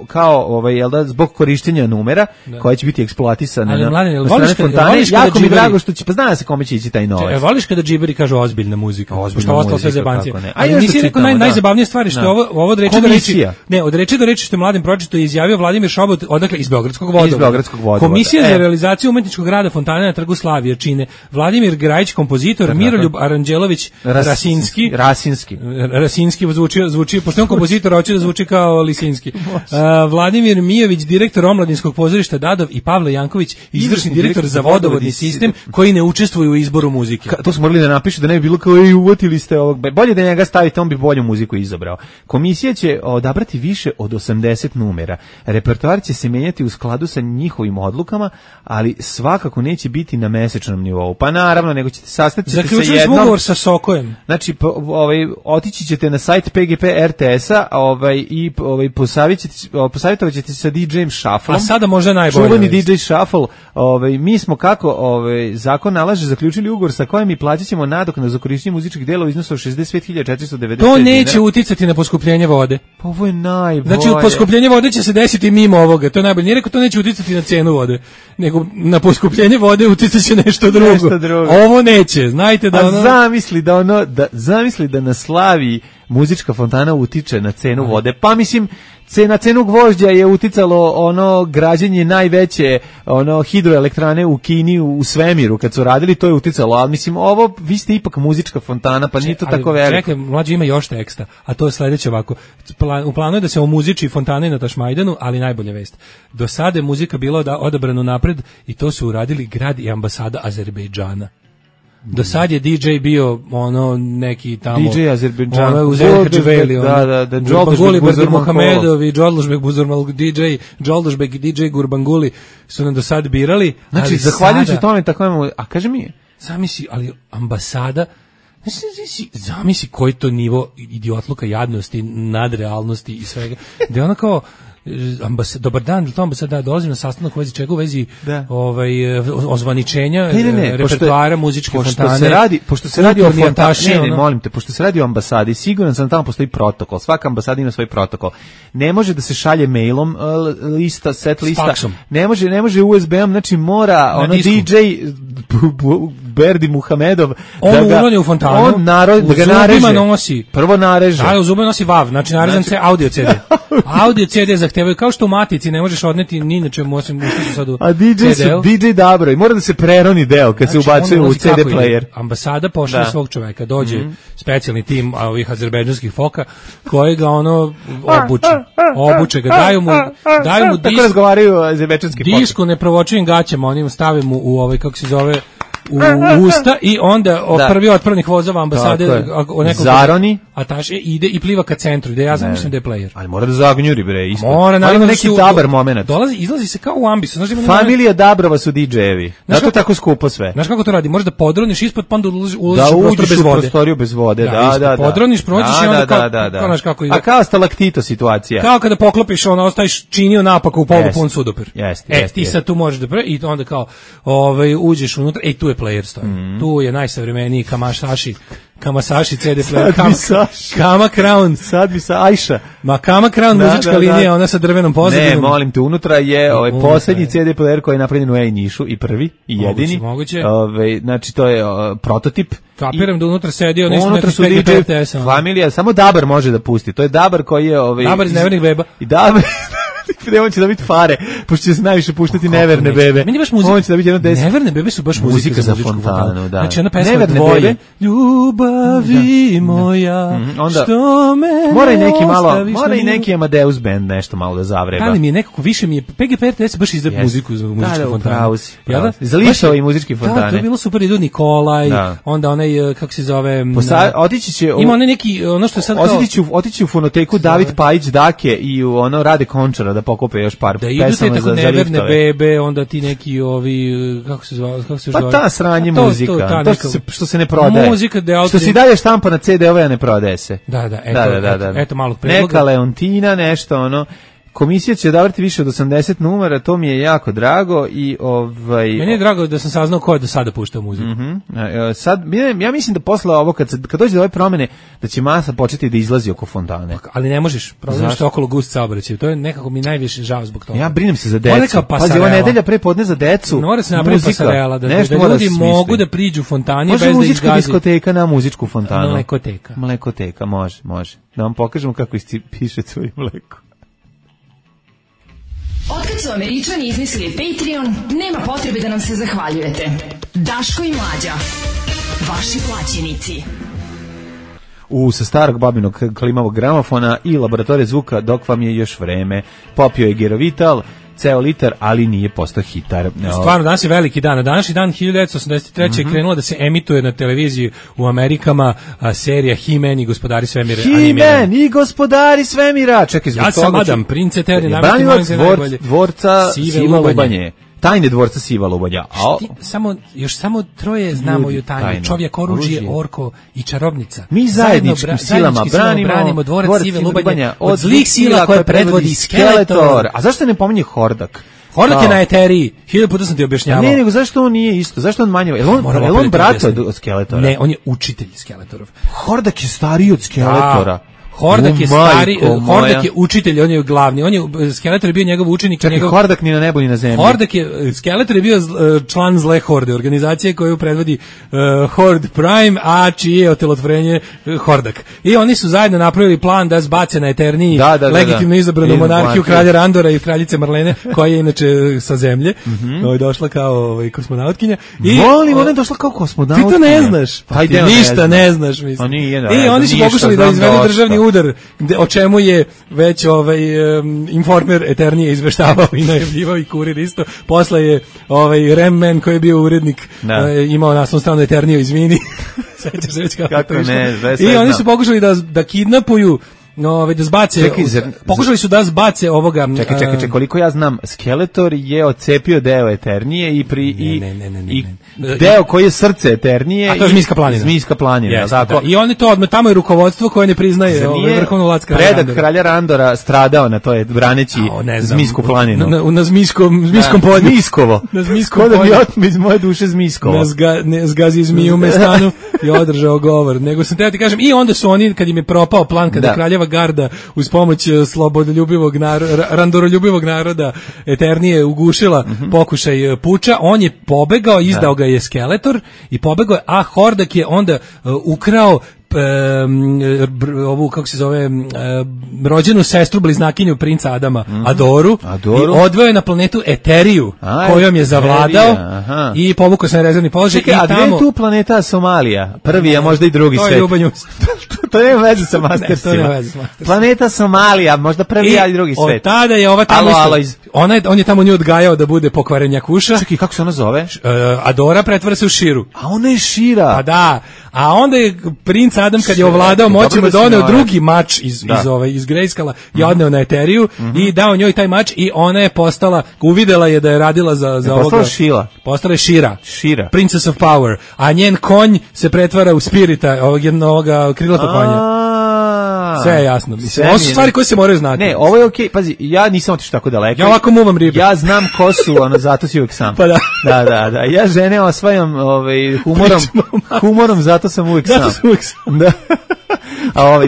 S6: kao jel da, zbog korištenja numera koja će biti eksploatisana na strane fontane. Jako mi drago što će, pa zna se kome će ići taj novac.
S5: Voliš kada džiberi kažu ozbiljna muzika, pošto ostalo sve zebancije. Ali nisi rekao najzabavnije stvari što je ovo od reči do reči. Ne, od reči do reči što je mladim pročito izjavio Vladimir Šobot, odakle iz Beogradskog vodovoda. Komisija za realizaciju umetničkog rada fontane na Trgu Slavije čine Vladimir Grajić, kompozitor, Miroljub Aranđelović Rasinski zvuči, pošto je on kompozitor, hoće da zvuči kao Lisinski. Vladimir Mijović, direktor omladinskog pozorišta Dadov i Pavle Janković, izvršni direktor za vodovodni sistem, koji ne učestvuju u izboru muzike.
S6: To smo morali da napišu da ne bi bilo kao uvotili ste ovog. Bolje da njega stavite, on bi bolju muziku izabrao. Komisija će odabrati više od 80 numera. Repertoar će se menjati u skladu sa njihovim odlukama, ali svakako neće biti na mesečnom nivou. Pa naravno, nego ćete sastati sa jednom.
S5: Zaključili smo ugovor sa Sokojem.
S6: Znači, otići ćete na sajt PGP RTS-a, i posavjetovat ćete sa DJ-em Shuffle.
S5: A sada možda najbolje.
S6: Čuveni DJ Shuffle. Mi smo kako zakon nalaže zaključili ugovor sa kojim i plaćat ćemo nadoknadu za korištenje muzičkih delova u iznosu od 65.490.
S5: To neće uticati na poskupljenje vode.
S6: Pa ovo je najbolje.
S5: Znači, poskupljenje vode će se desiti mimo ovoga. To je najbolje. Nije rekao to neće uticati na cenu vode, nego na poskupljenje vode uticat će nešto drugo. Ovo neće. Znajte da ono...
S6: Zamisli da na Slaviji muzička fontana utiče na cenu vode. Pa mislim, na cenu gvožđa je uticalo građenje najveće hidroelektrane u Kini u svemiru kad su radili, to je uticalo, ali mislim vi ste ipak muzička fontana, pa nije to tako veliko.
S5: Čekaj, mlađi ima još teksta, a to je sledeće ovako. U planu je da se omuziči fontane na Tašmajdanu, ali najbolja vest. Do sada je muzika bila odabrana napred i to su uradili grad i ambasada Azerbejdžana. Do sad je DJ bio neki tamo
S6: DJ Azerbejdžan,
S5: Uzeli Hadživeli, Gurbanguly Berdirmuhamedov i Džodlužbek Buzurmal DJ, Džodlužbek i DJ Gurbanguly su nam do sad birali.
S6: Znači, zahvaljujući tome tako imamo, a kaže mi,
S5: zamisli, ali ambasada, zamisli koji to nivo idiotluka, jadnosti, nadrealnosti i svega, da je ona kao dobar dan, to ambasada, dolazim na sastanak u vezi čega, u vezi ozvaničenja repertoara muzičke fontane.
S6: Pošto se radi o fontani, molim te, pošto se radi o ambasadi, siguran sam da tamo postoji protokol, svaka ambasada ima svoj protokol. Ne može da se šalje mailom set lista, ne može USB-om, znači mora DJ Berdi Muhamedov
S5: on urodi u fontanu,
S6: da ga nareže. Prvo nareže.
S5: U zubima nosi VAV, znači narezan se audio CD. Audio CD zahtevaju, kao što u matici ne možeš odneti ni na čemu osim što su sad u CD-u.
S6: DJ dobro, i mora da se preroni deo kad se ubacuje u CD player.
S5: Ambasada pošalje svog čoveka, dođe specijalni tim ovih azerbejdžanskih foka koji ga obuče ga, daju mu
S6: tako razgovaraju azerbejdžanski foka.
S5: Disku neprovočivim gaćama, onim stave mu u kako se zove, u usta i onda prvi otpravnik vozova ambasade
S6: zaroni,
S5: ataše ide i pliva ka centru, gde ja zamišljam da je player.
S6: Ali mora da zagnjuri bre, isto.
S5: Mora naravno
S6: neki dabar momenat.
S5: Izlazi se kao u ambisu, znači
S6: familija Dabrova su DJ-evi. Zato tako skupo sve.
S5: Znaš kako to radi? Možeš da podroniš ispod, pa onda ulaziš
S6: u prostoriju bez vode. Da.
S5: Podroniš, prođeš i onda kao znaš kako ide.
S6: A kao stalaktito situacija.
S5: Kao kada poklopiš, ostaviš činio napako u polupun sudopir. Ti sad tu možeš da i onda kao uđeš unutra, tu je player stoji. Tu je najsavremeniji Kamasashi Kamasaši CD player,
S6: Sad bi Saša.
S5: Kama Crown.
S6: Sad bi sa Ajša.
S5: Ma Kama Crown muzička linija, ona sa drvenom pozadinom.
S6: Ne, molim te, unutra je poslednji CD player koji je napravljen u Nišu i prvi i jedini.
S5: Moguće.
S6: Znači to je prototip.
S5: Kapiram da unutra sedi oni
S6: unutra su DJ familija, samo Dabar može da pusti. To je Dabar koji je
S5: Dabar iz Nevernih beba.
S6: I Dabar on će da biti fare, pošto će se najviše puštati neverne bebe.
S5: Meni baš muzika.
S6: On će da biti jedno 10.
S5: Neverne bebe su baš muzika za fontanu,
S6: da.
S5: Znači ona pesma
S6: Neverne
S5: Dvoje.
S6: Bebe.
S5: Ljubavi moja,
S6: onda,
S5: što me
S6: mora i neki Amadeus band nešto malo da zavreba.
S5: Ali mi je nekako, više mi je, PGP RTS baš izdaje muziku za muzičku fontanu.
S6: Za lišao i muzički fontane.
S5: Da, to je bilo super, idu Nikolaj, onda onaj, kako se zove...
S6: Otići će...
S5: Ima onaj neki, ono što je sad kao...
S6: Otići u fonoteku David Pajić Dake i u ono Rade Končara da pokupe još par
S5: pesama za liftove. Da idu te tako neverne bebe, onda ti neki ovi, kako se zove?
S6: Pa ta sranje muzika, to što se ne prodaje.
S5: Muzika
S6: što si dalje štampa na CD-ove, a ne prodaje se.
S5: Da, eto malog predloga.
S6: Neka Leontina, nešto ono. Komisija će odabrati više od 80 numera, to mi je jako drago i
S5: meni je drago da sam saznao ko je do sada puštao muziku.
S6: Sad, ja mislim da posle ovo, kad dođe do ove promene, da će masa početi da izlazi oko fontane.
S5: Ali ne možeš, problem što je okolo gust saobraćaj. To je nekako mi najviše žao zbog toga.
S6: Ja brinem se za decu. Pazi, ova nedelja pre podne za decu.
S5: Mora se napraviti pasarela, da ljudi mogu da priđu fontani bez da
S6: izgazi. Može muzička diskoteka na muzičku fontanu.
S5: Mlekoteka,
S6: može. Da vam pokažemo kako piše svoje mleko.
S3: Otkad su Američani izmislili Patreon, nema potrebe da nam se zahvaljujete. Daško i Mlađa, vaši plaćenici.
S6: Sa starog babinog klimavog gramofona i laboratorije zvuka dok vam je još vreme. Popio je Gerovital, ceo litar, ali nije postao hitar.
S5: Stvarno, danas je veliki dan. Na današnji dan 1983. je krenula da se emituje na televiziji u Amerikama serija He-Man i gospodari svemira.
S6: He-Man i gospodari svemira! Čekaj,
S5: ja sam Adam, prince Terry,
S6: branilac dvorca Siva Lubanje. Tajne dvorca Siva Lubanja.
S5: Samo troje znamo ju tajnu. Čovjek, oružje, orko i čarobnica.
S6: Mi zajedničkim silama branimo
S5: dvorac Sive Lubanja od zlih sila koje predvodi Skeletor.
S6: A zašto ne pominje Hordak?
S5: Hordak je na Eteriji. 1000 puta sam ti objašnjavao.
S6: Ne, nego zašto on nije isto? Zašto on manje? Je on brat od Skeletora?
S5: Ne, on je učitelj Skeletorov.
S6: Hordak je stariji od Skeletora.
S5: Hordak je stari, Hordak je učitelj, on je glavni, Skeletor je bio njegov učenik.
S6: Čekaj, Hordak ni na nebu ni na zemlji.
S5: Skeletor je bio član zle horde, organizacije koju predvodi Horde Prime, a čije je otelotvorenje Hordak. I oni su zajedno napravili plan da zbace na Eterniji legitimno izabranu monarhiju kralja Randora i kraljice Marlene, koja je inače sa zemlje, došla kao kosmonautkinja.
S6: Molim, ona je došla kao kosmonautkinja.
S5: Ti to ne znaš. Ti ništa ne znaš, mislim. I oni su pokušali da izvedu državni udar, o čemu je već Informer Eternije izveštavao i najavljivao i Kurir isto. Posle je Remman koji je bio urednik imao naslovnu stranu Eterniju, izvini. Sećaš se već kako
S6: ne,
S5: i oni su pokušali da kidnapuju, da zbace, pokušali su da zbace ovoga.
S6: Čekaj, koliko ja znam, Skeletor je odcepio deo Eternije i deo koji je srce Eternije.
S5: A to je
S6: Zmijska planina.
S5: Tako. I oni to odmah, tamo je rukovodstvo koje ne priznaje vrhovnu vlast kralja Randora.
S6: Predak kralja Randora stradao na to, braneći Zmijsku planinu.
S5: Na Zmijskom polju.
S6: Zmijskovo.
S5: Na Zmijskom polju.
S6: Ko da mi otme iz moje duše Zmijskovo.
S5: Ne zgazi zmiju u mestanu i održao govor. Nego sam teo ti kažem, i onda su oni, kad im je propao plan, kada kraljeva garda uz pomoć slobodoljublivog randoroljubivog naroda Eternije ugušila pokušaj puča, on je pobegao, izdao ga je Skeletor i pobegao je, a Hordak je onda ukrao ovu, kako se zove, rođenu sestru bliznakinju princa Adama, Adoru, i odveo je na planetu Eteriju, kojom je zavladao i povukao se na rezervni položaj.
S6: Čekaj, a gde je tu planeta Somalija? Prvi, a možda i drugi svet.
S5: To je Ljubanju.
S6: To nema veze sa Mastersima. Planeta Somalija, možda prvi, a i drugi svet.
S5: Od tada je ova tamo on je tamo nju odgajao da bude pokvarenjakuša.
S6: Čekaj, kako se ona zove?
S5: Adora pretvara se u Širu.
S6: A ona je Šira.
S5: Pa da. A onda je princ Adam, kad je ovladao moćima, doneo drugi mač iz Greyskala i odneo na Eteriju i dao njoj taj mač i ona je postala, uvidela je da je radila za ovoga.
S6: Postala Šila.
S5: Postala je Šira. Princess of Power. A njen konj se pretvara u Spirita, ovog krilatog konja. Sve je jasno. Mislim, ovo su stvari koje se moraju znati.
S6: Ne, ovo je okej. Pazi, ja nisam otišao tako daleko.
S5: Ja ovako muvam ribe.
S6: Ja znam ko su, zato si uvijek sam.
S5: Pa da.
S6: Da. Ja žene osvajam humorom, zato sam uvijek sam. Da.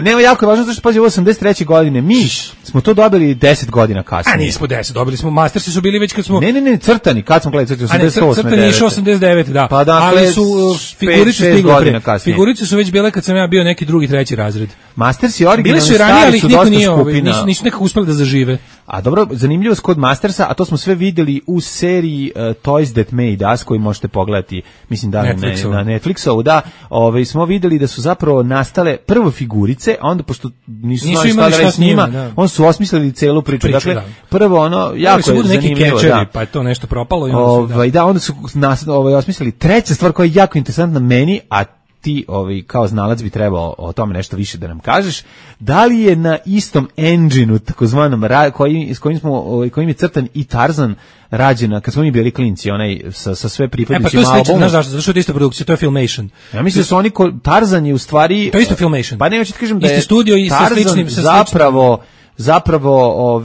S6: Nema, jako je važno, zašto pazi, ovo 83. godine, mi smo to dobili 10 godina kasnije.
S5: A nismo 10, dobili smo, Mastersi su bili već kad smo...
S6: Ne, crtani, kad smo gledali crtani, 88.
S5: Crtani je išao 89, da.
S6: Pa dakle,
S5: ali su figurice stigle pre.
S6: Kasnije.
S5: Figurice su već bile kad sam ja bio neki drugi, treći razred.
S6: Mastersi originalni
S5: stari su ranije, ali
S6: su
S5: niko
S6: dosta
S5: nije,
S6: skupina.
S5: nisu nekako uspeli da zažive.
S6: A dobro, zanimljivost kod Mastersa, a to smo sve vidjeli u seriji Toys That Made Us, koju možete pogledati, mislim da na Netflixovu, da, smo vidjeli da su zapravo nastale prvo figurice, a onda pošto nisu imali šta s njima, on su osmislili celu priču. Dakle, prvo jako je zanimljivo,
S5: da. Pa je to nešto propalo i
S6: onda su osmislili. Treća stvar koja je jako interesantna meni, a ti kao znalac bi trebao o tome nešto više da nam kažeš, da li je na istom engine-u takozvanom kojim je crtan i Tarzan rađena, kad smo mi bili klinci, onaj sa sve pripadnicima albuma.
S5: Pa to je slično, znaš zašto je to ista produkcija, to je Filmation.
S6: Ja mislim da su oni, Tarzan je u stvari...
S5: To je isto Filmation.
S6: Pa ne, hoću ti kažem da je
S5: isti studio i
S6: Tarzan zapravo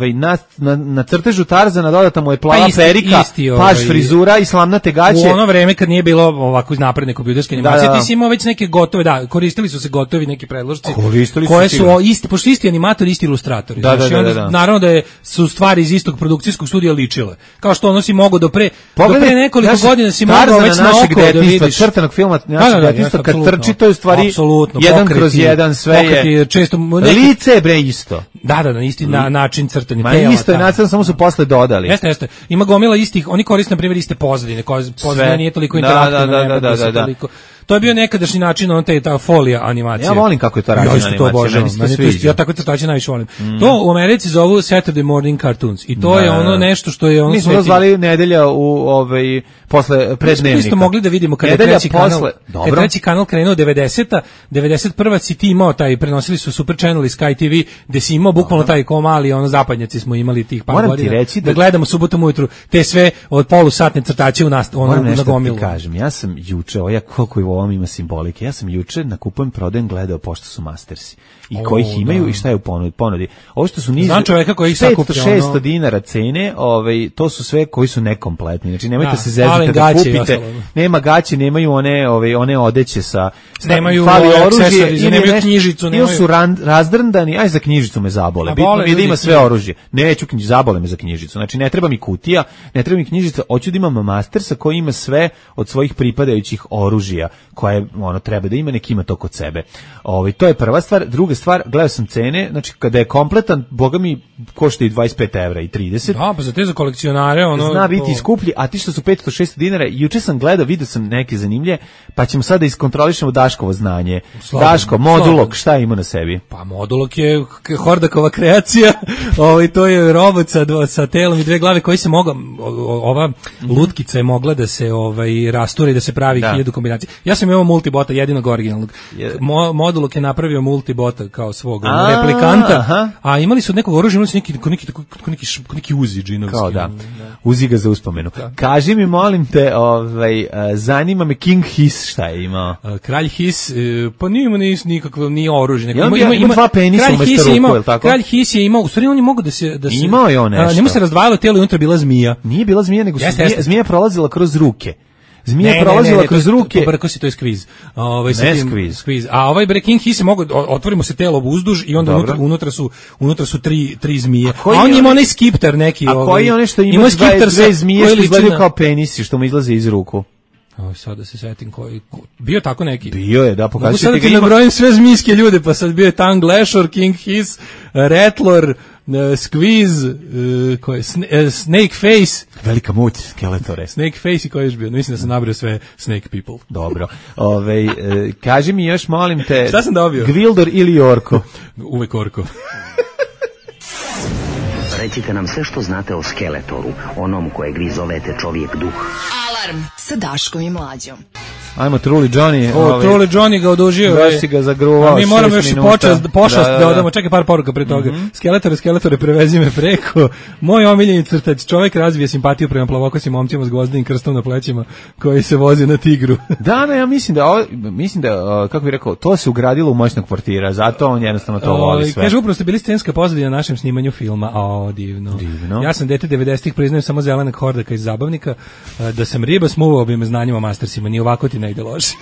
S6: na crtežu Tarzana dodata mu je plava perika, paž frizura i slamnate gaće.
S5: U ono vreme kad nije bilo ovako napredne kompjuterske animacije, ti si imao već neke gotove, koristili su se gotovi neki predložci, koje su pošto isti animatori, isti ilustratori. Naravno da su stvari iz istog produkcijskog studija ličile. Kao što ono si mogao do pre nekoliko godina si mogao već na oko da vidiš.
S6: Crtanog filma, našeg detinjstva, kad trči, to je u stvari 1/1, sve je. Lice bre isto.
S5: Da, isti način crtanja.
S6: Ma isto je nacrtano, samo su posle dodali.
S5: Jeste. Ima gomila istih, oni koriste na primjer iste pozadine, pozadina nije toliko interaktivna. Da. To je bio nekadašnji način, ta folija animacija.
S6: Ja volim kako je to rađena animacija.
S5: Ja tako crtače najviše volim. To u Americi zovu Saturday Morning Cartoons i to je ono nešto što je ono...
S6: Mi smo to zvali nedelja posle prednevnika.
S5: Mi smo mogli da vidimo kada je treći kanal krenuo 90-a, 91. si ti imao prenosili su Super Channel i Sky TV, gde si imao bukvalno taj komali, zapadnjaci smo imali tih par godina. Da gledamo subotom ujutru te sve od polusatne crtače na gomilu.
S6: Moram nešto ti kažem, ja sam juče, koliko je u ovom ima simbolike, ja sam juče na Kupujem prodajem gledao pošto su Mastersi i koji ih imaju i šta je u ponudi. Ovo što su niže 500-600 dinara cene, to su sve koji su nekompletni. Znači nemojte se zezati da kupite. Nema gaće, nemaju one odeće sa
S5: nemaju oružje, nemaju knjižicu,
S6: ili su razdrndani, aj za knjižicu me zabole. Bitno mi je da ima sve oružje. Neću zabole me za knjižicu. Znači ne treba mi kutija, ne treba mi knjižica, hoću da imam Mastersa koji ima sve od svojih pripadajućih oružja koje treba da ima, nek ima to kod sebe. To je prva stvar. Druga stvar, gledao sam cene, znači kada je kompletan, boga mi košta i 25 evra i 30.
S5: Da, pa za te za kolekcionare
S6: zna biti skuplji, a ti što su 500-600 dinara, juče sam gledao, vidio sam neke zanimlje, pa ćemo sada iskontrolišemo Daškovo znanje. Daško, Modulok, šta ima na sebi?
S5: Pa Modulok je Hordakova kreacija, to je robot sa telom i dve glave koji se mogla, ova lutkica je mogla da se rasture i da se pravi 1000 kombinacija. Ja sam imao multibota, jedinog originalnog. Modulok je napravio multibota kao svog replikanta, a imali su od nekog oružja, imali su neki uzi džinovski.
S6: Kao da, uzi ga za uspomenu. Kaži mi, molim te, zanima me King Hiss, šta je imao?
S5: Kralj Hiss, pa nije imao nikakvo, nije oružje.
S6: Ima dva penisa umesto ruku, je li tako?
S5: Kralj Hiss je imao, u stvari on je mogao da se...
S6: Imao je on nešto.
S5: Njemu se razdvajalo telo i unutra bila zmija.
S6: Nije bila zmija, nego zmija prolazila kroz ruke. Zmija prolazila kroz ruke.
S5: Brko si, to je skviz.
S6: Skviz.
S5: A King Hiss mogu, otvorimo se telo uzduž i onda unutra su tri zmije. A on ima onaj skipter neki.
S6: A koji je onaj što ima dve zmije što izgledaju kao penisi što mu izlaze iz ruku?
S5: Sad da se setim koji... Bio tako neki?
S6: Bio je, da, pokazujete
S5: ga ima. Mogu sad da ti nabrojim sve zmijske ljude, pa sad bio je Tang Lashor, King Hiss, Rattler, Squeeze, Snake Face.
S6: Velika muć, Skeletore.
S5: Snake Face i koji je još bio? Mislim da sam nabrio sve Snake People.
S6: Dobro. Kaži mi još, molim te...
S5: Šta sam dobio?
S6: Gwildor ili Orko?
S5: Uvek Orko.
S12: Recite nam sve što znate o Skeletoru, onom kojeg vi zovete čovjek duh.
S3: Alarm sa Daškom i Mlađom.
S6: Ajmo Truli Johnny.
S5: Truli Johnny ga odužio.
S6: Baš si ga zagruvao.
S5: Mi moramo još i pošast da odamo. Čekaj par poruka pre toga. Skeletore, prevezi me preko. Moj omiljeni crtač. Čovjek razvije simpatiju prema plavokosim momcima s gvozdenim krstom na plećima koji se voze na tigru.
S6: Ja mislim da kako bih rekao, to se ugradilo u moćnog kvartira, zato on jednostavno to voli sve.
S5: Kaže, upravo ste bili scenska pozadina na našem snimanju filma. Divno. Ja sam dete 90-ih, priznajem samo zelenak hordaka iz zabavnika. Da sam riba, smuvao bi me znanjima o Mastersima. Ni ovako ti ne ide loše.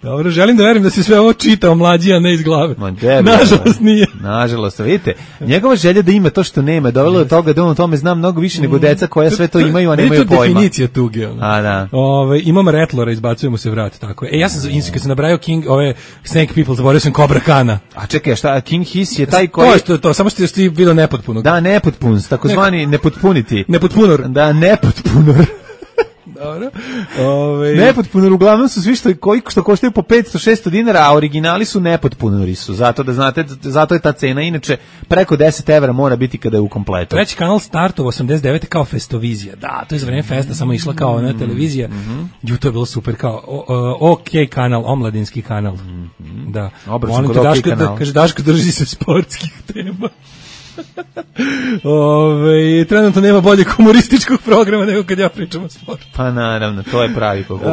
S5: Dobro, želim da verujem da se sve ovo čitao Mlađi, a ne iz glave. Nažalost nije.
S6: Nažalost, vidite, njegova želja da ima to što nema, dovelo do toga da on o tome zna mnogo više nego deca koja sve to imaju, a nemaju pojma.
S5: To je definicija tuge.
S6: Da.
S5: Imam Ratlora, izbacujemo se vrat, tako je. Ja sam, kad sam nabrajao Snake People, zaboravio sam Cobra Kana.
S6: A čekaj, šta, King Hiss je taj koji...
S5: To, samo što ti bilo nepotpuno.
S6: Da, nepotpun, takozvani nepotpuniti.
S5: Nepotpunor.
S6: Da, nepotpunor.
S5: Dobro.
S6: Nepotpunor, uglavnom su svi što koštaju po 500-600 dinara, a originali su nepotpunori su, zato da znate, zato je ta cena, inače preko 10 evra mora biti kada je u kompletu.
S5: Treći kanal startov 89. kao Festovizija, da, to je za vreme festa, samo išla kao na televizija, to je bilo super, kao OK kanal, omladinski kanal, da.
S6: Obračun kod OK kanal.
S5: Kaže, Daško, drži se sportskih tema. Trenutno nema boljeg humorističkog programa nego kad ja pričam o sportu.
S6: Pa naravno, to je pravi kogu.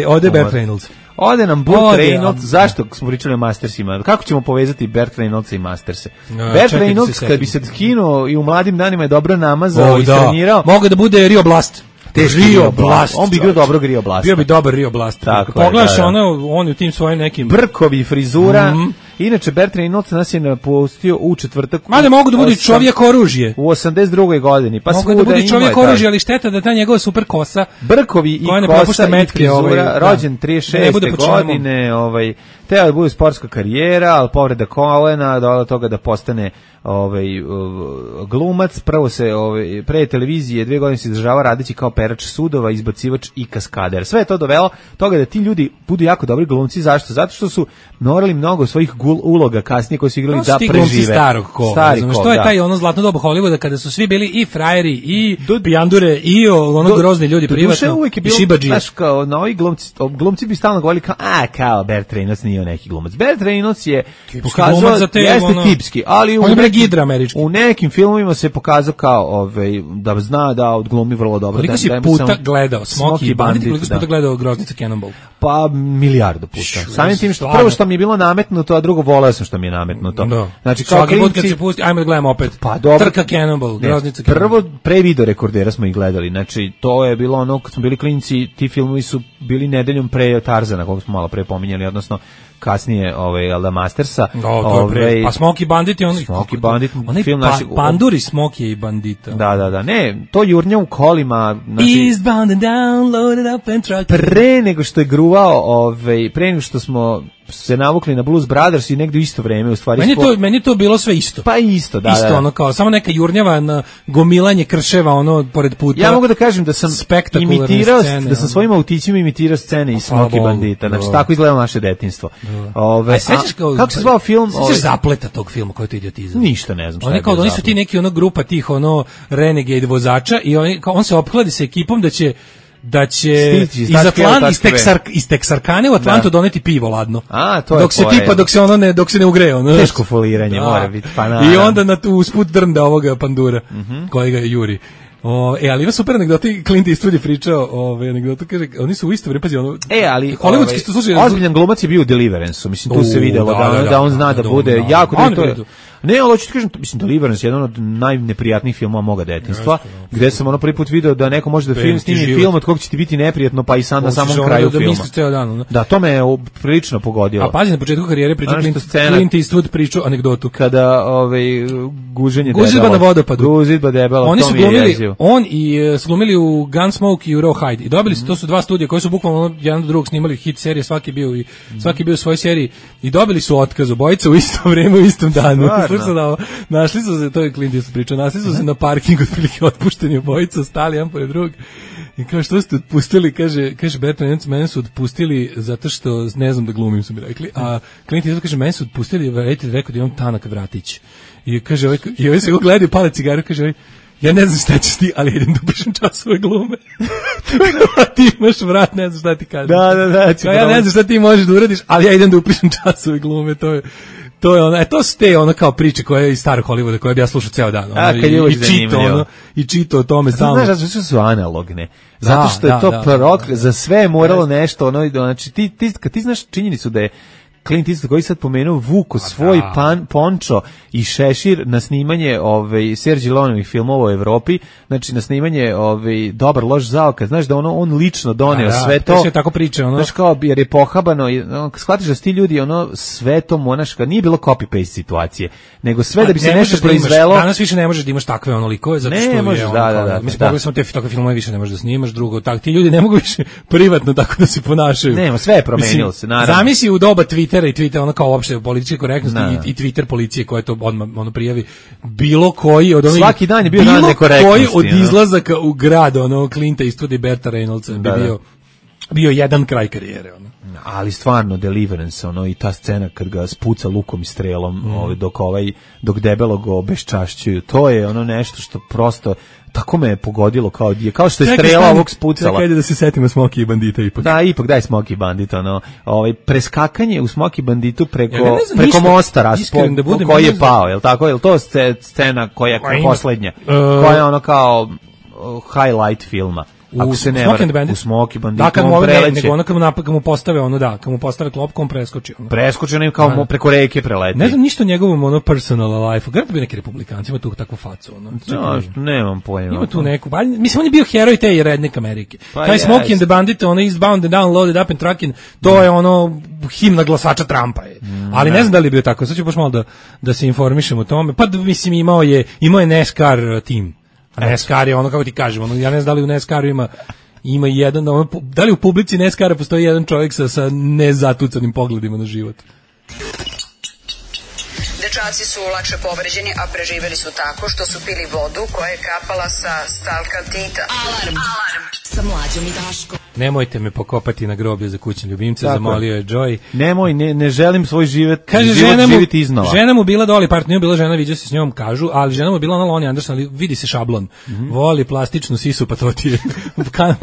S5: Ode Burt Reynolds.
S6: Ode nam Burt Reynolds. Zašto smo pričali o Mastersima? Kako ćemo povezati Burt Reynolds i Masterse? Burt Reynolds, kad bi se skinuo i u mladim danima je dobro namazao i trenirao.
S5: Mogu da bude Rio Blast.
S6: Rio Blast. On bi igrao dobrog Rio Blasta.
S5: Bio bi dobar Rio Blast. Pogledaš on u tim svojim nekim...
S6: Brkovi, frizura. Inače, Burt Reynolds nas je napustio u četvrtak.
S5: Mada mogu da bude čovjek oružje.
S6: U 82. godini. Pa
S5: mogu da bude čovjek oružje, ali šteta da ta njegova super kosa.
S6: Brkovi i kosa i frizura. Rođen 36. godine. Teo da bude sportska karijera, ali povreda kolena, do toga da postane glumac. Prvo se pre televizije 2 godine se izdržava radeći kao perač sudova, izbacivač i kaskader. Sve je to dovelo toga da ti ljudi budu jako dobri glumci. Zašto? Zato što su morali mnogo svojih uloga kasnije koji su igrali da prežive.
S5: Starog kola. Što je taj zlatno doba Hollywooda kada su svi bili i frajeri i pijandure i grozni ljudi privatno i šibadžije.
S6: Znaš, kao novi glumci bi stalno govorili kao Burt Reynolds nije neki glumac. Burt Reynolds je pokazao jeste tipski, ali u nekim filmovima se pokazao kao da zna da odglumi vrlo dobro.
S5: Koliko si puta gledao Smokey Bandit, koliko si puta gledao Groznica Cannonball?
S6: Pa milijardu puta. Samim tim što prvo što mi je bilo nametnuto, a drugo voleo sam što mi je nametnuto.
S5: Znači kao svaki put kad se pusti, ajmo da gledamo opet.
S6: Pa dobro.
S5: Trka Cannonball, Groznica Cannonball.
S6: Prvo pre video rekordera smo ih gledali. Znači to je bilo ono kad smo bili klinci, ti filmovi su bili nedeljom pre Tarzana, koga smo malo pre pominjali, odnosno kasnije Elda Mastersa.
S5: Pa Smokey Bandit je
S6: Smokey Bandit
S5: film naših Panduri Smokey i Bandita.
S6: Da. Ne, to jurnja u kolima, znači
S5: Eastbound and down, loaded up and truck.
S6: Pre nego što je gruvao, pre nego što smo se navukli na Blues Brothers i negdje u isto vreme u stvari.
S5: Meni to bilo sve isto.
S6: Pa isto, da.
S5: Isto ono kao samo neka jurnjava na gomilanje krševa pored puta.
S6: Ja mogu da kažem da sam imitirao scene, da sam svojim autićima imitirao scene iz Smokey Bandita. Znači tako izgleda naše detinjstvo. Kako se zvao film?
S5: Sećaš zapleta tog filma, koji to idiotizam?
S6: Ništa ne znam šta je.
S5: Oni su ti neki grupa tih renegade vozača i on se opkladi sa ekipom da će iz Texarkane u Atlantu doneti pivo ladno. Dok se ne ugreje.
S6: Teško foliranje mora biti.
S5: I onda usput drnda ovoga pandura koji ga juri. Ali ima super anegdoti, Clint Eastwood je pričao, anegdotu, kaže, oni su u isto vreme, pazi,
S6: ali
S5: hollywoodski što slušaju...
S6: Ozbiljan glumac je bio u Deliverance-u, mislim, tu se videlo da on zna da bude jako... Ne, ali hoću ti kažem, mislim, Deliverance je jedan od najneprijatnijih filmova moga detinjstva, gde sam prvi put video da neko može da snimi film od kog će ti biti neprijatno, pa i sam na samom kraju filma. Da, to me je prilično pogodilo.
S5: A pazi, na početku karijere pričao Clint Eastwood pričao anegdotu.
S6: Kada guženje
S5: Gužidba na vodopadu.
S6: Gužidba debela,
S5: oni su glumili, on i glumili u Gunsmoke i u Rawhide. I dobili su, to su dva studija koji su bukvalno jedan do drugog snimali hit serije, svaki bio u svojoj seriji i dobili su otkaz obojica u isto vrijeme, u istom danu. Našli su se, to je Clint Eastwood pričao, našli su se na parkingu, otprilike otpušteni obojica, stali jedan pored drugog. I kao, što ste otpustili, kaže Burt Reynolds, mene su otpustili zato što ne znam da glumim, su mi rekli. A Clint Eastwood kaže, mene su otpustili, rekao da imam tanak vratić. I kaže, i ovaj se go gleda i pale cigaru, kaže, ja ne znam šta ćeš ti, ali idem da upišem časove glume. A ti imaš vrat, ne znam šta ti kažem.
S6: Da.
S5: Ja ne znam šta ti možeš da uradiš, ali ja idem da upišem časove glume, to je ono, to su te ono kao priče koje iz starog Hollywooda koje bi ja slušao ceo dan. Ono, i čito o tome stalno.
S6: Znaš, zato su analogne. Zato što je to za sve je moralo nešto, ono, znači kad ti znaš činjenicu da je Clint Eastwood koji sad pomenuo vuko svoj pončo i šešir na snimanje Sergej Leonovih filmova u Evropi, znači na snimanje Dobar loš zaokaz, znaš da on lično doneo sve to.
S5: Sve tako priče, ono.
S6: Znaš kao jer je pohabano, shvatiš da su ti ljudi sve to monaška, nije bilo copy-paste situacije, nego sve da bi se nešto proizvelo.
S5: Danas više ne možeš da imaš takve likove, zato što
S6: ne možeš,
S5: mislim, pogledaj samo te takve filmove više ne možeš da snimaš, drugo, ti ljudi ne mogu više privatno tako da se ponašaju.
S6: Nema, sve je promenilo se, naravno.
S5: Zamisli u doba Twittera i Twitter, ono kao uopšte političke korektnosti i Twitter policije koja to odmah prijavi bilo koji od onih
S6: svaki dan je bio dan nekorektnosti.
S5: Bilo koji od izlazaka u grad Clinta Eastwooda i Berta Reynoldsa bi bio jedan kraj karijere
S6: ali stvarno Deliverance i ta scena kad ga spuca lukom i strelom dok debelo ga obeščašćuju, to je nešto što prosto tako me je pogodilo kao što je strela ovog spucala.
S5: Čekaj da se setimo Smokey i Bandita ipak.
S6: Da, ipak daj Smokey i Bandit, preskakanje u Smokey Banditu preko mosta koji je pao, je li tako? Je li to scena koja je poslednja? Koja je kao highlight filma? Ako se ne varam, u Smokey Banditu on preleće.
S5: Nego kad mu postave kad mu postave klopku, on preskoči.
S6: Preskoči onim kao preko reke preleti.
S5: Ne znam ništa o njegovom personal life. Grad bi neki republikanci, ima tu takvu facu.
S6: Nemam pojma.
S5: Ima tu neku, mislim, on je bio heroj te redneck Amerike. Taj Smokey and the Bandit, Eastbound and Down, Loaded Up and Truckin', to je himna glasača Trumpa je. Ali ne znam da li je bio tako. Sad ću baš malo da se informišem o tome. Pa mislim, imao je NASCAR tim. NASCAR je kako ti kažem, ja ne znam da li u NASCAR-u ima jedan, da li u publici NASCAR-a postoji jedan čovjek sa nezatucanim pogledima na život.
S12: Dečaci su lakše povređeni, a preživeli su tako što su pili vodu koja je kapala sa stalkaltita.
S3: Alarm sa Mlađom i Daškom.
S5: Nemojte me pokopati na groblje za kućne ljubimce, zamolio je Joy.
S6: Nemoj, ne želim svoj život živjeti iznova.
S5: Žena mu bila Dolly Parton, nije bila žena, vidio se s njom, kažu, ali žena mu bila Lonnie Anderson, ali vidi se šablon. Voli plastičnu sisu, pa to ti je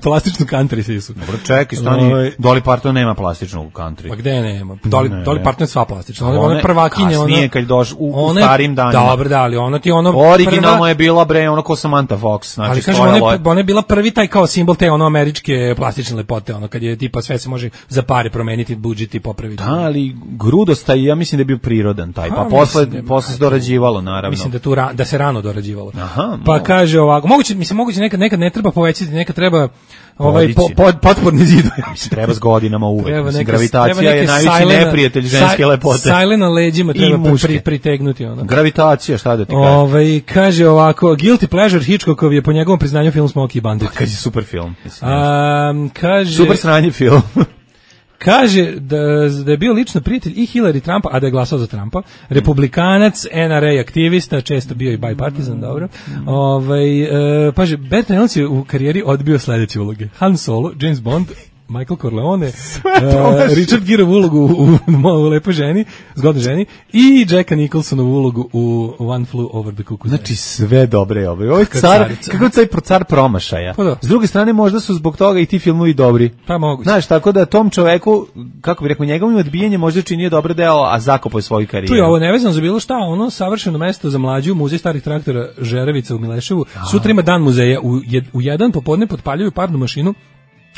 S5: plastičnu country sisu.
S6: Dobro, čekaj, stani, Dolly Parton nema plastičnu country.
S5: Pa gde nema? Dolly Parton je sva plastična. Ona je prvakinja.
S6: Kasnije, kad doš u starim danima.
S5: Dobro, da, ali ona ti
S6: originalno je bila ko Samantha Fox. Znači,
S5: ali kažem, ona je bila prvi taj kao simbol te američke plastične lepote, kad je tipa sve se može za pare promeniti, budžeti, popraviti.
S6: Da, ali grudostaj, ja mislim da je bio prirodan taj, pa posle se dorađivalo, naravno.
S5: Mislim da se rano dorađivalo. Pa kaže ovako, moguće nekad ne treba povećati, nekad treba potporni zidove.
S6: Mislim, treba s godinama uvek. Mislim, gravitacija je najveći neprijatelj ženske lepote.
S5: Sajle na leđima treba pritegnuti.
S6: Gravitacija, šta da ti kaže?
S5: Kaže ovako, Guilty Pleasure Hitchcockov je po njegovom priznanju film Smokey i Bandit.
S6: Kad je super film.
S5: Kaže,
S6: super sranje film.
S5: Kaže da je bio lično prijatelj i Hillary Trumpa, a da je glasao za Trumpa, republikanac, NRA aktivista, često bio i bipartisan, dobro. Paže, Bert Reynolds je u karijeri odbio sledeće uloge: Han Solo, James Bond, Michael Corleone, Richard Gere ulogu u Lepoj ženi, Zgodnoj ženi, i Jacka Nicholsonovu ulogu u One Flew Over the Cuckoo's Nest.
S6: Znači sve dobre ovo je car, kako car promašaja. S druge strane možda su zbog toga i ti filmovi dobri.
S5: Pa moguće.
S6: Znaš, tako da tom čoveku, kako bi rekao, njegovim odbijenjem možda činio dobar deo, a zakopao je svoju karijeru.
S5: Tu je ovo nevezano za bilo šta, savršeno mesto za mlađu, muzej starih traktora Žerevica u Mileševu. Sutra ima dan muzeja, u jedan popodne potpaljuju parnu mašinu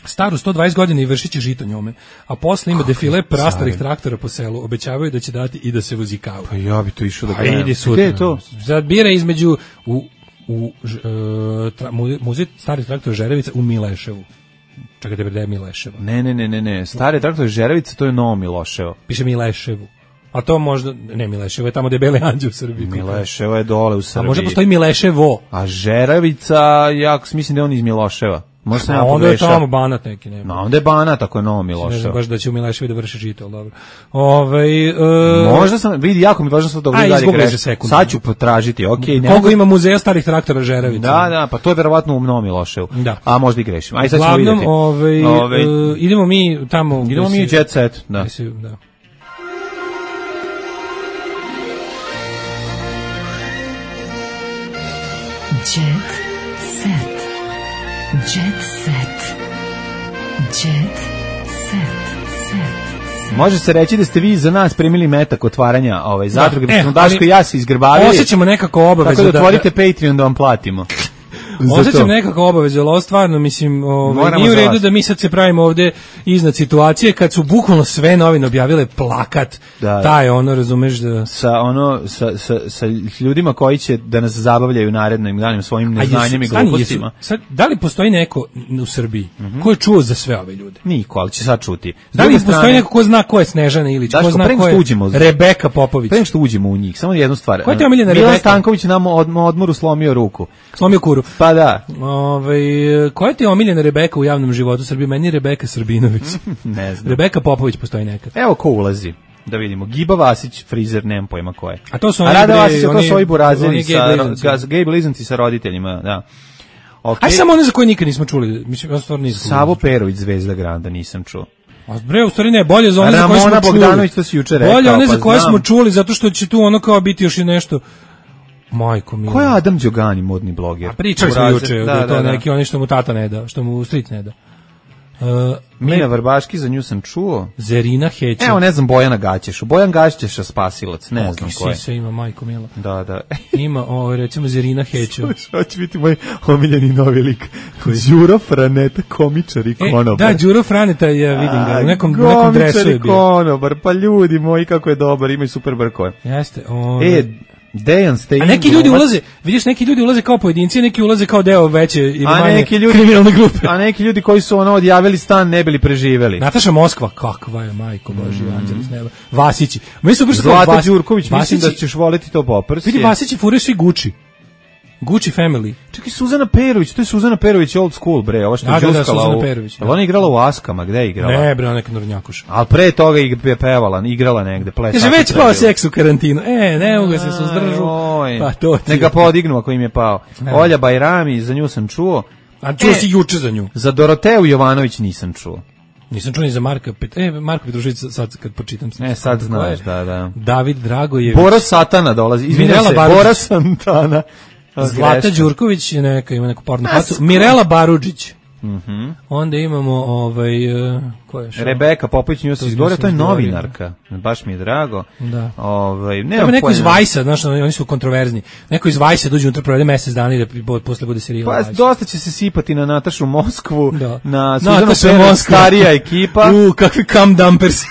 S5: staru 120 godina i vršit će žito njome, a posle ima defile prastarih traktora po selu, obećavaju da će dati i da se vozi kavu.
S6: Pa ja bi to išao da gledam.
S5: Idi sutra. Gde je to? Zabira između muzej starih traktora Žerevica u Mileševu. Čekajte, da je Mileševo.
S6: Ne. Stari traktor Žerevica, to je Novo Miloševo.
S5: Piše Mileševu. A to možda, ne, Mileševo je tamo gde je Beli anđeo u Srbiji.
S6: Mileševo je dole u Srbiji.
S5: A možda postoji Mileševo.
S6: A Žerevica, ja mislim da je on iz Miloševa. Možda
S5: a onda je tamo Banat neki, ne.
S6: No, onda je Banat, ako je Novo Miloševo.
S5: Ne znam baš da će u Mileševi da vrši žito, ali dobro.
S6: Možda sam, vidi, jako mi važno sad dobro dalje greši. Sad ću potražiti, okej.
S5: Koliko ima muzeja starih traktora Žerevica?
S6: Da, pa to je verovatno u Novom Miloševu.
S5: Da.
S6: A možda i grešim. Aj sad ćemo vidjeti.
S5: Idemo mi tamo.
S6: Idemo mi u Jet Set, da.
S3: Jet set. Jet set. Jet set.
S6: Može se reći da ste vi za nas primili metak otvaranja zadruge, da smo Daško i ja se izgrbavili.
S5: Osjećamo nekako obavezu.
S6: Tako da otvorite Patreon da vam platimo.
S5: Osjećam nekako obavezu, ali ovo stvarno, mislim, nije u redu da mi sad se pravimo ovde iznad situacije kad su bukvalno sve novine objavile plakat, taj razumeš da...
S6: Sa ljudima koji će da nas zabavljaju narednim danima svojim neznanjem i glupostima.
S5: Sad, da li postoji neko u Srbiji ko je čuo za sve ove ljude?
S6: Niko, ali će sad čuti.
S5: Da li postoji neko ko zna ko je Snežana Ilić, ko zna ko je Rebeka Popović?
S6: Pre nego što uđemo u njih, samo jednu stvar.
S5: Ko je te omiljena Rebeka?
S6: Milan Stanković nam odmoru slomio ruku.
S5: Slomio kuru.
S6: Pa da.
S5: Koja ti je omiljena Rebeka u javnom životu Srbije? Meni je Rebeka Srbinović.
S6: Ne znam.
S5: Rebeka Popović postoji nekad.
S6: Evo ko ulazi. Da vidimo. Giba Vasić, frizer, nemam pojma ko je.
S5: A to su oni
S6: Rada Vasić, to su ovi burazeri sa gej blizanci sa roditeljima, da.
S5: Okay. Aj samo one za koje nikad nismo čuli. Mislim, ja stvarno nisam.
S6: Savo Perović, Zvezda Granda, nisam čuo.
S5: A bre, u stvari ne, bolje za one za koje smo čuli.
S6: Ramona Bogdanović, to si juče rekao.
S5: Bolje one za koje smo čuli, zato što će tu ono kao biti još i nešto. Majko mila.
S6: Ko je Adam Đogani, modni bloger?
S5: A pričali smo juče, da je to neki oni što mu tata ne da, što mu stric ne da.
S6: Mina Vrbaški, za nju sam čuo.
S5: Zerina Heća.
S6: Evo, ne znam, Bojana Gaćešu. Bojan Gaćeša spasilac, ne znam ko je.
S5: Sisa ima, majko mila.
S6: Da.
S5: Ima, recimo, Zerina Heća.
S6: Što će biti moj omiljeni novi lik? Đuro Franeta, komičar i konobar.
S5: Da, Đuro Franeta, ja vidim ga, u nekom dresu je bio.
S6: Komičar i konobar, pa ljudi moji, kako je dobar, imaju super brkove.
S5: Jeste,
S6: Dejan ste.
S5: A neki ljudi ulaze, vidiš, neki ljudi ulaze kao pojedinci, neki ulaze kao deo veće ili manje kriminalne grupe.
S6: A neki ljudi koji su odjavili stan ne bili preživeli.
S5: Nataša Moskva, kakva je, majko Božji, anđeli s neba. Vasići.
S6: Zlata Đurković, mislim da ćeš voleti to poprs.
S5: Vidi, Vasići furaju svi Gucci family.
S6: Čekaj, Suzana Perović, to je Suzana Perović old school, bre, ova što je džuskala ali ona je igrala u Askama, gde je igrala?
S5: Ne, bre, neka Nornjakuša.
S6: Ali pre toga je pevala, igrala negde, plesala.
S5: Kaže, već pao seks u karantinu. Ne mogu se suzdržu.
S6: Pa to ti. Neka podignu ako im je pao. Olja Bajrami, za nju sam čuo.
S5: A čuo si juče za nju.
S6: Za Doroteju Jovanović nisam čuo.
S5: Nisam čuo ni za Marka Petrušić, sad kad počitam.
S6: Sad znaš, da.
S5: David Dragojević.
S6: Bora Satana dolazi, izvinjam se, Bora Santana.
S5: Zlata Đurković ima neku pornu facu. Mirela Barudžić. Onda imamo ko je što?
S6: Rebeka Popović, nju se izgovorio, to je novinarka. Baš mi je drago.
S5: Da.
S6: Nema
S5: neko iz Vajsa, znaš, oni su kontroverzni. Neko iz Vajsa dođe unutra, provede mesec dana i da posle bude serijal.
S6: Pa dosta će se sipati na Natašu Moskvu, na
S5: Suzanu
S6: Perović, starija ekipa.
S5: Kakvi kam dumpers.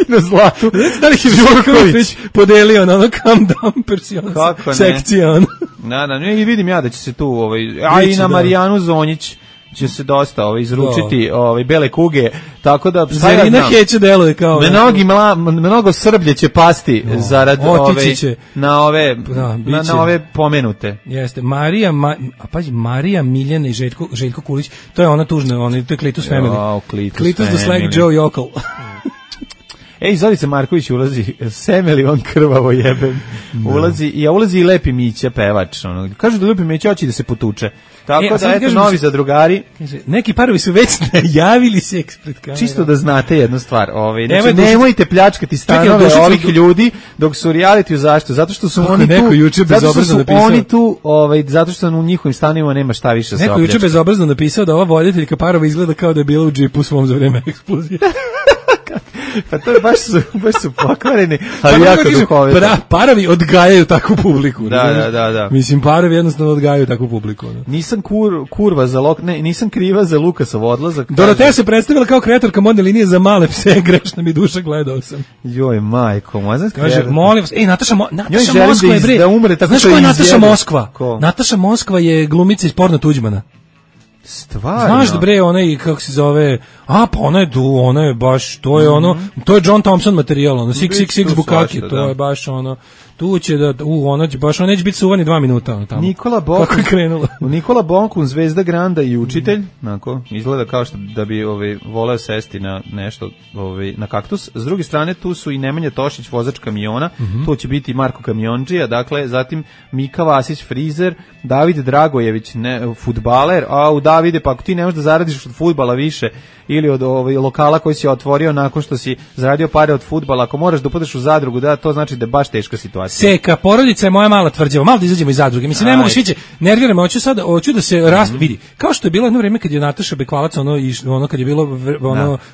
S6: Na Zlatu.
S5: Da li je Đurković podelio na ono kam dumpers sekcija ono.
S6: Da, i vidim ja da će se tu a i na Marijanu Zonjić će se dosta izručiti bele kuge, tako da
S5: Zerina Heća deluje kao
S6: mnogo Srblje će pasti zarad na ove pomenute.
S5: Jeste, Marija Miljana i Željko Kulić, to je ona tužna, to je Klitus family. Klitus the Slag Joe Jokal.
S6: Zorica Marković ulazi, Semeli on krvavo jebem, ulazi i Lepi Mića, pevač. Kažu da Lepi Mića hoće da se potuče. Tako da, eto, novi zadrugari.
S5: Neki parovi su već najavili seks pred kamerom.
S6: Čisto da znate jednu stvar. Nemojte pljačkati stanove ovih ljudi dok su u reality zašto? Zato što su oni tu, zato što u njihovim stanovima nema šta više za
S5: opljačka. Neko juče bezobrazno napisao da ova voditeljka parova izgleda kao da je bila u džipu svom za vreme eksplozije.
S6: Pa to je baš su pokvareni, ali jako duhovito.
S5: Parovi odgajaju takvu publiku.
S6: Da.
S5: Mislim, parovi jednostavno odgajaju takvu publiku.
S6: Nisam nisam kriva za Lukasov odlazak.
S5: Doroteja se predstavila kao kreatorka modne linije za male pse, grešna mi duša, gledao sam.
S6: Joj, majko,
S5: kaže, molim vas, Nataša Moskva je bre. Znaš ko je Nataša Moskva? Nataša Moskva je glumica iz Porno Tuđmana.
S6: Stvarno.
S5: Znaš da bre, kako se zove, pa ona je baš, to je to je John Thompson materijal, 666 Bukaki, to je baš tu će ona neće biti suvani 2 minuta tamo.
S6: Nikola Bonkun, Zvezda Granda i učitelj, izgleda kao što da bi voleo sesti na nešto, na kaktus. S druge strane tu su i Nemanja Tošić, vozač kamiona, tu će biti Marko Kamiondžija, dakle, zatim Mika Vasić, frizer, David Dragojević, fudbaler, Davide, pa ako ti ne možeš da zaradiš od fudbala više ili od lokala koji si otvorio nakon što si zaradio pare od fudbala, ako moraš da upadaš u zadrugu, to znači da je baš teška situacija. situacija.
S5: Seka, porodica je moja mala tvrđava, malo da izađemo iz zadruge. Mislim, ne mogu sviđe, nerviramo, hoću da se vidi. Kao što je bilo jedno vreme kad je Nataša Bekvalac, ono kad je bilo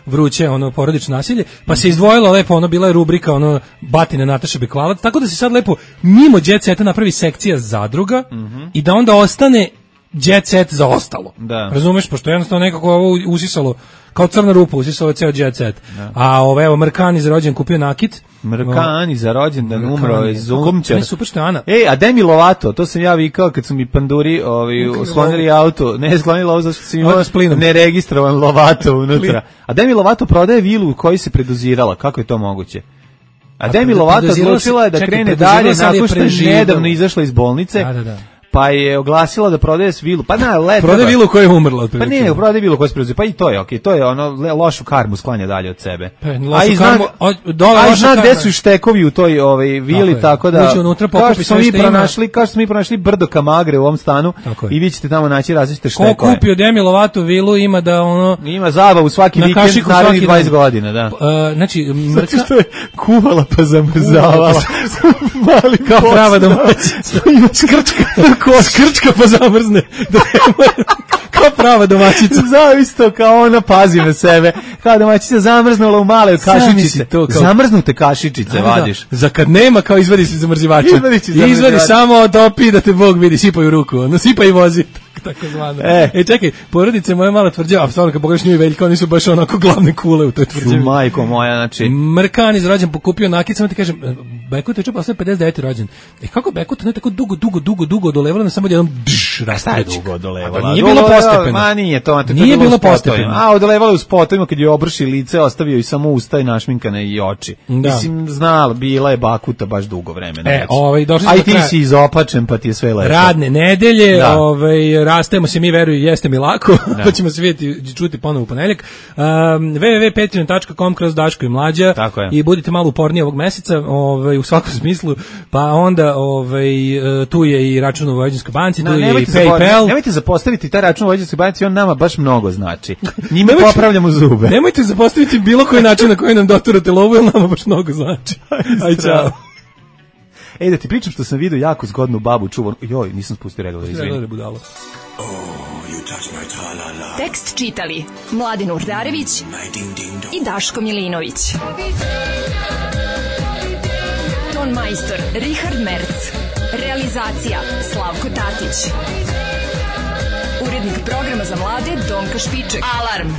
S5: vruće, porodično nasilje, pa se izdvojilo lepo, bila je rubrika, batine Nataša Bekvalac, tako da se sad lepo, mimo Jet Seta napravi sekcija zadruga i da onda ostane Jet Set za ostalo.
S6: Da.
S5: Razumeš, pošto jednostavno nekako ovo usisalo, kao crna rupa, usisalo je ceo Jet Set. Da. A evo, Mrkani za rođen kupio nakit.
S6: Mrkani za rođendan umro iz Zumčar.
S5: Ne, super što je Ana.
S6: A Demi Lovato, to sam ja vikao kad su mi panduri sklonili auto. Ne, sklonili auto, zašto sam imao neregistrovan Lovato unutra. A Demi Lovato prodaje vilu u kojoj se predozirala. Kako je to moguće? A Demi Lovato odlučila je da krene dalje nakon što je nedavno izašla iz bolnice.
S5: Da.
S6: Pa je oglasila da prodaje vilu. Pa na leto.
S5: Prodaje vilu koja je umrla.
S6: Pa ne, prodaje vilu koja se preuzela. Pa i to je okej. To je lošu karmu sklanja dalje od sebe.
S5: A
S6: zna gde su štekovi u toj vili, tako da kao što smo mi pronašli brdo kamagre u ovom stanu i vi ćete tamo naći različite štekove.
S5: Ko kupio Demi Lovato vilu ima da
S6: ima zabavu svaki vikend narednih 20 godina, da.
S5: Znači,
S6: Mrka što je kuvala pa zamrzavala. Mali
S5: kao prava domaćica.
S6: Ima skrčka pa zamrzne.
S5: Kao prava domaćica.
S6: Zavisto kao ona pazi na sebe. Kao domaćica zamrznula u male kašičice. Zamrznute kašičice vadiš.
S5: Za kad nema, kao izvadi se zamrzivača. Izvadi samo topi da te Bog vidi, sipaj u ruku. Sipaj i vozi. Tako zvano. Čekaj, porodice moja mala tvrđava, stvarno kad pogledaš nju i Veljka, oni su baš onako glavne kule u toj tvrđavi.
S6: Majko moja, znači.
S5: Mrkani za rođen pokupio nakit, samo ti kažem, Bekut je posle 59. rođen. Kako Bekut ne tako dugo dolevala, samo jednom
S6: rasteći. Dugo dolevala.
S5: Nije bilo postepeno.
S6: Ma nije to.
S5: Nije bilo postepeno.
S6: A odolevala u spotovima kad je obrši lice, ostavio i samo usta i našminkane i oči. Mislim, znala, bila je Bakuta baš dugo vremena.
S5: A
S6: i ti si izopačen, pa ti je sve lepo.
S5: Radne nedelje, rastajemo se, mi veruju, jeste mi lako, pa ćemo se vidjeti, čuti ponovo u ponedjeljak. www.patreon.com/Daško i Mlađa i budite malo uporniji ovog meseca, u svakom smislu, pa onda tu je i račun u Vojvođanskoj banci, tu je i PayPal.
S6: Nemojte zapostaviti taj račun u Vojvođanskoj banci, on nama baš mnogo znači. Njime popravljamo zube.
S5: Nemojte zapostaviti bilo koji način na koji nam doturate lovu, jer nama baš mnogo znači. Aj, čao.
S6: Da ti pričam što sam vidio jako zgodnu babu čuvanu. Joj, nisam spustio regler, izvini.
S3: Tekst čitali Mladin Urdarević i Daško Milinović. Ton majstor Richard Merc. Realizacija Slavko Tatić. Urednik programa za mlade Donka Špiček. Alarm!